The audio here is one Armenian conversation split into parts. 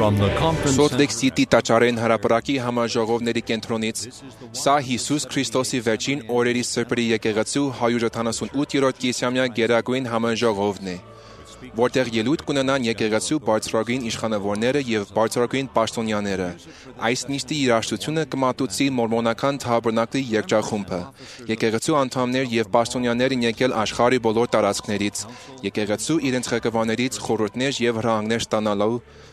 From the conference Salt Lake City տաճարեն հրապարակի համաժողովների կենտրոնից սա Հիսուս Քրիստոսի վերջին օրերի սրբերի եկեղեցու 178-րդ կիսամյա գերագույն համաժողովն է, որտեղ ելույթ կունենան եկեղեցու բարձրագույն իշխանավորները եւ բարձրագույն պաշտոնյաները։ Այս նիստի երաժշտությունը կմատուցի մորմոնական Թաբերնակլի երգչախումբը։ Եկեղեցու անդամներ եւ պաշտոնյաներ են եկել աշխարհի բոլոր տարածքներից։ Եկեղեցու իրենց ղեկավարներից խորհուրդներ եւ հրահանգներ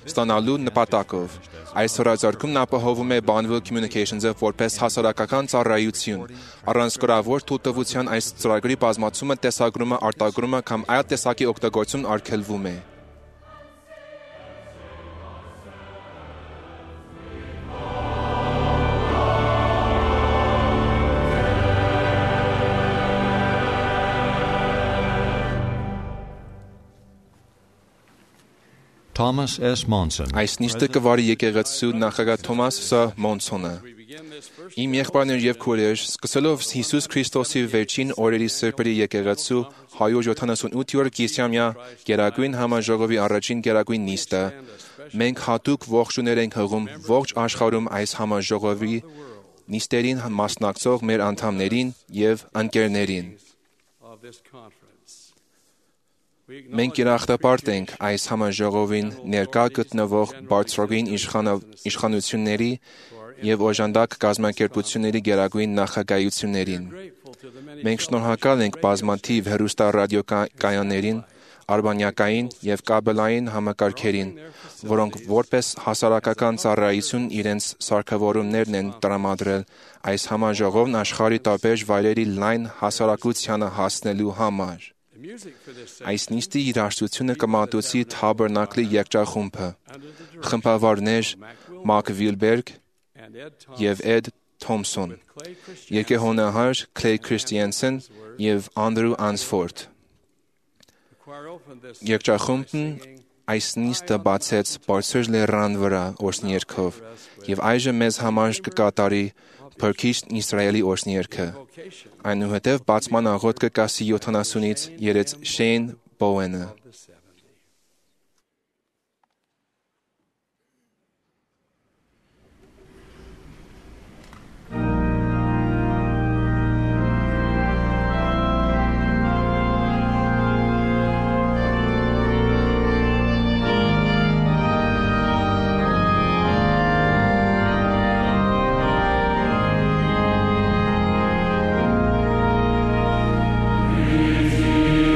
ստանալու նպատակով։ Այս հրաձգումն ապահովում է Bonneville Communications-ը որպես հասարակական ծառայություն։ Առանց գրավոր թույլտվության այս ծրագրի բազմացումը, տեսագրումը, արտագրումը կամ այլ տեսակի օգտագործում արգելվում է։ Thomas S. Monson. Այս նիստը կվարի եկեղեցու նախագահ Թոմաս Ս. Մոնսոնը։ Իմ եղբայրներ եւ քույրեր, սկսելով Հիսուս Քրիստոսի վերջին օրերի սրբերի եկեղեցու 178-րդ կիսամյա գերագույն համաժողովի առաջին գերագույն նիստը, մենք հատուկ ողջույններ ենք հղում ողջ աշխարհում այս համաժողովի նիստերին մասնակցող մեր անդամներին եւ ընկերներին։ Մենք երախտապարտ ենք այս համաժողովին ներկա գտնվող բարձրագույն իշխանությունների եւ օժանդակ կազմակերպությունների գերագույն նախագահություններին։ Մենք շնորհակալ ենք բազմաթիվ հեռուստառադիոկայաններին, արբանյակային եւ կաբելային համակարգերին, որոնք որպես հասարակական ծառայություն իրենց սարքավորումներն են տրամադրել այս համաժողովն աշխարհի տարբեր վայրերի լայն հասարակությանը հասնելու համար։ Այս նիստի երաժշտությունը կմատուցի Թաբերնակլի երգչախումբը, խմբավարներ Մակ Վիլբերգ եւ Էդ Թոմսոն, երգեհոնահար Քլեյ Քրիստիանսեն եւ Անդրու Անսֆորդ։ Երգչախումբն այս նիստը բացեց բարձր լեռան վրա օրհնյերգով եւ այժմ մեզ համար կկատարի Փրկիչ Իսրայելի օրհնյերգը։ Այնուհետև բացման աղոթքը կասի 70-ից երեց Շեյն Բոուենը։ Redeemer of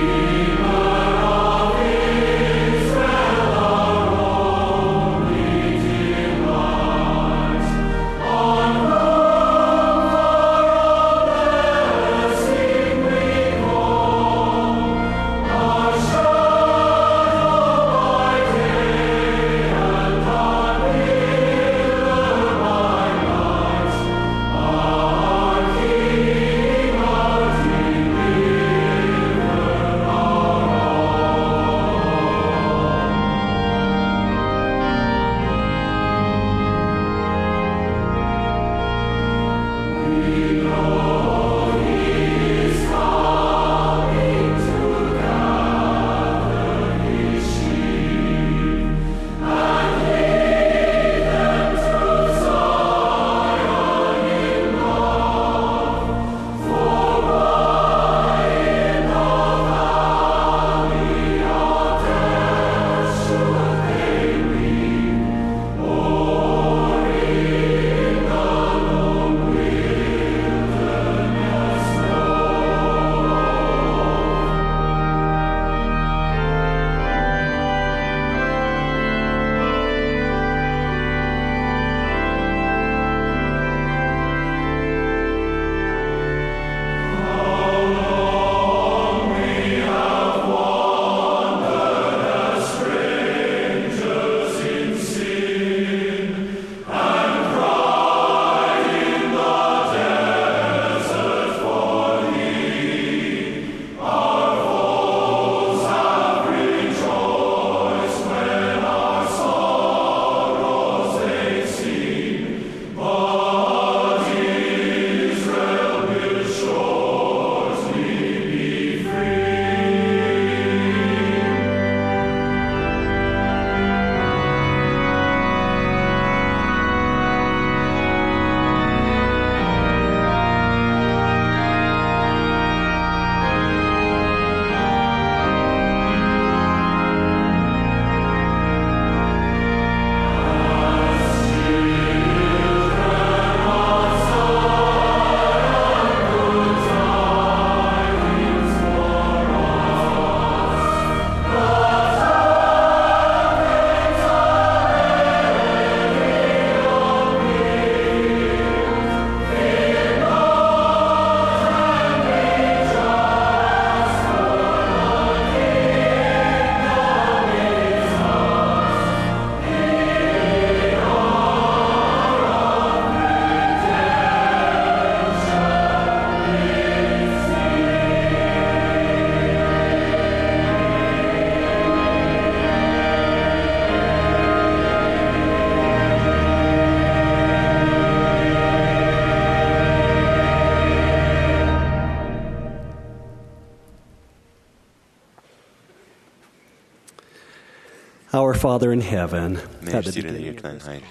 Our Father in heaven, Մեր սիրելի երկնային Հայր,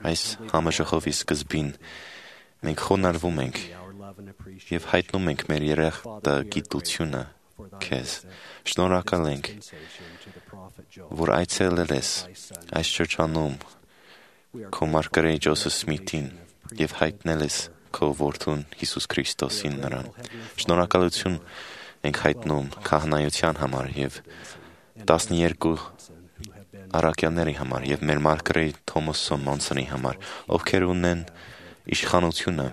այս համաժողովի սկզբին մենք խոնարհվում ենք եւ հայտնում ենք մեր երախտագիտությունը քեզ։ Շնորհակալ ենք, որ այցելել ես այս շրջանում քո մարգարե Ջոսեֆ Սմիթին եւ հայտնել ես քո որդուն Հիսուս Քրիստոսին նրան։ Շնորհակալություն ենք հայտնում քահանայության համար եւ 12 առաքյալների համար եւ մեր մարգարե Թոմաս Սոմոնսոնի համար, ովքեր ունեն իշխանությունը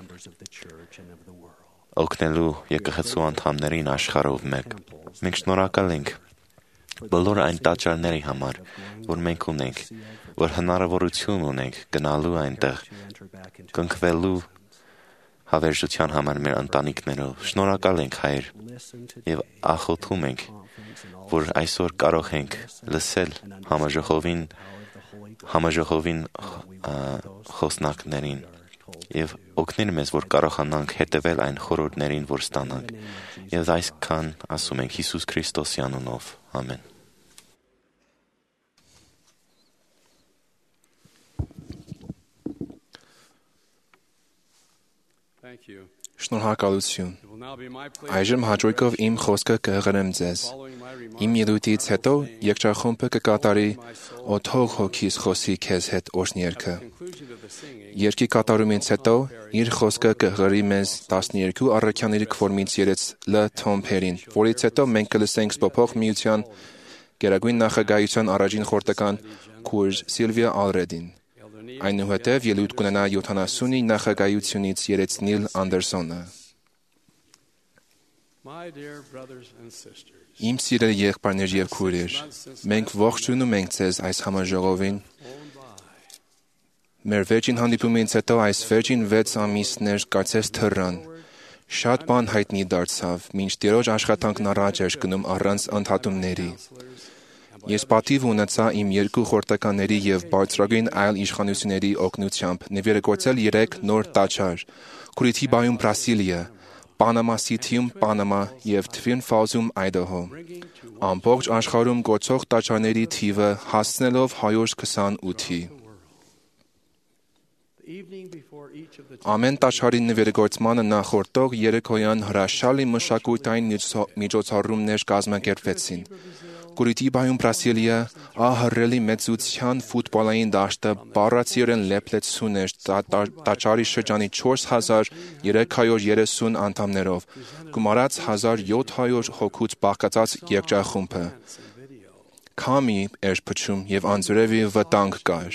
օգնելու եկեղեցու անդամներին աշխարհով մեկ։ Մենք շնորհակալ ենք բոլոր այն տաճարների համար, որ մենք ունենք, որ հնարավորություն ունենք գնալու այնտեղ, կնքվելու հավերժության համար մեր ընտանիքներով։ Շնորհակալ ենք, Հայր, եւ աղոթում ենք, որ այսօր կարող ենք լսել համաժողովին խոսնակներին եւ օգնել մեզ, որ կարողանանք հետևել այն խորհուրդներին, որ ստանանք։ Եվ այսքան ասում ենք Հիսուս Քրիստոսի անունով։ Ամեն։ Շնորհակալություն։ Այժմ հաջողով իմ խոսքը կհղրեմ ձեզ։ Իմ ելույթից հետո երգչախումբը կկատարի «Օթող հոգիս խոսի քեզ հետ» օրհներգը։ Երգի կատարումից հետո իր խոսքը կհղրի մեզ 12 առաքյալների քվորումից երեց Լ. Թոմ Փերին, որից հետո մենք կլսենք Սփոփող միության գերագույն նախագահության առաջին խորհրդական քուրջ Սիլվիա Ալրեդին։ Այնուհետև ելույթ կունենա 70-ի նախագահությունից երեց Նիլ Անդերսոնը։ Իմ սիրելի եղբայրներ եւ քույրեր, մենք ողջունում ենք ձեզ այս համաժողովին։ Մեր վերջին հանդիպումից հետո այս վերջին 6 ամիսներ կարծես թռան։ Շատ բան հայտնի դարձավ, մինչ Տիրոջ աշխատանքն առաջ էր գնում առանց ընդհատումների։ Ես պատիվ ունեցա իմ երկու խորհրդականների եւ բարձրագույն այլ իշխանությունների օգնությամբ նվիրագործել 3 նոր տաճար՝ Քուրիթիբայում Բրասիլիա, Պանամա Սիթիում Պանամա եւ Թվին Ֆալզում Այդահո։ Ամբողջ աշխարհում գործող տաճարների թիվը հասնելով 128-ի։ Ամեն տաճարի նվիրագործմանը նախորդող երեկոյան հրաշալի մշակութային միջոցառումներ կազմակերպվեցին։ Քուրիթիբայում Բրասիլիա ահռելի մեծության ֆուտբոլային դաշտը բառացիորեն լեփլեցուն էր տաճարի շրջանի 4330 անդամներով, գումարած 1700 հոգուց բաղկացած երգչախումբը։ Քամի էր փչում եւ անձրևի վտանգ կար։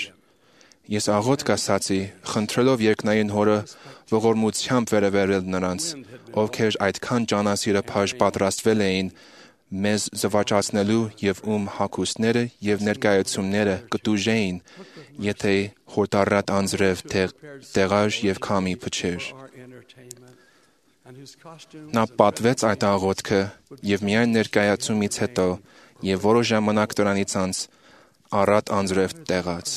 Ես աղոթ կասացի, խնդրելով երկնային հորը ողորմությամբ վերաբերել նրանց, ովքեր այդքան ճանասիրափաշ պատրաստվել էին մեզ զվարճացնելու եւ ում հագուստները եւ ներկայացումները կտուժեին, եթե հորդառատ անձրև տեղար եւ քամի փչեր։ Նա պատվեց այդ աղոթքը եւ միայն ներկայացումից հետո եւ որոշ ժամանակ դրանից անց առատ անձրև տեղաց։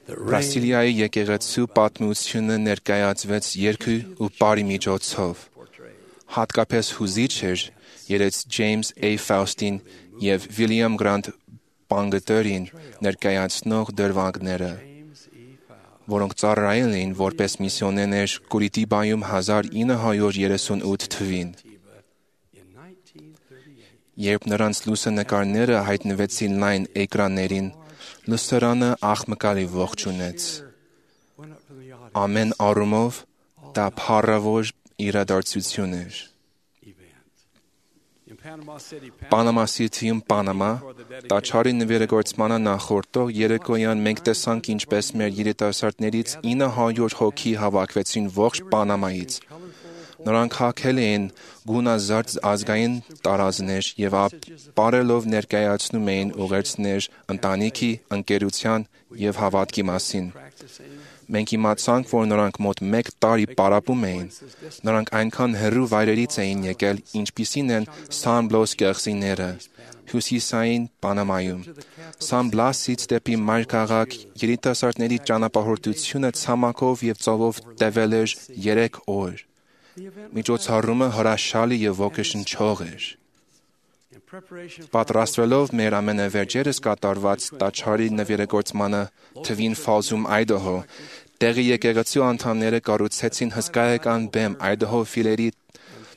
Բրասիլիայի եկեղեցու պատմությունը ներկայացվեց երգի ու պարի միջոցով։ Հատկապես հուզիչ էր երեց Ջեյմս A. Ֆաուստին եւ Վիլիամ Գրանտ Պանգտերին ներկայացնող դրվագները, որոնք ծառայել էին որպես միսիոներներ Քուրիթիբայում 1938 թվին։ Երբ նրանց լուսանկարները հայտնվեցին լայն էկրաններին, լուսարանը աղմկալի ողջունեց։ Ամեն առումով դա փառավոր իրադարձություն էր։ Պանամա Սիթիում Պանամա տաճարի նվիրագործմանը նախորդող երեկոյան մենք տեսանք ինչպես մեր երիտասարդներից 900 հոգի հավաքվեցին ողջ Պանամայից։ Նրանք հագել էին գունազարդ ազգային տարազներ եւ ապարելով ներկայացնում էին ուղերձներ ընտանիքի, ընկերության եւ հավատքի մասին։ Մենք իմացանք, որ նրանք մոտ 1 տարի պարապում էին։ Նրանք այնքան հեռու վայրերից էին եկել, ինչպիսին են Սան Բլոս կղզիները, հյուսիսային Պանամայում։ Սան Բլասից դեպի մայրքաղաք երիտասարդների ճանապարհորդությունը ցամաքով եւ ծովով տևել էր 3 օր։ Միջոցառումը հրաշալի եւ ոգեշնչող էր։ Պատրաստվելով մեր ամենավերջերս կատարված տաճարի նվիրագործմանը Twin Falls-ում Idaho, տեղի եկեղեցու անդամները կառուցեցին հսկայական բեմ Idaho ֆիլերի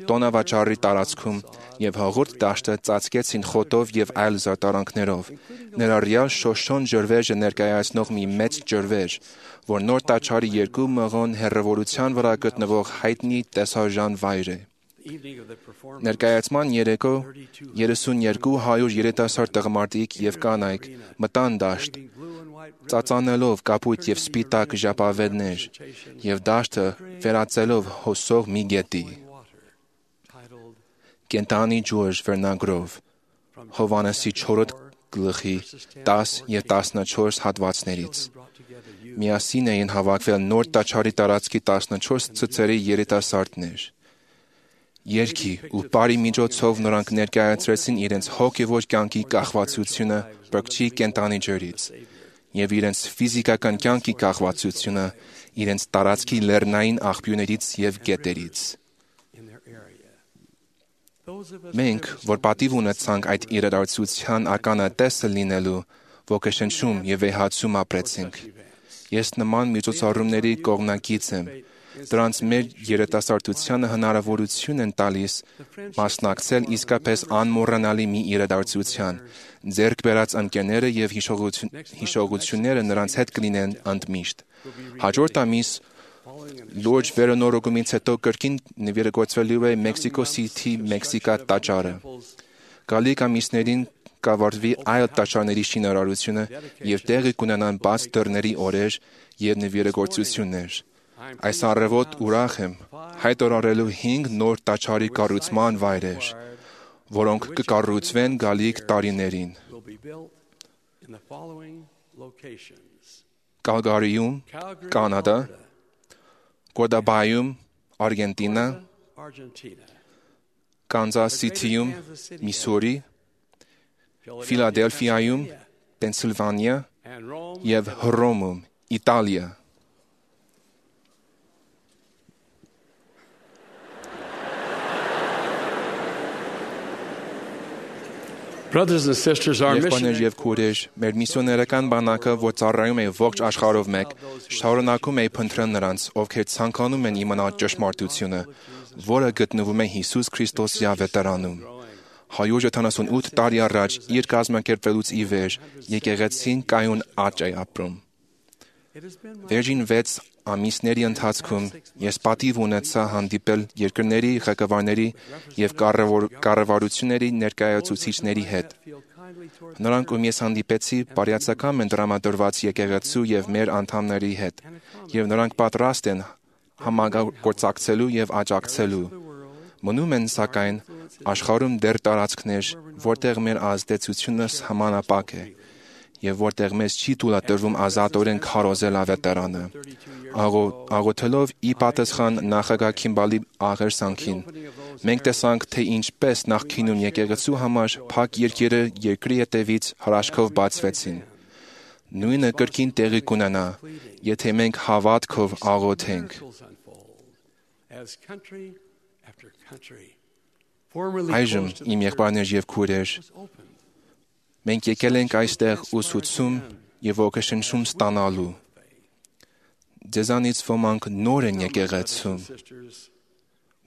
տոնավաճառի տարածքում եւ հաղորդ դաշտը ծածկեցին խոտով եւ այլ զարդարանքներով, ներառյալ շոշոն ջրվեժը ներկայացնող մի մեծ ջրվեժ, որ նոր տաճարի երկու մղոն հեռավորության վրա գտնվող հայտնի տեսարժան վայր է։ Ներկայացման երեկո 3200 երիտասարդ տղամարդիկ եւ կանայք մտան դաշտ, ծածանելով կապույտ եւ սպիտակ ժապավեններ եւ դաշտը վերածելով հոսող մի գետի։ Կենտանի ջուրջ վերնագրով Հովանեսի 4 գլխի 10 եւ 14 հատվածներից։ Միասին էին հավաքվել նոր տաճարի տարածքի 14 ցուցերի երիտասարդներ։ Երգի ու բարի միջոցով նրանք ներկայացրեցին իրենց հոգևոր կյանքի կախվածությունը բրգչի կենտանի ջրից եւ իրենց ֆիզիկական կյանքի կախվածությունը իրենց տարածքի լեռնային աղբյուրներից եւ գետերից։ Մենք, որ պատիվ ունեցանք այդ իրադարձության ականատեսը լինելու, ոգեշնչում եւ վեհացում ապրեցինք։ Ես նման միջոցառումների կողմնակից եմ։ Դրանց մեր երիտասարդությանը հնարավորություն են տալիս մասնակցել իսկապես անմոռանալի մի իրադարձության, ձեռք բերած ընկերները եւ հիշողությունները նրանց հետ կլինեն ընդմիշտ։ Հաջորդ ամիս լուրջ վերանորոգումից հետո կրկին նվիրագործվելու է Մեքսիկո Սիթի Մեքսիկա տաճարը։ Գալիք ամիսներին կավարտվի այլ տաճարների շինարարությունը եւ տեղի կունենան բաց դռների օրեր եւ նվիրագործություններ։ Այս առավոտ ուրախ եմ հայտարարելու 5 նոր տաճարի կառուցման վայրեր, որոնք կկառուցվեն գալիք տարիներին։ Կալգարիում, Կանադա, Կորդոբայում, Արգենտինա, Կանզաս Սիթիում, Միսսուրի, Ֆիլադելֆիայում, Պենսիլվանիա եւ Հռոմում, Իտալիա։ Եղբայրներ եւ քույրեր, մեր միսիոներական բանակը, որ ծառայում է ողջ աշխարհով մեկ, շարունակում է փնտրել նրանց, ովքեր ցանկանում են իմանալ ճշմարտությունը, որը գտնվում է Հիսուս Քրիստոսի ավետարանում։ 178 տարի առաջ իր կազմակերպվելուց ի վեր եկեղեցին կայուն աճ է ապրում։ Վերջին 6 ամիսների ընթացքում ես պատիվ ունեցա հանդիպել երկրների ղեկավարների եւ կառավարությունների ներկայացուցիչների հետ։ Նրանք, ում ես հանդիպեցի, բարյացակամ են տրամադրված եկեղեցու եւ մեր անդամների հետ, եւ նրանք պատրաստ են համագործակցելու եւ աջակցելու։ Մնում են, սակայն, աշխարհում դեռ տարածքներ, որտեղ մեր ազդեցությունը սահմանափակ է եւ որտեղ մեզ չի թույլատրվում ազատորեն քարոզել ավետարանը։ Աղոթելով ի պատասխան նախագահ Քիմբալի աղերսանքին, մենք տեսանք, թե ինչպես նախկինում եկեղեցու համար փակ երկիրը երկրի հետևից հրաշքով բացվեցին։ Նույնը կրկին տեղի կունենա, եթե մենք հավատքով աղոթենք։ Այժմ, իմ եղբայրներ եւ քույրեր, մենք եկել ենք այստեղ ուսուցում եւ ոգեշնչում ստանալու։ Ձեզանից ոմանք նոր են եկեղեցում։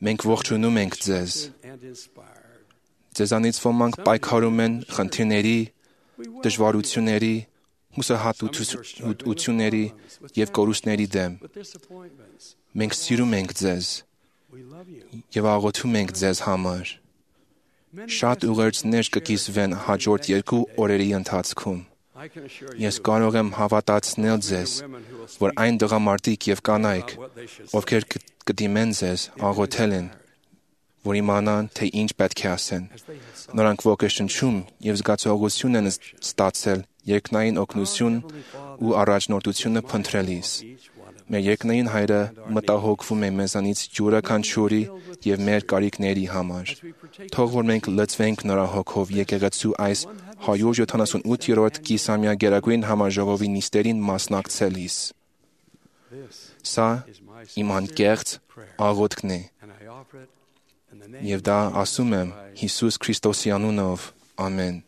Մենք ողջունում ենք ձեզ։ Ձեզանից ոմանք պայքարում են խնդիրների, դժվարությունների, հուսահատությունների եւ կորուստների դեմ։ Մենք սիրում ենք ձեզ եւ աղոթում ենք ձեզ համար։ Շատ ուղերձներ կկիսվեն հաջորդ 2 օրերի ընթացքում։ Ես կարող եմ հավատացնել ձեզ, որ այն տղամարդիկ եւ կանայք, ովքեր կդիմեն ձեզ, աղոթել են, որ իմանան, թե ինչ պետք է ասեն։ Նրանք ոգեշնչում եւ զգացողություն են ստացել երկնային օգնություն ու առաջնորդությունը փնտրելիս։ Մեր երկնային Հայրը մտահոգվում է մեզանից յուրաքանչյուրի եւ մեր կարիքների համար։ Թող որ մենք լցվենք նրա հոգով եկեղեցու այս 178-րդ կիսամյա գերագույն համաժողովի նիստերին մասնակցելիս։ Սա իմ անկեղծ աղոթքն է, եւ դա ասում եմ Հիսուս Քրիստոսի անունով, ամեն։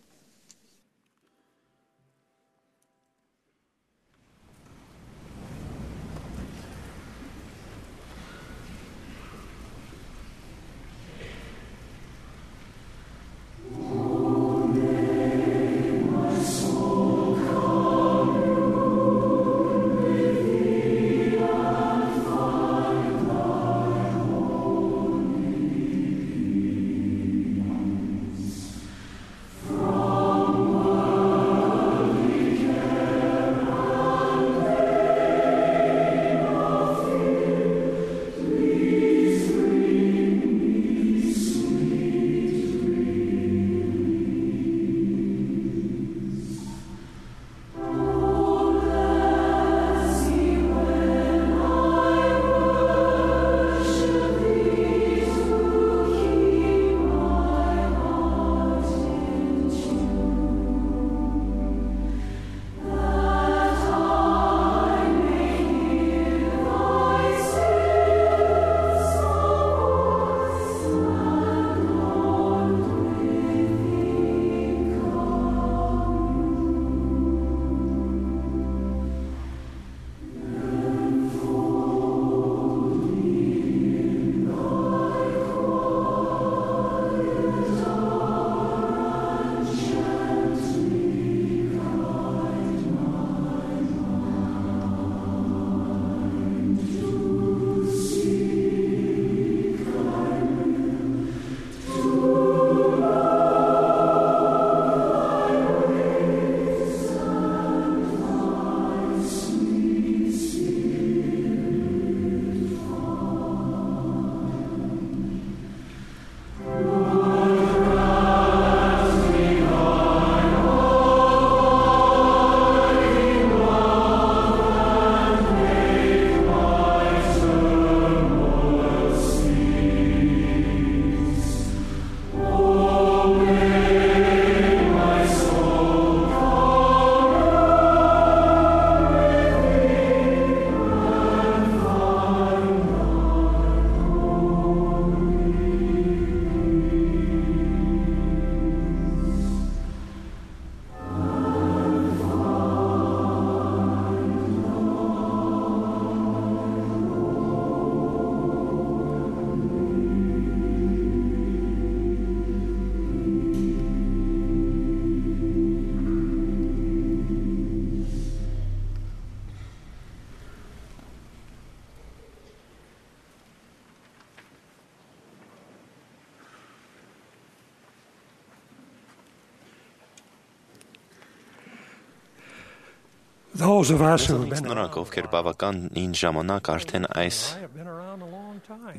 Those of us who have been Նրանք, ովքեր բավականին ժամանակ արդեն այս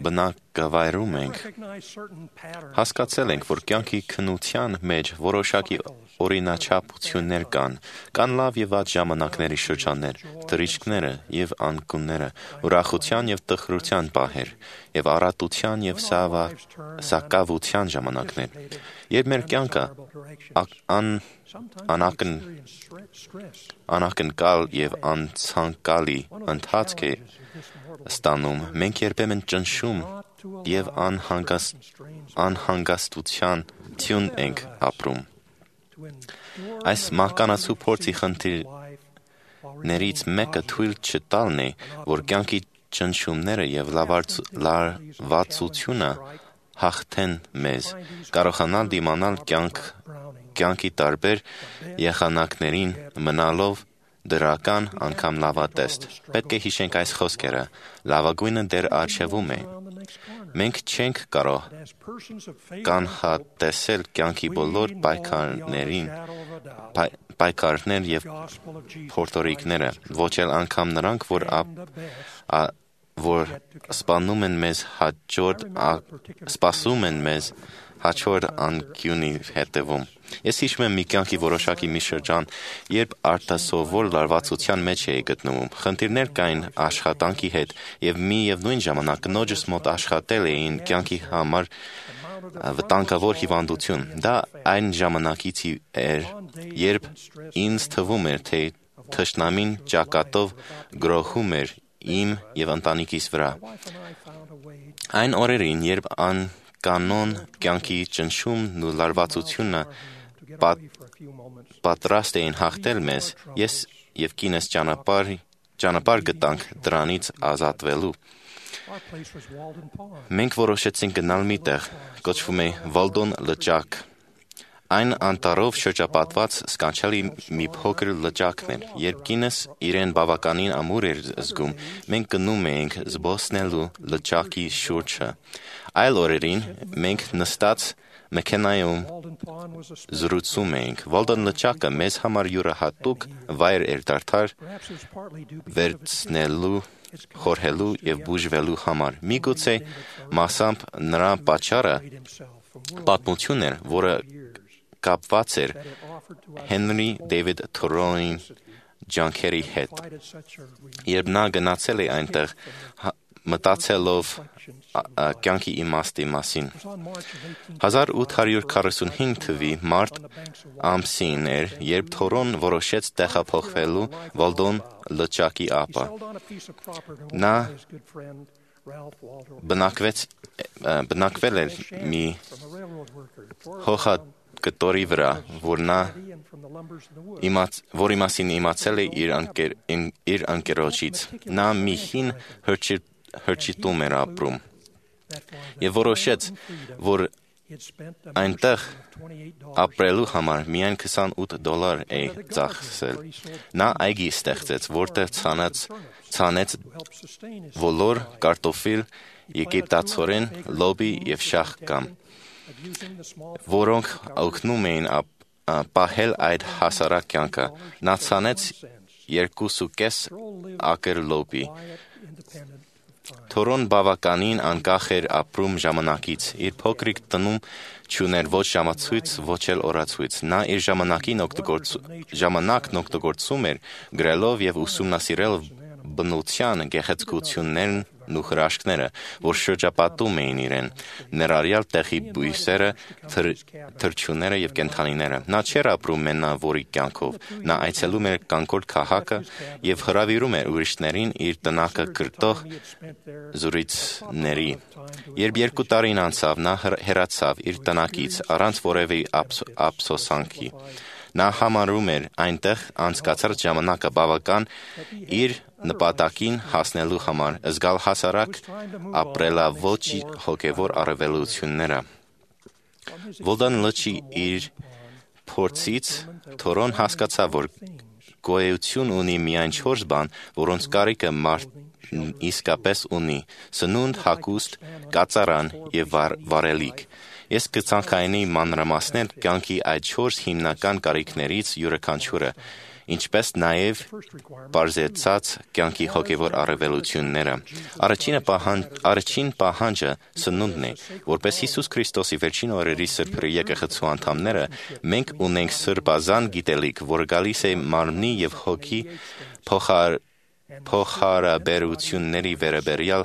բնակավայրում ենք, հասկացել ենք, որ կյանքի քննության մեջ որոշակի օրինաչափություններ կան լավ եւ վատ ժամանակների շրջաններ, թռիչքները եւ անկյունները, ուրախության եւ տխրության պահեր, եւ առատության եւ սակավության ժամանակներ։ Երբ մեր կյանքը անակնկալ եւ անցանկալի ընթացք է ստանում, մենք երբեմն ճնշում եւ անհանգստության թյուն ենք ապրում։ Այս մահկանացու փորձի խնդիրներից մեկը թույլ չտալն է, որ կյանքի ճնշումները եւ լարվածությունը հաղթեն մեզ, կարողանալ դիմանալ կյանքի տարբեր եղանակներին մնալով դրական անգամ լավատեստ։ Պետք է հիշենք այս խոսքերը. լավագույնը դեռ առջևում է։ Մենք չենք կարող կանխատեսել կյանքի բոլոր պայքարներ եւ փորձորիկները, ոչ էլ անգամ նրանք, որ սպասում են մեզ հաջորդ անկյունի հետևում։ Ես հիշում եմ մի կյանքի որոշակի մի շրջան, երբ արտասովոր լարվածության մեջ էի գտնվում։ Խնդիրներ կային աշխատանքի հետ եւ միևնույն ժամանակ կնոջս մոտ աշխատել էին կյանքի համար վտանգավոր հիվանդություն։ Դա այն ժամանակից էր, երբ ինձ թվում էր, թե թշնամին ճակատով գրոհում էր իմ և ընտանիքիս վրա։ Այն օրերին, երբ անկանոն կյանքի ճնշումն ու լարվածությունը պատրաստ էին հաղթել մեզ, ես և կինս ճանապարհ գտանք դրանից ազատվելու։ Մենք որոշեցինք գնալ մի տեղ, կոչվում է Վալդոն լճակ։ Այն անտառով շրջապատված սքանչելի մի փոքր լճակն էր։ Երբ կինս իրեն բավականին ամուր էր զգում, մենք գնում էինք զբոսնելու լճակի շուրջը։ Այլ օրերին մենք նստած մեքենայում զրուցում էինք։ Վալդոն լճակը մեզ համար յուրահատուկ վայր էր դարձել վերցնելու, խորհելու և բուժվելու համար։ Միգուցե մասամբ նրա պատճառը պատմություն էր, որը կապված էր Հենրի Դեյվիդ Թորոուի ջանքերի հետ։ Երբ նա գնացել է այնտեղ, մտածելով կյանքի իմաստի մասին։ 1845 թվականի մարտ ամսին էր, երբ Թորոն որոշեց տեղափոխվելու Վալդոն լճակի ափը։ Նա բնակվել էր մի հողագտորի վրա, որի մասին իմացել է իր ընկերոջից։ Նա մի հին հրճիտում էր ապրում և որոշեց, որ այնտեղ ապրելու համար միայն $28 է ծախսել։ Նա այգի ստեղծեց, որտեղ ցանեց ոլոր, կարտոֆիլ, եգիպտացորեն, լոբի և շաղկամ, որոնք օգնում էին պահել այդ հասարակ կյանքը։ Նա ցանեց 2.5 ակր լոբի։ Թորոն բավականին անկախ էր ապրում ժամանակից։ Իր փոքրիկ տնում չուներ ոչ ժամացույց, ոչ էլ օրացույց։ Նա իր ժամանակն օգտագործում էր գրելով և ուսումնասիրելով բնության գեղեցկություններն ու հրաշքները, որ շրջապատում էին իրեն, ներառյալ տեղի բույսերը, թռչունները և կենդանիները։ Նա չէր ապրում մենավորի կյանքով։ Նա այցելում էր կանգործ քաղաքը և հրավիրում էր ուրիշներին իր տնակը կրտող զրույցների։ Երբ 2 տարին անցավ, նա հեռացավ իր տնակից առանց որևէ ափսոսանքի։ Նա համարում էր այնտեղ անցկացած ժամանակը բավական իր նպատակին հասնելու համար, զգալ հասարակ ապրելաոճ հոգևոր առավելությունները։ Վալդոն լճի իր փորձից Թորոն հասկացավ, որ գոյություն ունի միայն 4 բան, որոնց կարիքը մարդն իսկապես ունի՝ սնունդ, հագուստ, կածարան և վարելիք։ Ես կցանկանայի մանրամասնել կյանքի այդ 4 հիմնական կարիքներից յուրաքանչյուրը, ինչպես նաև պարզեցած կյանքի հոգևոր առավելությունները։ Առաջին պահանջը սնունդն է։ Որպես Հիսուս Քրիստոսի վերջին օրերի Սրբերի եկեղեցու անդամները, մենք ունենք սրբազան գիտելիք, որը գալիս է մարմնի և հոգի փոխհարաբերությունների վերաբերյալ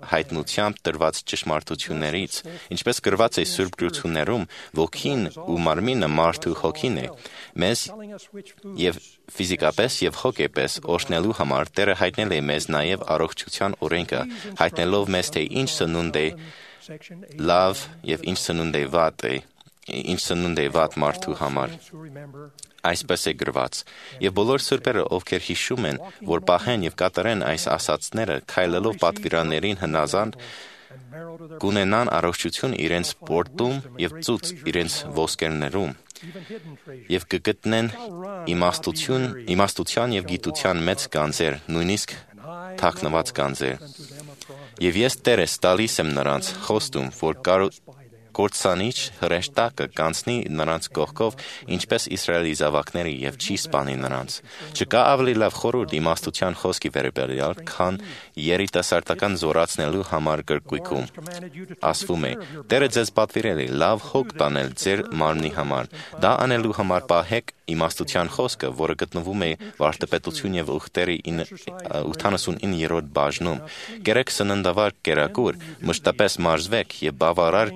հայտնությամբ տրված ճշմարտություններից, ինչպես գրված է Սուրբ Գրություններում, ոգին ու մարմինը մարդու հոգին է։ Մեզ և ֆիզիկապես և հոգեպես օրհնելու համար Տերը հայտնել է մեզ նաև առողջության օրենքը, հայտնելով մեզ, թե ինչ սնունդ է լավ և ինչ սնունդ է վատ մարդու համար։ Այսպես է գրված. «Եվ բոլոր սրբերը, ովքեր հիշում են, որ պահեն և կատարեն այս ասացները, քայլելով պատվիրաններին հնազանդ, կունենան առողջություն իրենց պորտում և ծուծ իրենց ոսկերներում, և կգտնեն իմաստության և գիտության մեծ գանձեր, նույնիսկ թաքնված գանձեր։ Եվ ես Տերս տալիս եմ նրանց խոստում, որ կործանիչ հրեշտակը կանցնի նրանց կողքով, ինչպես Իսրայելի զավակների, և չի սպանի նրանց։ Չկա ավելի լավ խորհուրդ իմաստության խոսքի վերաբերյալ, քան երիտասարդական զորացնելու համար գրքույկում ասվում է. Տերը ձեզ պատվիրել է լավ հոգ տանել ձեր մարմնի համար։ Դա անելու համար պահեք իմաստության խոսքը, որը գտնվում է վարդապետություն եւ ուխտերի 89-րդ բաժնում։ Կերեք սննդավար կերակուր, մշտապես մարզվեք եւ բավարար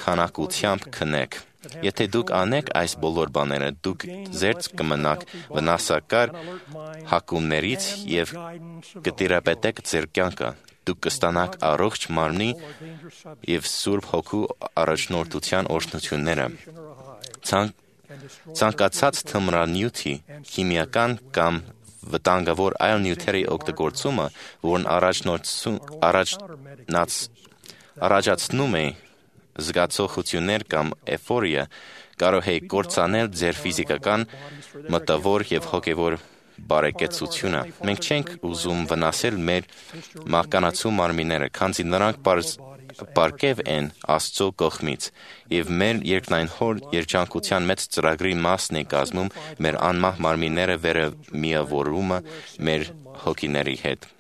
քանակությամբ քնեք։ Եթե դուք անեք այս բոլոր բաները, դուք զերծ կմնաք վնասակար հակումներից եւ կտիրապետեք ձեր կյանքը։ Դուք կստանաք առողջ մարմնի եւ Սուրբ Հոգու առաջնորդության օրհնությունները։ Ցանկացած թմրանյութի, քիմիական կամ վտանգավոր այլ նյութերի օգտագործումը, որն առաջացնում է զգացողություններ կամ էֆորիա, կարող է կործանել ձեր ֆիզիկական, մտավոր եւ հոգեվոր բարեկեցությունը։ Մենք չենք ուզում վնասել մեր մահկանացու մարմինները, քանզի նրանք պարգև են Աստծո կողմից, եւ մեր երկնային Հոր երջանկության մեծ ծրագրի մասն է կազմում մեր անմահ մարմինները վերամիավորումը մեր հոգիների հետ։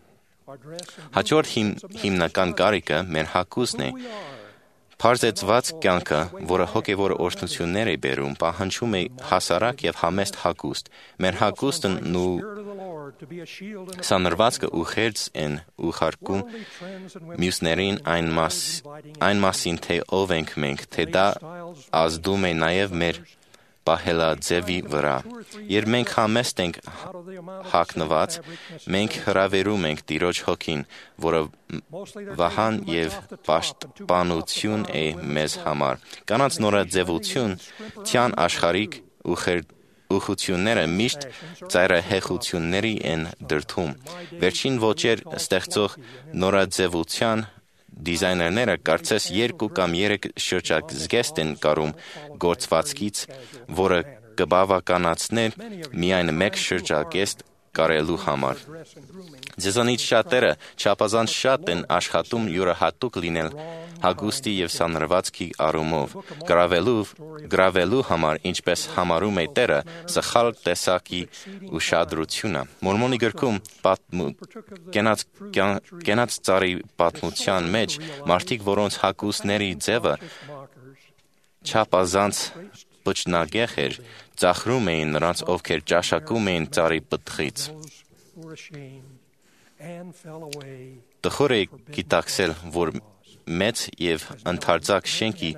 Հաջորդ հիմնական կարիքը մեր հագուստն է։ Պարզեցված կյանքը, որը հոգևոր օրհնություններ է բերում, պահանջում է հասարակ եւ համեստ հագուստ։ Մեր հագուստն ու սանրվածքը ուղերձ են ուղարկում մյուսներին այն մասին, թե ով ենք մենք, թե դա ազդում է նաեւ մեր պահելաձևի վրա։ Երբ մենք համեստ ենք հագնված, մենք հրավերում ենք Տիրոջ հոգին, որը վահան եւ պաշտպանություն է մեզ համար։ Կանանց նորաձևություն, թյան աշխարհիկ ուխությունները միշտ ծայրահեղությունների են դրդում։ Վերջին ոճեր ստեղծող նորաձևության դիզայներները կարծես 2 կամ 3 շրջազգեստ են կարում գործվածքից, որը կբավականացներ միայն 1 շրջազգեստ կարելու համար։ Ձեզանից շատերը չափազանց շատ են աշխատում յուրահատուկ լինել հագուստի եւ սանրվածքի առումով, գրավելու համար, ինչպես համարում է Տերը, սխալ տեսակի ուշադրությունը։ Մորմոնի գրքում կենաց ծառի պատմության մեջ մարդիկ, որոնց հագուստների ձևը չափազանց բջնագեղ էր, ծաղրում էին նրանց, ովքեր ճաշակում էին ծառի պտղից։ Տխուր է գիտակցել, որ մեծ եւ ընդարձակ շենքի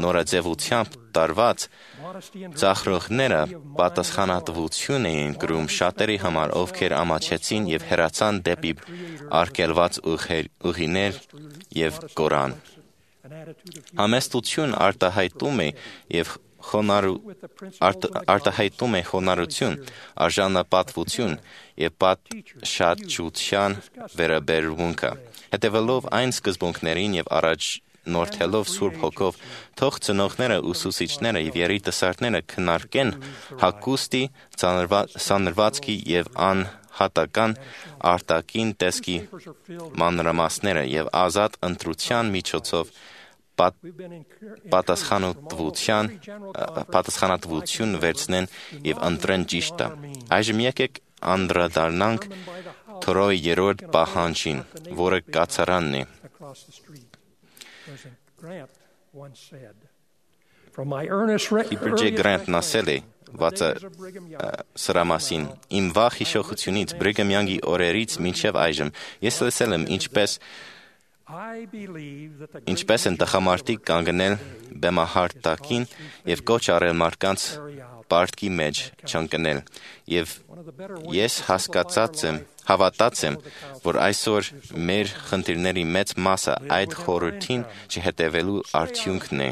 նորաձևությամբ տարված ծաղրողները պատասխանատվություն էին կրում շատերի համար, ովքեր ամաչեցին եւ հեռացան դեպի արգելված ուղիներ եւ կորան։ Համեստություն արտահայտում է խոնարհություն, արժանապատվություն եւ պատշաճության վերաբերմունքը։ Հետևելով այն սկզբունքներին եւ առաջնորդելով Սուրբ Հոգով, թող ծնողները, ուսուցիչները եւ երիտասարդները քննարկեն հագուստի, սանրվածքի եւ անհատական արտաքին տեսքի մանրամասները եւ ազատ ընտրության միջոցով պատասխանատվություն վերցնեն եւ ընտրեն ճիշտը։ Այժմ եկեք անդրադառնանք Թորոյի 3-րդ պահանջին, որը կացարանն է։ Հիպրիջե Գրանտն ասել է սրա մասին. «Իմ վաղ հիշողությունից Բրիգհամ Յանգի օրերից մինչև այժմ ես լսել եմ ինչպես են տղամարդիկ կանգնել բեմահարտակին եւ կոչ արել մարդկանց պարտքի մեջ չընկնել, եւ ես հավատած եմ, որ այսօր մեր խնդիրների մեծ մասը այդ խորհրդին չհետևելու արդյունքն է։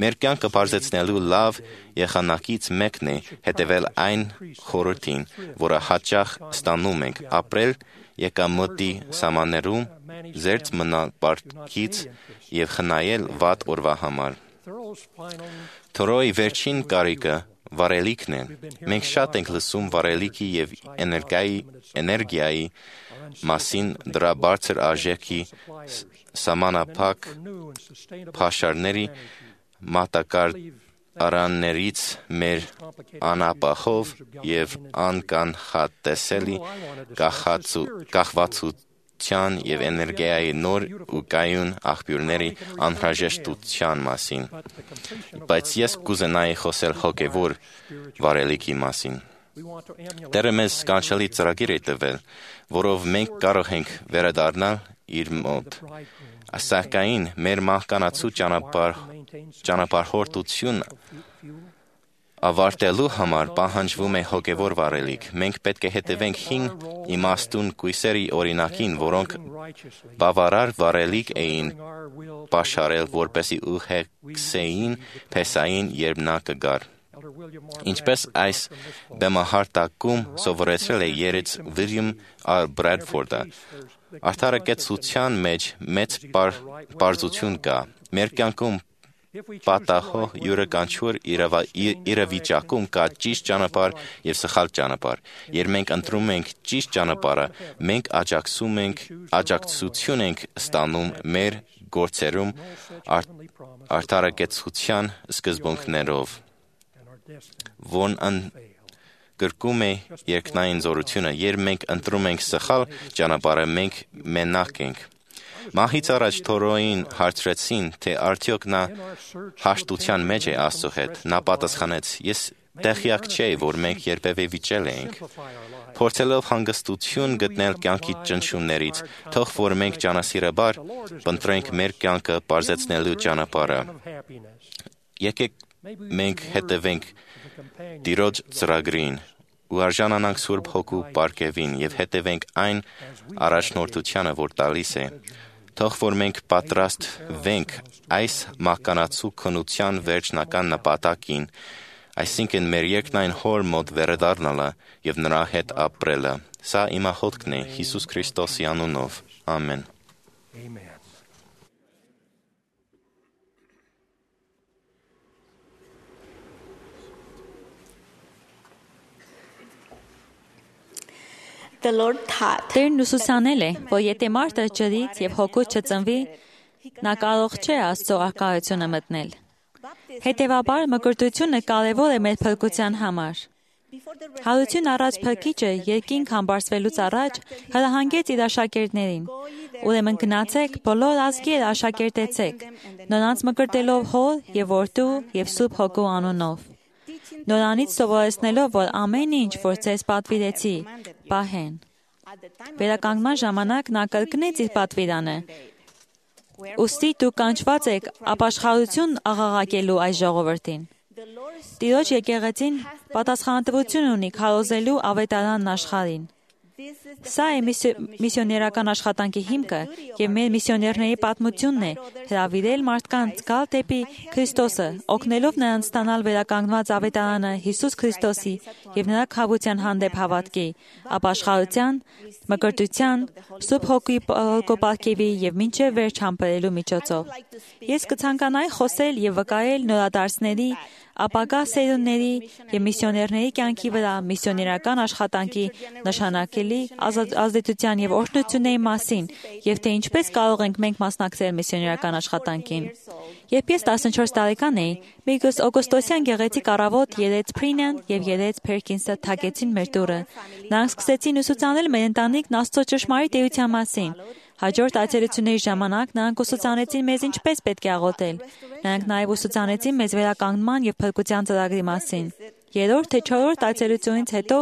Մեր կյանքը բարձեցնելու լավ եղանակից մեկն է հետևել այն խորհրդին, որը հաճախ ստանում ենք, ապրել եկամտի սահմաններում, զերծ մնալ պարտքից եւ խնայել վատ օրվա համար։ Թորոյի վերջին կարիքը վարելիքն է։ Մենք շատ ենք լսում վարելիքի եւ էներգիայի մասին, դրա բարձր արժեքի, սահմանափակ փաշարների, մատակարարներից մեր անապահով եւ անկանխատեսելի կախվածության հաղորդության եւ էներգիայի նոր ու կայուն աղբյուրների անհրաժեշտության մասին։ Բայց ես կուզենայի խոսել հոգևոր վարելիքի մասին։ Տերը մեզ սքանչելի ծրագիր է տվել, որով մենք կարող ենք վերադառնալ իր մոտ։ Սակայն մեր մահկանացու ճանապարհորդություն ավարտելու համար պահանջվում է հոգևոր վարելիք։ Մենք պետք է հետևենք 5 իմաստուն կույսերի օրինակին, որոնք բավարար վարելիք էին պաշարել, որպեսզի ուղեկցեին Փեսային, երբ նա կգար։ Ինչպես այս բեմահարտակում սովորեցրել է երեց Վիլյամ Բրեդֆորդը, արդարակեցության մեջ մեծ պարզություն կա։ Մեր կյանքում պատահող յուրաքանչյուր իրավիճակում կա ճիշտ ճանապարհ եւ սխալ ճանապարհ։ Երբ մենք ընտրում ենք ճիշտ ճանապարհը, մենք աջակցություն ենք ստանում մեր գործերում արդարակեցության սկզբունքներով, որն ընդգրկում է երկնային զորությունը։ Երբ մենք ընտրում ենք սխալ ճանապարհը, մենք մենակ ենք։ Մահից առաջ Թորոյին հարցրեցին, թե արդյոք նա հաշտության մեջ է Աստծո հետ։ Նա պատասխանեց. ես տեղյակ չէի, որ մենք երբևէ վիճել էինք։ Փորձելով հանգստություն գտնել կյանքի ճնշումներից, թող որ մենք ճանասիրաբար փնտրենք մեր կյանքը պարզեցնելու ճանապարհը։ Եկեք մենք հետևենք Տիրոջ ծրագրին ու արժանանանք Սուրբ Հոգու պարգևին եւ հետևենք այն առաջնորդությանը, որ տալիս է։ Թող որ մենք պատրաստվենք այս մահկանացու քննության վերջնական նպատակին, այսինքն մեր երկնային հոր մոտ վերադառնալը եւ նրա հետ ապրելը։ Սա իմ աղոթքն է Հիսուս Քրիստոսի անունով։ Ամեն։ Տերն ուսուցանել է, որ եթե մարդը ջրից եւ հոգուց չծնվի, նա կարող չէ Աստծո առկայությունը մտնել։ Հետևաբար մկրտությունը կարևոր է մեր փրկության համար։ Հարություն առաջ փրկիչը երկինք համբարձվելուց առաջ հրահանգեց իր աշակերտներին. ուրեմն գնացեք, բոլոր ազգեր աշակերտեցեք, նրանց մկրտելով Հոր եւ Որդու եւ Սուրբ Հոգու անունով։ Նրանից սովորեցնելով, որ ամեն ինչ, որ ձեզ պատվիրեցի, պահեն։ Վերականգնման ժամանակ նա կրկնեց իր պատվիրանը։ Ուստի դուք կանչված եք ապաշխարություն աղաղակելու այս ժողովրդին։ Տիրոջ եկեղեցին պատասխանատվություն ունի քարոզելու ավետարանն աշխարհին։ Սա է միսիոներական աշխատանքի հիմքը եւ մեր միսիոներների պատմությունն է հրավիրել մարդկանց գալ դեպի Քրիստոսը, օգնելով նրանց ստանալ վերականգնված ավետարանը Հիսուս Քրիստոսի եւ նրա քավության հանդեպ հավատքի, ապաշխարության, մկրտության, Սուրբ Հոգուի պարգևի եւ մինչեւ վերջ համբերելու միջոցով։ Ես կցանկանայի խոսել եւ վկայել նորադարձների, ապագա սերունդների եւ միսիոներների կյանքի վրա միսիոներական աշխատանքի նշանակելի ազդեցության եւ օրհնությունների մասին եւ թե ինչպես կարող ենք մենք մասնակցել միսիոներական աշխատանքին։ Երբ ես 14 տարեկան էի, Միգոս Օգոստոսյան գեղեցիկ առավոտ երեց Փրինյան եւ երեց Փերքինսը թակեցին մեր դուռը։ Նրանք սկսեցին ուսուցանել մեր ընտանիքն Աստծո ճշմարիտ էության մասին։ Հաջորդ այցելությունների ժամանակ նրանք ուսուցանեցին մեզ ինչպես պետք է աղոթել։ Նրանք նաև ուսուցանեցին մեզ վերականգնման եւ փրկության ծրագրի մասին։ Երրորդ թե չորրորդ այցելությունից հետո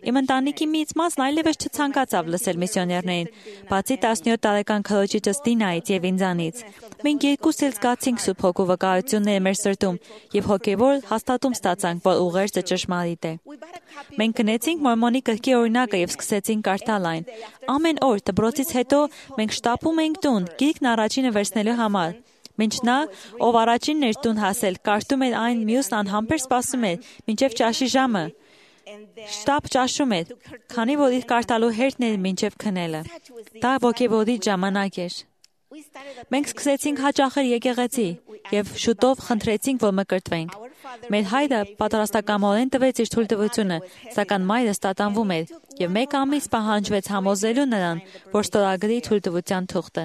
իմ ընտանիքի մեծ մասն այլևս չցանկացավ լսել միսիոներներին, բացի 17 տարեկան քրոջիցս Դինայից եւ ինձանից։ Մենք երկուսս էլ զգացինք Սուրբ Հոգու վկայությունները մեր սրտում եւ հոգեվոր հաստատում ստացանք, որ ուղերձը ճշմարիտ է։ Մենք գնեցինք Մորմոնի գրքի օրինակը եւ սկսեցինք կարդալ այն։ Ամեն օր դպրոցից հետո մենք շտապում էինք տուն, գիրքն առաջինը վերցնելու համար։ Մինչ նա, ով առաջինն էր տուն հասել, կարդում էր այն, մյուսն անհամբեր սպասում էր, մինչև ճաշի ժամը։ Շտապ ճաշում էր, քանի որ իր կարդալու հերթն էր մինչև քնելը։ Դա ոգևորիչ ժամանակ էր։ Մենք սկսեցինք հաճախել եկեղեցի եւ շուտով խնդրեցինք, որ մկրտվենք։ Մեր հայրը պատրաստակամորեն տվեց իր թույլտվությունը, սակայն մայրս տատանվում էր եւ մեկ ամիս պահանջվեց համոզելու նրան, որ ստորագրի թույլտվության թուղթը։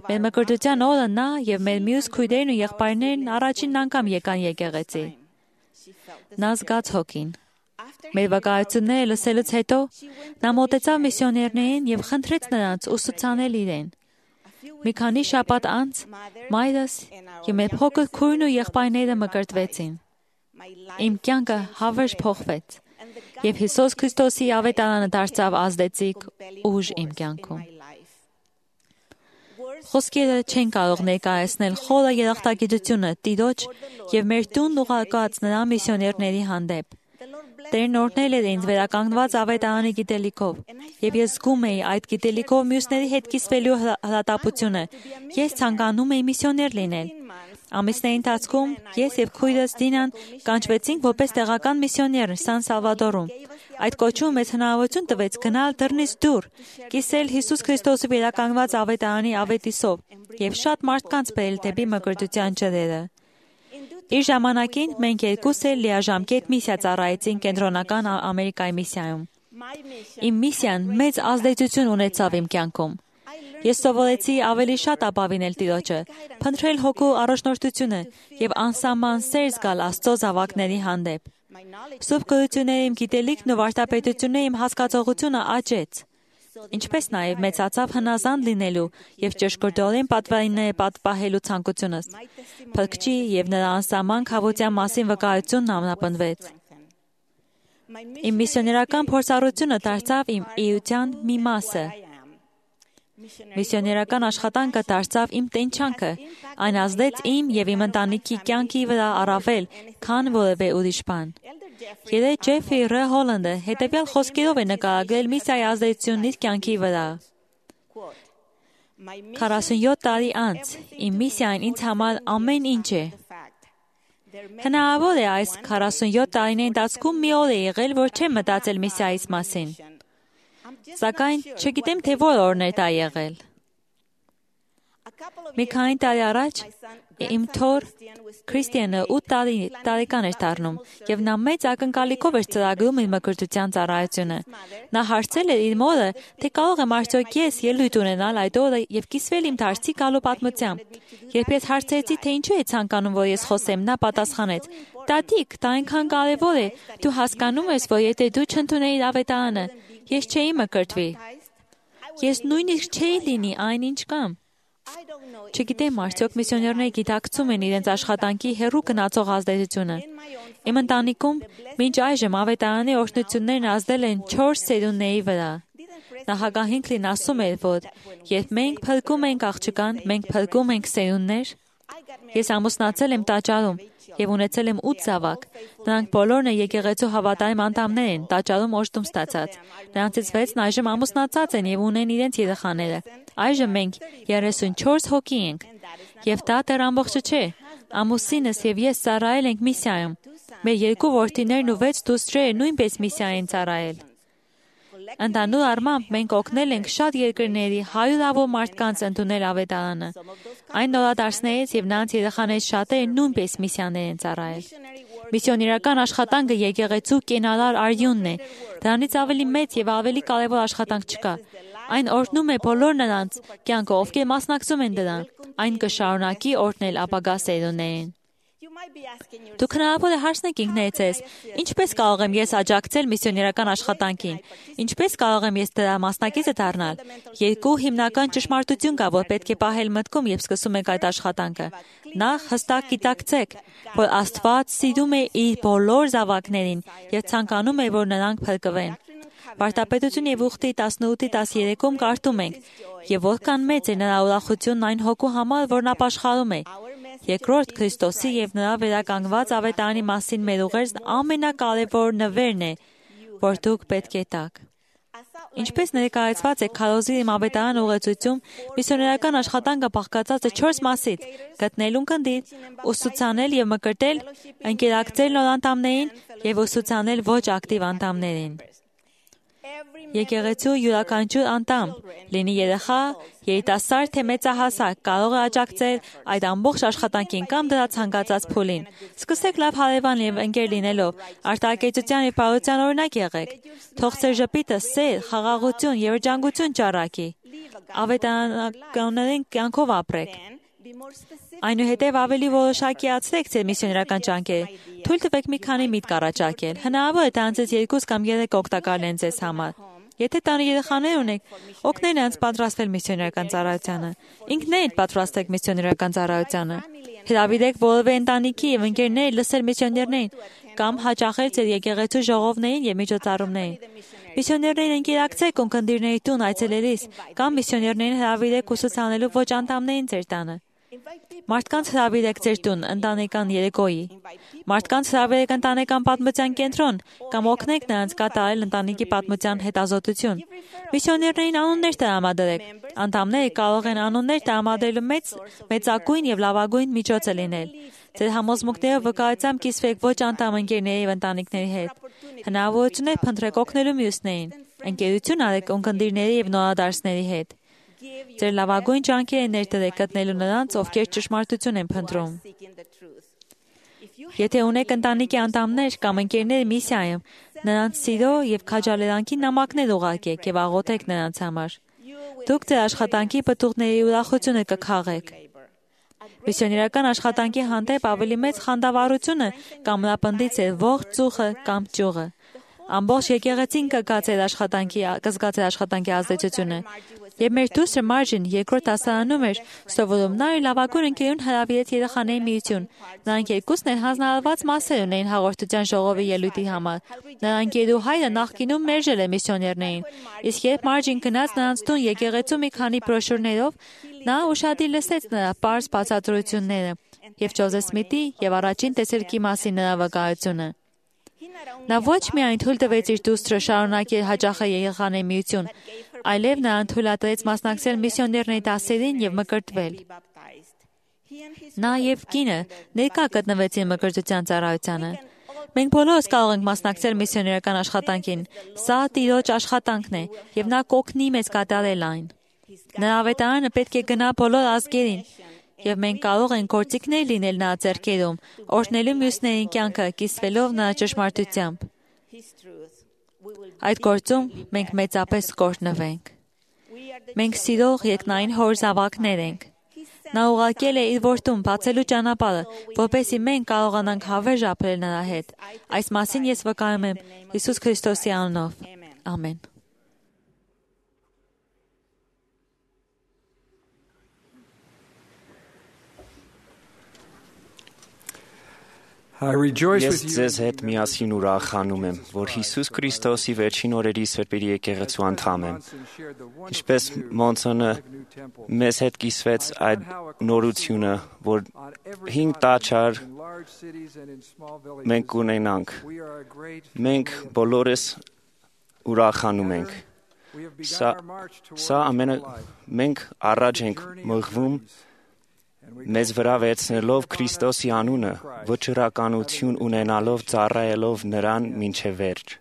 Մեր մկրտության օրը նա եւ մեր մյուս քույրերն ու եղբայրներն առաջին անգամ եկան եկեղեցի։ Նա զգաց հոգին։ Մեր վկայությունները լսելուց հետո նա մոտեցավ միսիոներներին եւ խնդրեց նրանց ուսուցանել իրեն։ Մի քանի շաբաթ անց մայրս եւ մեր փոքր քույրն ու եղբայրները մկրտվեցին։ Իմ կյանքը հավերժ փոխվեց եւ Հիսուս Քրիստոսի ավետարանը դարձավ ազդեցիկ ուժ իմ կյանքում։ Խոսքերը չեն կարող ներկայացնել խորը երախտագիտությունը Տիրոջ եւ մեր տուն ուղարկած նրա միսիոներների հանդեպ։ Տերն օրհնել էր ինձ վերականգնված ավետարանի գիտելիքով, եւ ես զգում էի այդ գիտելիքով մյուսների հետ կիսվելու հրատապությունը։ Ես ցանկանում էի միսիոներ լինել։ Ամիսների ընթացքում ես եւ քույրս Դինան կանչվեցինք որպես տեղական միսիոներ Սան Սալվադորում։ Այդ կոչումը մեզ հնարավորություն տվեց գնալ դռնից դուր, կիսել Հիսուս Քրիստոսի վերականգնված ավետարանի ավետիսով եւ շատ մարդկանց բերել դեպի մկրտության ջրերը։ Իր ժամանակին մենք երկուս էլ լիաժամկետ միսիա ծառայեցինք Կենտրոնական Ամերիկայի միսիայում։ Իմ միսիան մեծ ազդեցություն ունեցավ իմ կյանքում։ Ես սովորեցի ավելի շատ ապավինել Տիրոջը, փնտրել հոգու առաջնորդությունը եւ անսահման սեր զգալ Աստծո զավակների հանդեպ։ Սուրբ գրությունների իմ գիտելիքն ու վարդապետությունների իմ հասկացողությունը աճեց։ Ինչպես նաև մեծացավ հնազանդ լինելու եւ ճշգրտորեն պատվայինները պատվահելու ցանկությունս։ Փրկչի եւ նրա անսահման քավության մասին վկայությունն ամրապնդվեց։ Իմ միսիոներական փորձառությունը դարձավ իմ էության մի մասը։ Միսիոներական աշխատանքը դարձավ իմ տենչանքը։ Այն ազդեց իմ եւ իմ ընտանիքի կյանքի վրա առավել, քան որևէ ուրիշ բան։ Գերե Ջեֆրի Ռ. Հոլանդը հետևյալ խոսքերով է նկարագրել միսիայի ազդեցությունն իր կյանքի վրա։ 47 տարի անց իմ միսիան ինձ համար ամեն ինչ է։ Հնարավոր է այս 47 տարիների ընթացքում մի օր է եղել, որ չեմ մտածել միսիայից մասին։ Սակայն չգիտեմ, թե որ օրն է դա եղել։ Մի քանի տարի առաջ իմ թոռ Քրիստիանը 8 տարեկան էր դառնում եւ նա մեծ ակնկալիքով էր ծրագրում իր մկրտության ծառայությունը։ Նա հարցել էր իր մորը, թե կարող եմ արդյոք ես ելույթ ունենալ այդ օրը եւ կիսվել իմ դարձի գալու պատմությամբ։ Երբ ես հարցրեցի, թե ինչու է ցանկանում, որ ես խոսեմ, նա պատասխանեց. «Տատիկ, դա այնքան կարևոր է։ Դու հասկանում ես, որ եթե դու չընդունեիր ավետարանը, ես չէի մկրտվի։ Ես նույնիսկ չէի լինի այն, ինչ կամ։ Չգիտեմ, արդյոք միսիոներները գիտակցում են իրենց աշխատանքի հեռու գնացող ազդեցությունը։ Իմ ընտանիքում մինչ այժմ ավետարանի օրհնություններն ազդել են 4 սերունդների վրա։ Նախագահ Հինքլին ասում էր, որ երբ մենք փրկում ենք աղջկան, մենք փրկում ենք սերունդներ։ Ես ամուսնացել եմ տաճարում եւ ունեցել եմ 8 զավակ։ Նրանք բոլորն եկեղեցու հավատարիմ անդամներ են, տաճարում օժտում ստացած։ Նրանցից 6-ն այժմ ամուսնացած են եւ ունեն իրենց երեխաները։ Այժմ մենք 34 հոգի ենք։ Եվ դա դեռ ամբողջը չէ։ Ամուսինս եւ ես ծառայել ենք միսիայում։ Մեր 2 որդիներն ու 6 դուստրերը նույնպես միսիային ծառայել։ Ընդհանուր առմամբ մենք օգնել ենք շատ երկրների հարյուրավոր մարդկանց ընդունել ավետարանը։ Այն նորադարձներից եւ նրանց երեխաներից շատերը նույնպես միսիաներ են ծառայել։ Միսիոներական աշխատանքը եկեղեցու կենարար արյունն է։ Դրանից ավելի մեծ եւ ավելի կարեւոր աշխատանք չկա։ Այն օրհնում է բոլոր նրանց կյանքը, ովքեր մասնակցում են դրան։ Այն կշարունակի օրհնել ապագա սերունդներին։ Դուք հնարավոր է հարցնեք ինքներդ ձեզ, ինչպես կարող եմ ես աջակցել միսիոներական աշխատանքին, ինչպես կարող եմ ես դրա մասնակիցը դառնալ։ 2 հիմնական ճշմարտություն կա, որ պետք է պահել մտքում, երբ սկսում եք այդ աշխատանքը։ Նախ հստակ գիտակցեք, որ Աստված սիրում է իր բոլոր զավակներին եւ ցանկանում է, որ նրանք փրկվեն։ Վարդապետություն եւ ուխտի 18-13-ում կարդում ենք. «Եվ որքան մեծ է նրա ուրախությունն այն հոգու համար, որն ապաշխարում է»։ Երկրորդ Քրիստոսի եւ նրա վերականգնված ավետարանի մասին մեր ուղերձն ամենակարևոր նվերն է, որ դուք պետք է տաք։ Ինչպես ներկայացված է քարոզի իմ ավետարան ուղեցույցում, միսիոներական աշխատանքը բաղկացած է 4 մասից՝ գտնել ունկնդիր, ուսուցանել եւ մկրտել, ընկերակցել նոր անդամներին եւ ուսուցանել ոչ ակտիվ անդամներին։ Եկեղեցու յուրաքանչյուր անդամ, լինի երեխա, երիտասարդ թե մեծահասակ, կարող է աջակցել այդ ամբողջ աշխատանքին կամ դրա ցանկացած փուլին։ Սկսեք լավ հարևան եւ ընկեր լինելով, արտահայտության եւ բարության օրինակ եղեք։ Թող ձեր ժպիտը սեր, խաղաղություն, երջանկություն ճառակի։ Ավետարանական կյանքով ապրեք։ Այնուհետև ավելի որոշակիացրեք ձեր միսիոներական ջանքերը։ Թույլ տվեք մի քանի միտք առաջարկել։ Հնարավոր է դրանցից 2 կամ 3 օգտակար լինեն ձեզ համար։ Եթե տանը երեխաներ ունեք, օգնեք նրանց պատրաստվել միսիոներական ծառայությանը։ Ինքներդ պատրաստեք միսիոներական ծառայությանը։ Հրավիրեք որևէ ընտանիքի եւ ընկերներ լսել միսիոներներին կամ հաճախել ձեր եկեղեցու ժողովներին եւ միջոցառումներին։ Միսիոներներին ընկերակցեք ունկնդիրների տուն այցելելիս կամ միսիոներներին հրավիրեք ուսուցանելու ոչ անդամներին ձեր տանը։ Մարդկանց հրավիրեք ձեր տուն ընտանեկան երեկոյի։ Մարդկանց հրավիրեք ընտանեկան պատմության կենտրոն կամ օգնեք նրանց կատարել ընտանիքի պատմության հետազոտություն։ Միսիոներներին անուններ տրամադրեք։ Անդամները կարող են անուններ տրամադրելու մեծագույն եւ լավագույն միջոցը լինել։ Ձեր համոզմունքները վկայությամբ կիսվեք ոչ անդամ ընկերների եւ ընտանիքների հետ։ Հնարավորություն է փնտրեք օգնելու մյուսներին։ Ընկերություն արեք ունկնդիրների եւ նորադարձների հետ։ Ձեր լավագույն ջանքերը ներդրեք գտնելու նրանց, ովքեր ճշմարտություն են փնտրում։ Եթե ունեք ընտանիքի անդամներ կամ ընկերներ միսիայում, նրանց սիրո եւ քաջալերանքի նամակներ ուղարկեք եւ աղոթեք նրանց համար։ Դուք ձեր աշխատանքի պտուղների ուրախությունը կքաղեք։ Միսիոներական աշխատանքի հանդեպ ավելի մեծ խանդավառությունը կամրապնդի ձեր ողջ ծուխը կամ ճյուղը։ Ամբողջ եկեղեցին կգա ձեր աշխատանքի ազդեցությունը։ Եվ մեր դուստրը Մարջին երկրորդ դասարանում էր սովորում, նա իր լավագույն ընկերուն հրավիրեց երեխաների միություն։ Նրանք երկուսն էլ հանձնարարված մասեր ունեին հաղորդության ժողովի ելույթի համար։ Նրա ընկերու հայրը նախկինում մերժել է միսիոներներին, իսկ երբ Մարջին գնաց նրանց տուն եկեղեցու մի քանի բրոշուրներով, նա ուշադիր լսեց նրա պարզ բացատրությունները եւ Ջոզեֆ Սմիթի եւ առաջին տեսերքի մասին նրա վկայությունը։ Նա ոչ միայն թույլ տվեց իր դուստրը շարունակել հաճախել երեխաների միություն, այլև նրան թույլատրեց մասնակցել միսիոներների դասերին եւ մկրտվել։ Նա եւ կինը ներկա գտնվեցին մկրտության ծառայությանը։ Մենք բոլորս կարող ենք մասնակցել միսիոներական աշխատանքին։ Սա Տիրոջ աշխատանքն է եւ նա կօգնի մեզ կատարել այն։ Նրա ավետարանը պետք է գնա բոլոր ազգերին։ Եվ մենք կարող ենք գործիքներ լինել նրա ձեռքերում, օրհնելու մյուսներին կյանքը, կիսվելով նրա ճշմարտությամբ։ Այդ գործում մենք մեծապես կօրհնվենք։ Մենք սիրող երկնային Հոր զավակներ ենք։ Նա ուղարկել է իր որդուն բացելու ճանապարհը, որպեսզի մենք կարողանանք հավերժ ապրել նրա հետ։ Այս մասին ես վկայում եմ Հիսուս Քրիստոսի անունով։ Ամեն։ Ես ձեզ հետ միասին ուրախանում եմ, որ Հիսուս Քրիստոսի վերջին օրերի սրբերի եկեղեցու անդամ եմ։ Ինչպես Մոնսոնը մեզ հետ կիսվեց այդ նորությունը, որ 5 տաճար մենք ունենանք։ Մենք բոլորս ուրախանում ենք։ Մենք առաջ ենք մղվում մեզ վրա վերցնելով Քրիստոսի անունը, վճռականություն ունենալով ծառայելով նրան մինչև վերջ։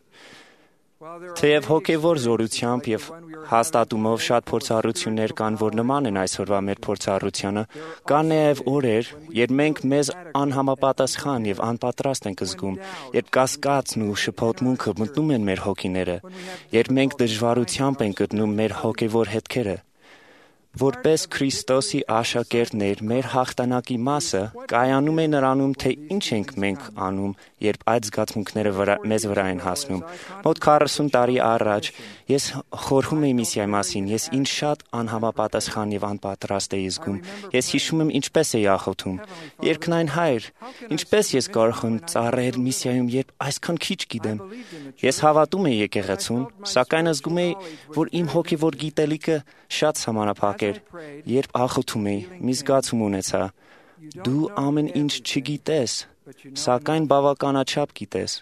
Թեև հոգևոր զորությամբ եւ հաստատումով շատ փորձառություններ կան, որ նման են այսօրվա մեր փորձառությանը, կան նաեւ օրեր, երբ մենք մեզ անհամապատասխան եւ անպատրաստ ենք զգում, երբ կասկածն ու շփոթմունքը մտնում են մեր հոգիները, երբ մենք դժվարությամբ ենք գտնում մեր հոգևոր հետքերը։ Որպես Քրիստոսի աշակերտներ, մեր հաղթանակի մասը կայանում է նրանում, թե ինչ ենք մենք անում, երբ այդ զգացմունքները մեզ վրա են հասնում։ Մոտ 40 տարի առաջ ես խորհում էի միսիայի մասին, ես ինձ շատ անհամապատասխան եւ անպատրաստ էի զգում։ Ես հիշում եմ ինչպես էի աղոթում. Երկնային Հայր, ինչպես ես կարող եմ ծառայել միսիայում, երբ այսքան քիչ գիտեմ։ Ես հավատում էի եկեղեցուն, սակայն զգում էի, որ իմ հոգևոր գիտելիքը շատ սահմանափակ էր, երբ աղոթում էի, մի զգացում ունեցա. դու ամեն ինչ չգիտես, սակայն բավականաչափ գիտես։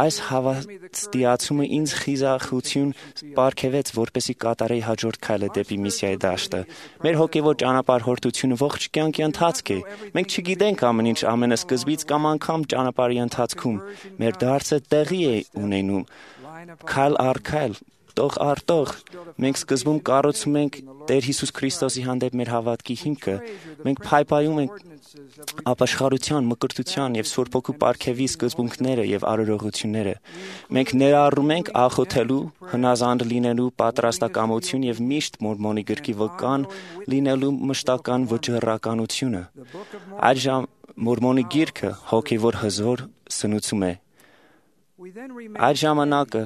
Այս հավատացումը ինձ խիզախություն պարգևեց, որպեսզի կատարեի հաջորդ քայլը դեպի միսիայի դաշտը։ Մեր հոգևոր ճանապարհորդությունը ողջ կյանքի ընթացք է։ Մենք չգիտենք ամեն ինչ ամենասկզբից կամ անգամ ճանապարհի ընթացքում։ Մեր դարձը տեղի է ունենում քայլ առ քայլ, Տող արտող մենք սկզբում կառուցում ենք Տեր Հիսուս Քրիստոսի հանդեպ մեր հավատքի հիմքը։ Մենք փայփայում ենք ապաշխարության, մկրտության եւ Սուրբ Հոգու պարգևի սկզբունքները եւ արարողությունները։ Մենք ներառում ենք աղոթելու, հնազանդ լինելու պատրաստակամություն եւ միշտ Մորմոնի գրքի վկան լինելու մշտական վճռականությունը։ Այժմ Մորմոնի գիրքը հոգեվոր հզոր սնուցում է։ Այդ ժամանակը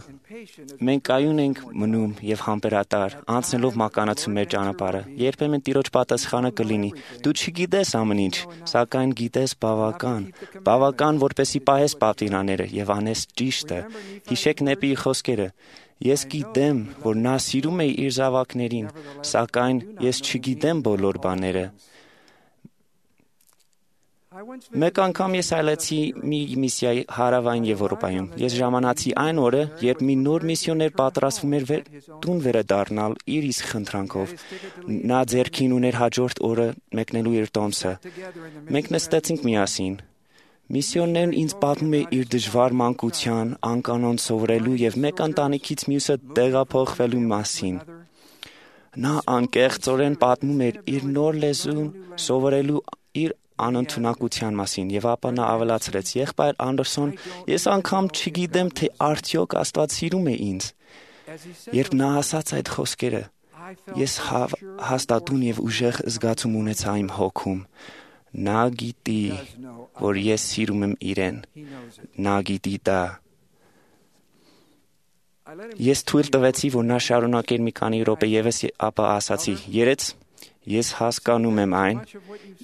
մենք կայուն ենք մնում եւ համբերատար, անցնելով մականացում մեր ճանապարհը։ Երբեմն Տիրոջ պատասխանը կլինի. դու չգիտես ամեն ինչ, սակայն գիտես բավական, որպեսի պահես պատվիրանները եւ անես ճիշտը։ Հիշեք Նեպիի խոսքերը. ես գիտեմ, որ նա սիրում է իր զավակներին, սակայն ես չգիտեմ բոլոր բաները։ Մեկ անգամ ես այլեցի մի միսիայի հարավային Եվրոպայում։ Ես ժամանացի այն օրը, երբ մի նոր միսիոներ պատրաստվում էր տուն վերադառնալ իր իսկ խնդրանքով։ Նա ձեռքին ուներ հաջորդ օրը մեկնելու իր տոմսը։ Մենք նստեցինք միասին։ Միսիոներն ինձ պատմում է իր դժվար մանկության, անկանոն սովորելու եւ մեկ ընտանիքից մյուսը տեղափոխվելու մասին։ Նա անկեղծորեն պատմում էր իր նոր լեզուն սովորելու իր անընդունակության մասին եւ ապա նա ավելացրեց. եղբայր Անդերսոն, ես անգամ չգիտեմ, թե արդյոք Աստված սիրում է ինձ։ Երբ նա ասաց այդ խոսքերը, ես հաստատուն եւ ուժեղ զգացում ունեցա իմ հոգում։ Նա գիտի, որ ես սիրում եմ իրեն։ Նա գիտի դա։ Ես թույլ տվեցի, որ նա շարունակեր մի քանի րոպե եւս, ապա ասացի. երեց, ես հասկանում եմ այն,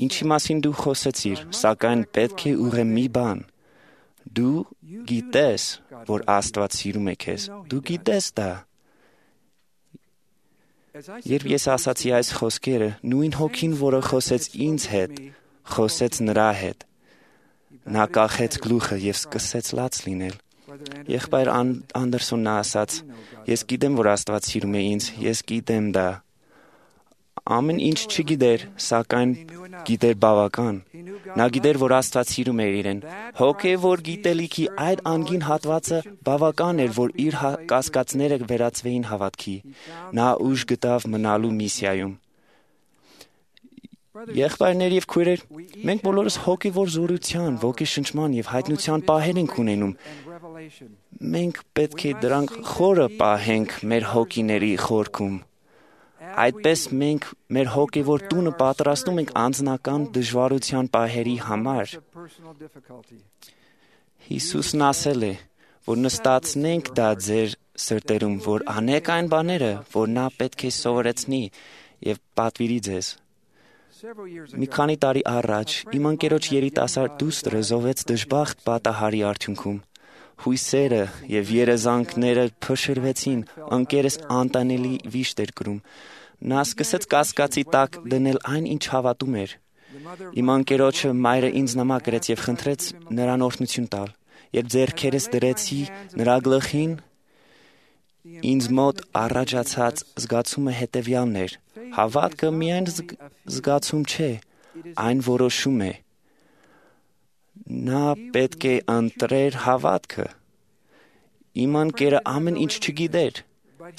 ինչի մասին դու խոսեցիր, սակայն պետք է ուղղեմ մի բան։ Դու գիտես, որ Աստված սիրում է քեզ։ Դու գիտես դա։ Երբ ես ասացի այս խոսքերը, նույն հոգին, որը խոսեց ինձ հետ, խոսեց նրա հետ։ Նա կախեց գլուխը եւ սկսեց լաց լինել։ Եղբայր Անդերսոնն ասաց. ես գիտեմ, որ Աստված սիրում է ինձ, ես գիտեմ դա։ Ամեն ինչ չգիտեր, սակայն գիտեր բավական։ Նա գիտեր, որ Աստված սիրում է իրեն։ Հոգևոր գիտելիքի այդ անգին հատվածը բավական էր, որ իր կասկածները վերածվեին հավատքի։ Նա ուժ գտավ մնալու միսիայում։ Եղբայրներ եւ քույրեր, մենք բոլորս հոգևոր զորության, ոգեշնչման եւ հայտնության պահեր ենք ունենում։ Մենք պետք է դրանք խորը պահենք մեր հոգիների խորքում։ Այդպես մենք մեր հոգևոր տունը պատրաստում ենք անձնական դժվարության պահերի համար։ Հիսուսն ասել է, որ նստացնենք դա ձեր սրտերում, որ անեք այն բաները, որ նա պետք է սովորեցնի եւ պատվիրի ձեզ։ Մի քանի տարի առաջ իմ ընկերոջ երիտասարդ դուստրը զոհվեց դժբախտ պատահարի արդյունքում։ Հույսերը եւ երազանքները փշրվեցին, ընկերս անտանելի վիշտ էր կրում։ Նա սկսեց կասկածի տակ դնել այն, ինչ հավատում էր։ Իմ ընկերոջը մայրը ինձ նամակ գրեց եւ խնդրեց նրան օրհնություն տալ։ Երբ ձեռքերս դրեցի նրա գլխին, ինձ մոտ առաջացած զգացումը հետեւյալն էր. հավատքը միայն զգացում չէ, այն որոշում է։ Նա պետք է ընտրեր հավատքը։ Իմ ընկերը ամեն ինչ չգիտեր,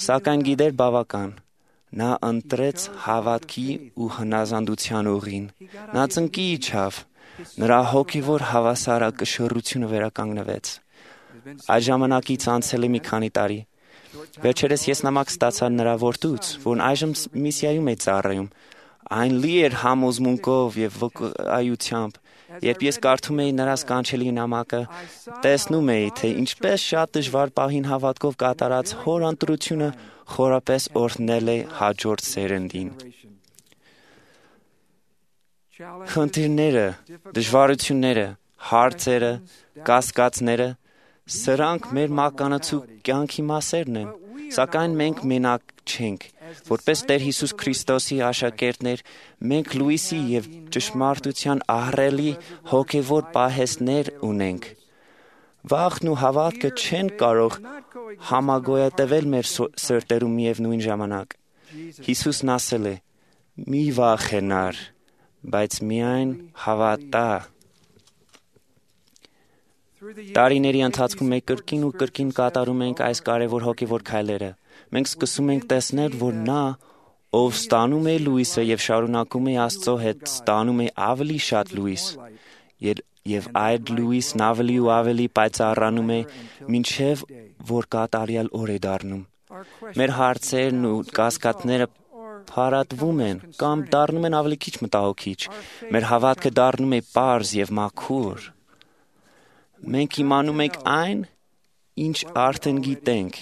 սակայն գիտեր բավական։ Նա ընտրեց հավատքի ու հնազանդության ուղին։ Նա ծնկի իջավ։ Նրա հոգևոր հավասարակշռությունը վերականգնվեց։ Այդ ժամանակից անցել է մի քանի տարի։ Վերջերս ես նամակ ստացա նրա որդուց, որն այժմ միսիայում է ծառայում։ Այն լի էր համոզմունքով եւ վկայությամբ։ Երբ ես կարդում էի նրա սքանչելի նամակը, տեսնում էի, թե ինչպես շատ դժվար պահին հավատքով կատարած հոր ընտրությունը խորապես օրհնել է հաջորդ սերնդին։ Խնդիրները, դժվարությունները, հարցերը, կասկածները, սրանք մեր մականացու կյանքի մասերն են, սակայն մենք մենակ չենք։ Որպես Տեր Հիսուս Քրիստոսի աշակերտներ, մենք լույսի եւ ճշմարտության ահռելի հոգեվոր պահեստներ ունենք։ Վախն ու հավատքը չեն կարող համագոյատևել մեր սրտերում միևնույն ժամանակ։ Հիսուսն ասել է. «Մի վախենար, բայց միայն հավատա»։ Տարիների ընթացքում մենք կրկին ու կրկին կատարում ենք այս կարևոր հոգևոր քայլերը։ մենք սկսում ենք տեսնել, որ նա, ով ստանում է լույսը եւ շարունակում է Աստծո հետ, ստանում է ավելի շատ լույս, եւ այդ լույսն ավելի ու ավելի պայծառանում է, մինչեւ որ կատարյալ օր է դառնում։ Մեր հարցերն ու կասկածները փարատվում են կամ դառնում են ավելի քիչ մտահոգիչ։ Մեր հավատքը դառնում է պարզ եւ մաքուր։ Մենք իմանում ենք այն, ինչ արդեն գիտենք։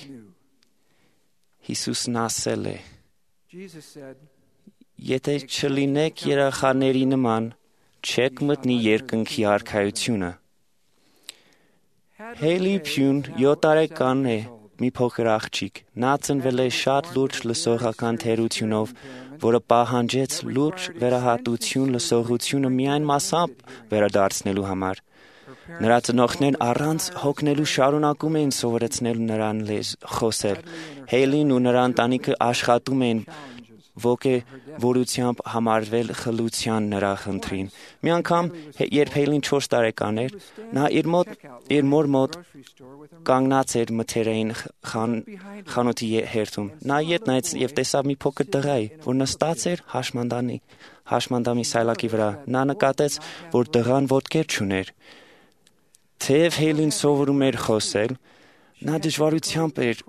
Հիսուսն ասել է. Եթե չլինեք երեխաների նման, չեք մտնի երկնքի արքայությունը։ Հեյլի Փյուն 7 տարեկան է, մի փոքր աղջիկ։ Նա ծնվել է շատ լուրջ լսողական թերությունով, որը պահանջեց լուրջ վերահատություն լսողությունը միայն մասամբ վերադարձնելու համար։ Նրա ծնողներն առանց հոգնելու շարունակում էին սովորեցնել նրան խոսել։ Հեյլին ու նրա ընտանիքը աշխատում էին ոգևորությամբ համարվել խլության նրա խնդրին։ Մի անգամ, երբ Հեյլին 4 տարեկան էր, նա իր մոր մոտ կանգնած էր մթերային խանութի հերթում։ Նա ետ նայեց եւ տեսավ մի փոքր տղայի, որ նստած էր հաշմանդամի սայլակի վրա։ Նա նկատեց, որ տղան ոտքեր չուներ։ Թեև Հեյլին սովորում էր խոսել, նա դժվարությամբ էր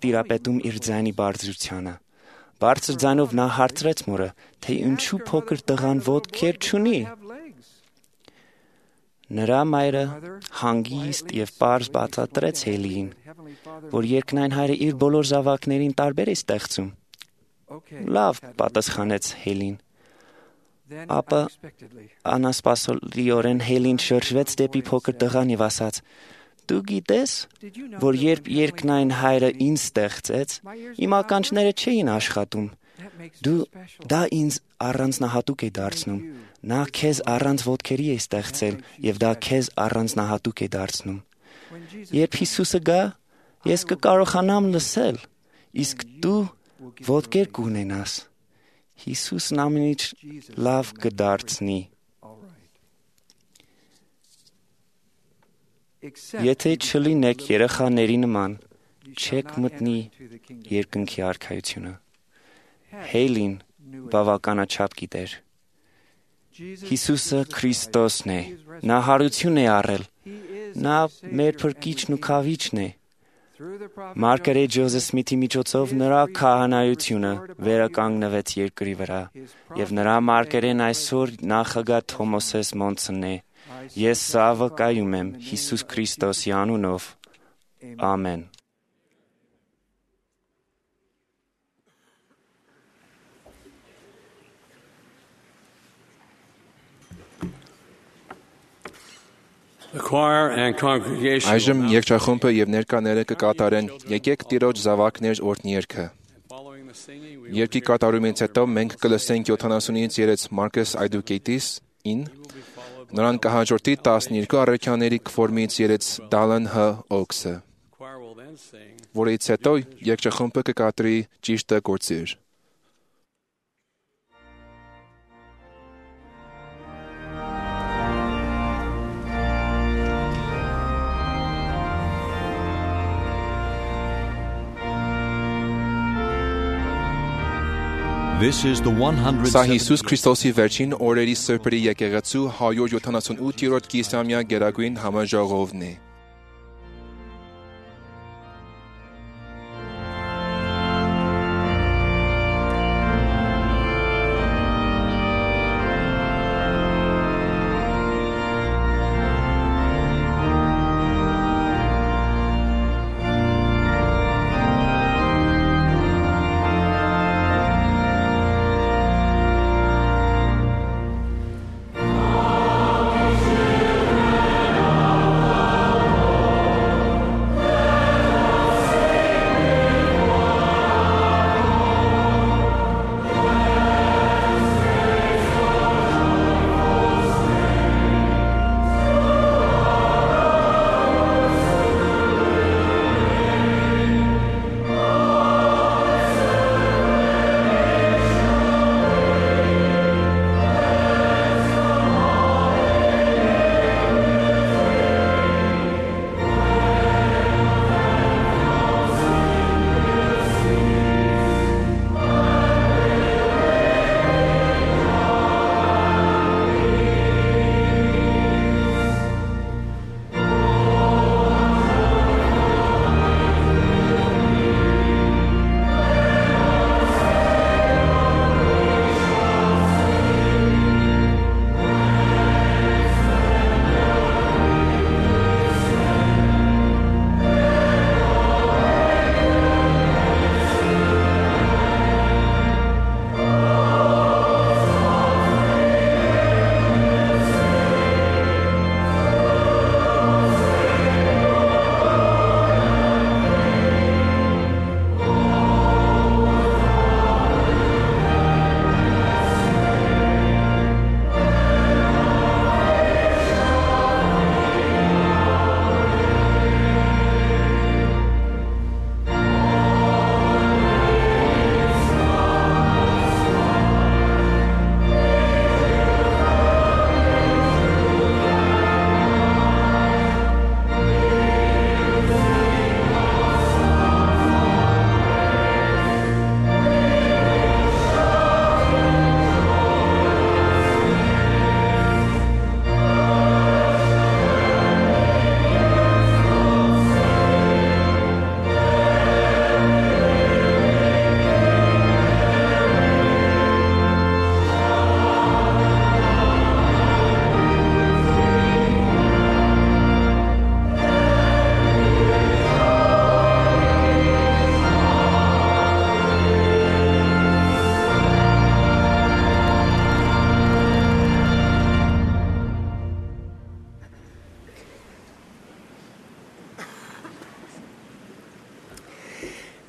տիրապետում իր ձայնի բարձրությանը։ Բարձր ձայնով նա հարցրեց մորը, թե ինչու փոքր տղան ոտքեր չունի։ Նրա մայրը հանգիստ եւ պարզ բացատրեց Հեյլիին, որ երկնային հայրը իր բոլոր զավակներին տարբեր է ստեղծում։ Լավ, պատասխանեց Հեյլին։ Ապա անասպասելիորեն Հեյլին շրջվեց դեպի փոքր տղան եւ ասաց. Դու գիտես, որ երբ երկնային հայրը ինձ ստեղծեց, իմ ականջները չէին աշխատում։ Դա ինձ առանձնահատուկ է դարձնում։ Նա քեզ առանց ոտքերի է ստեղծել եւ դա քեզ առանձնահատուկ է դարձնում։ Երբ Հիսուսը գա, ես կկարողանամ լսել, իսկ դու ոտքեր կունենաս։ Հիսուսն ամեն ինչ լավ կդարձնի։ Եթե չլինեք երեխաների նման, չեք մտնի երկնքի արքայությունը։ Հեյլին բավականաչափ գիտեր։ Հիսուսը Քրիստոսն է։ Նա հարություն է առել։ Նա մեր փրկիչն ու քավիչն է։ Մարգարետ Ջոզեֆ Սմիթի միջոցով նրա քահանայությունը վերականգնվեց երկրի վրա, եւ նրա մարգարեն այսօր նախագահ Թոմասես Մոնսոնն է։ Ես սա վկայում եմ Հիսուս Քրիստոսի անունով։ Ամեն։ Այժմ երգչախումբը եւ ներկաները կկատարեն «Եկեք Տիրոջ զավակներ» օրհնիերգը։ Երգի կատարումից հետո մենք կլսենք 70-ից երեց Մարկես Այդուկեյտիսին, նրան կհաջորդի 12 առաքյաների քվորմից երեց Դալան Հ. Օքսը, որից հետո երգչախումբը կկատարի «Ճիշտը գործիր»։ Սա Հիսուս Քրիստոսի վերջին օրերի սրբերի եկեղեցու 178-րդ կիսամյա գերագույն համաժողովն է։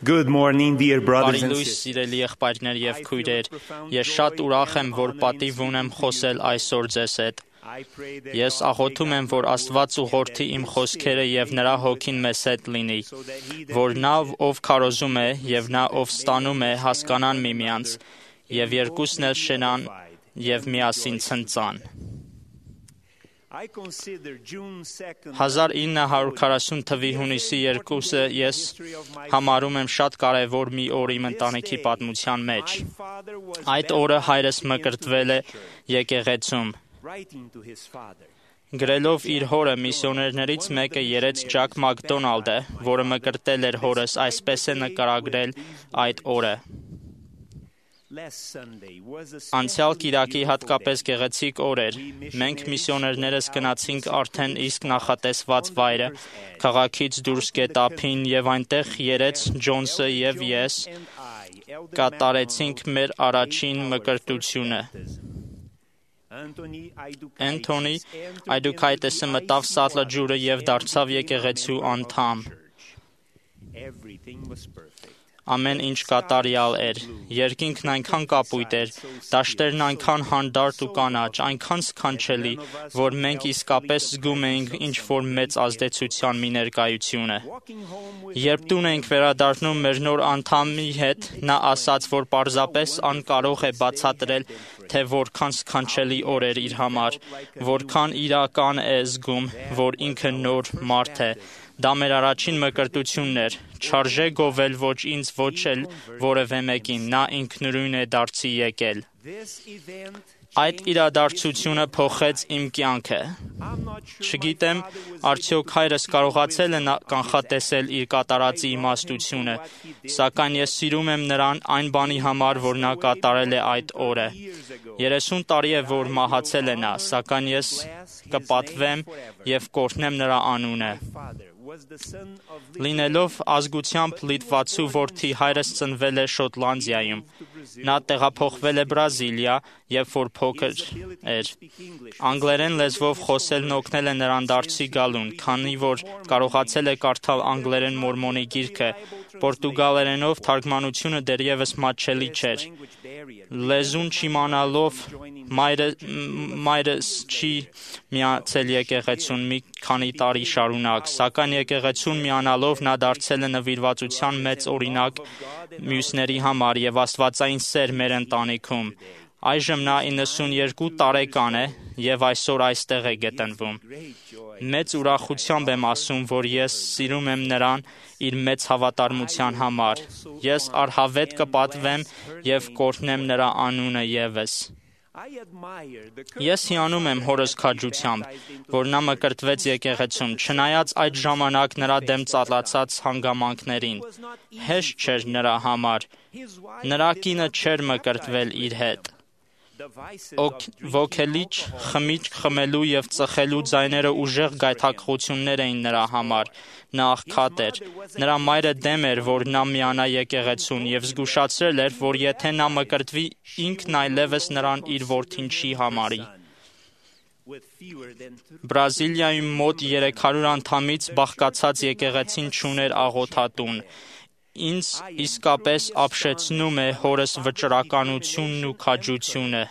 Good morning, dear brothers and Բարի լույս, sisters. սիրելի եղբայրներ եւ քույրեր, ես շատ ուրախ եմ, որ պատիվ ունեմ խոսել այսօր ձեզ հետ։ Ես աղոթում եմ, որ Աստված ուղղորդի իմ խոսքերը եւ նրա հոգին մեզ հետ լինի, որ նա, ով քարոզում է եւ նա, ով ստանում է, հասկանան միմյանց եւ երկուսն էլ շենան եւ միասին ցնծան։ 1940 թվականի հունիսի 2-ը ես համարում եմ շատ կարևոր մի օր իմ ընտանիքի պատմության մեջ։ Այդ օրը հայրս մկրտվել է եկեղեցում։ Գրելով իր հորը, միսիոներներից մեկը երեց Ջակ Մակդոնալդը, որը մկրտել էր հորս, այսպես է նկարագրել այդ օրը. Անցյալ կիրակի հատկապես գեղեցիկ օր էր։ Մենք միսիոներներս գնացինք արդեն իսկ նախատեսված վայրը, քաղաքից դուրս գետափին եւ այնտեղ երեց Ջոնսը եւ ես կատարեցինք մեր առաջին մկրտությունը։ Անթոնի Այդուքայտեսը մտավ Սատլաջուրը եւ դարձավ եկեղեցու անդամ։ Ամեն ինչ կատարյալ էր։ Երկինքն այնքան կապույտ էր, դաշտերն այնքան հանդարտ ու կանաչ, այնքան սքանչելի, որ մենք իսկապես զգում էինք ինչ-որ մեծ ազդեցության մի ներկայությունը։ Երբ տուն էինք վերադառնում մեր նոր անդամի հետ, նա ասաց, որ պարզապես անկարող է բացատրել, թե որքան սքանչելի օր էր իր համար, որքան իրական է զգում, որ ինքը նոր մարդ է։ Դա մեր առաջին մկրտությունն էր, չարժե գովել ոչ ինձ, ոչ էլ որևէ մեկին, նա ինքնուրույն է դարձի եկել։ Այդ իրադարձությունը փոխեց իմ կյանքը։ Չգիտեմ, արդյոք հայրս կարողացել է կանխատեսել իր կատարածի իմաստությունը, սակայն ես սիրում եմ նրան այն բանի համար, որ նա կատարել է այդ օրը։ 30 տարի է, որ մահացել է նա, սակայն ես կպատվեմ եւ կօրհնեմ նրա անունը։ Լինելով ազգությամբ լիտվացու որդի, հայրս ծնվել է Շոտլանդիայում։ Նա տեղափոխվել է Բրազիլիա, երբ որ փոքր էր։ Անգլերեն լեզվով խոսելն օգնել է նրան դարձի գալուն, քանի որ կարողացել է կարդալ անգլերեն մորմոնի գիրքը, պորտուգալերենով թարգմանությունը դեռևս մատչելի չէր։ Լեզուն չիմանալով մայրս չի միացել եկեղեցուն մի քանի տարի շարունակ, սակայն եկեղեցուն միանալով նա դարձել է նվիրվածության մեծ օրինակ մյուսների համար եւ աստվածային սեր մեր ընտանիքում։ Այժմ նա 92 տարեկան է եւ այսօր այստեղ է գտնվում։ Մեծ ուրախությամբ եմ ասում, որ ես սիրում եմ նրան իր մեծ հավատարմության համար։ Ես առհավետ կպատվեմ եւ կօրհնեմ նրա անունը եւս։ Ես հիանում եմ հորս քաջությամբ, որ նա մկրտվեց եկեղեցում, չնայած այդ ժամանակ նրա դեմ ծառացած հանգամանքներին։ Հեշտ չէր նրա համար։ Նրա կինը չէր մկրտվել իր հետ։ Ոգելիչ, խմիչք խմելու եւ ծխելու ձայները ուժեղ գայթակղություններ էին նրա համար։ Նա աղքատ էր։ Նրա մայրը դեմ էր, որ նա միանա եկեղեցուն եւ զգուշացրել էր, որ եթե նա մկրտվի, ինքն այլևս նրան իր որդին չի համարի։ Բրազիլիայում մոտ 300 անդամից բաղկացած եկեղեցին չուներ աղոթատուն։ Ինձ իսկապես ապշեցնում է հորս վճռականությունն ու քաջությունը։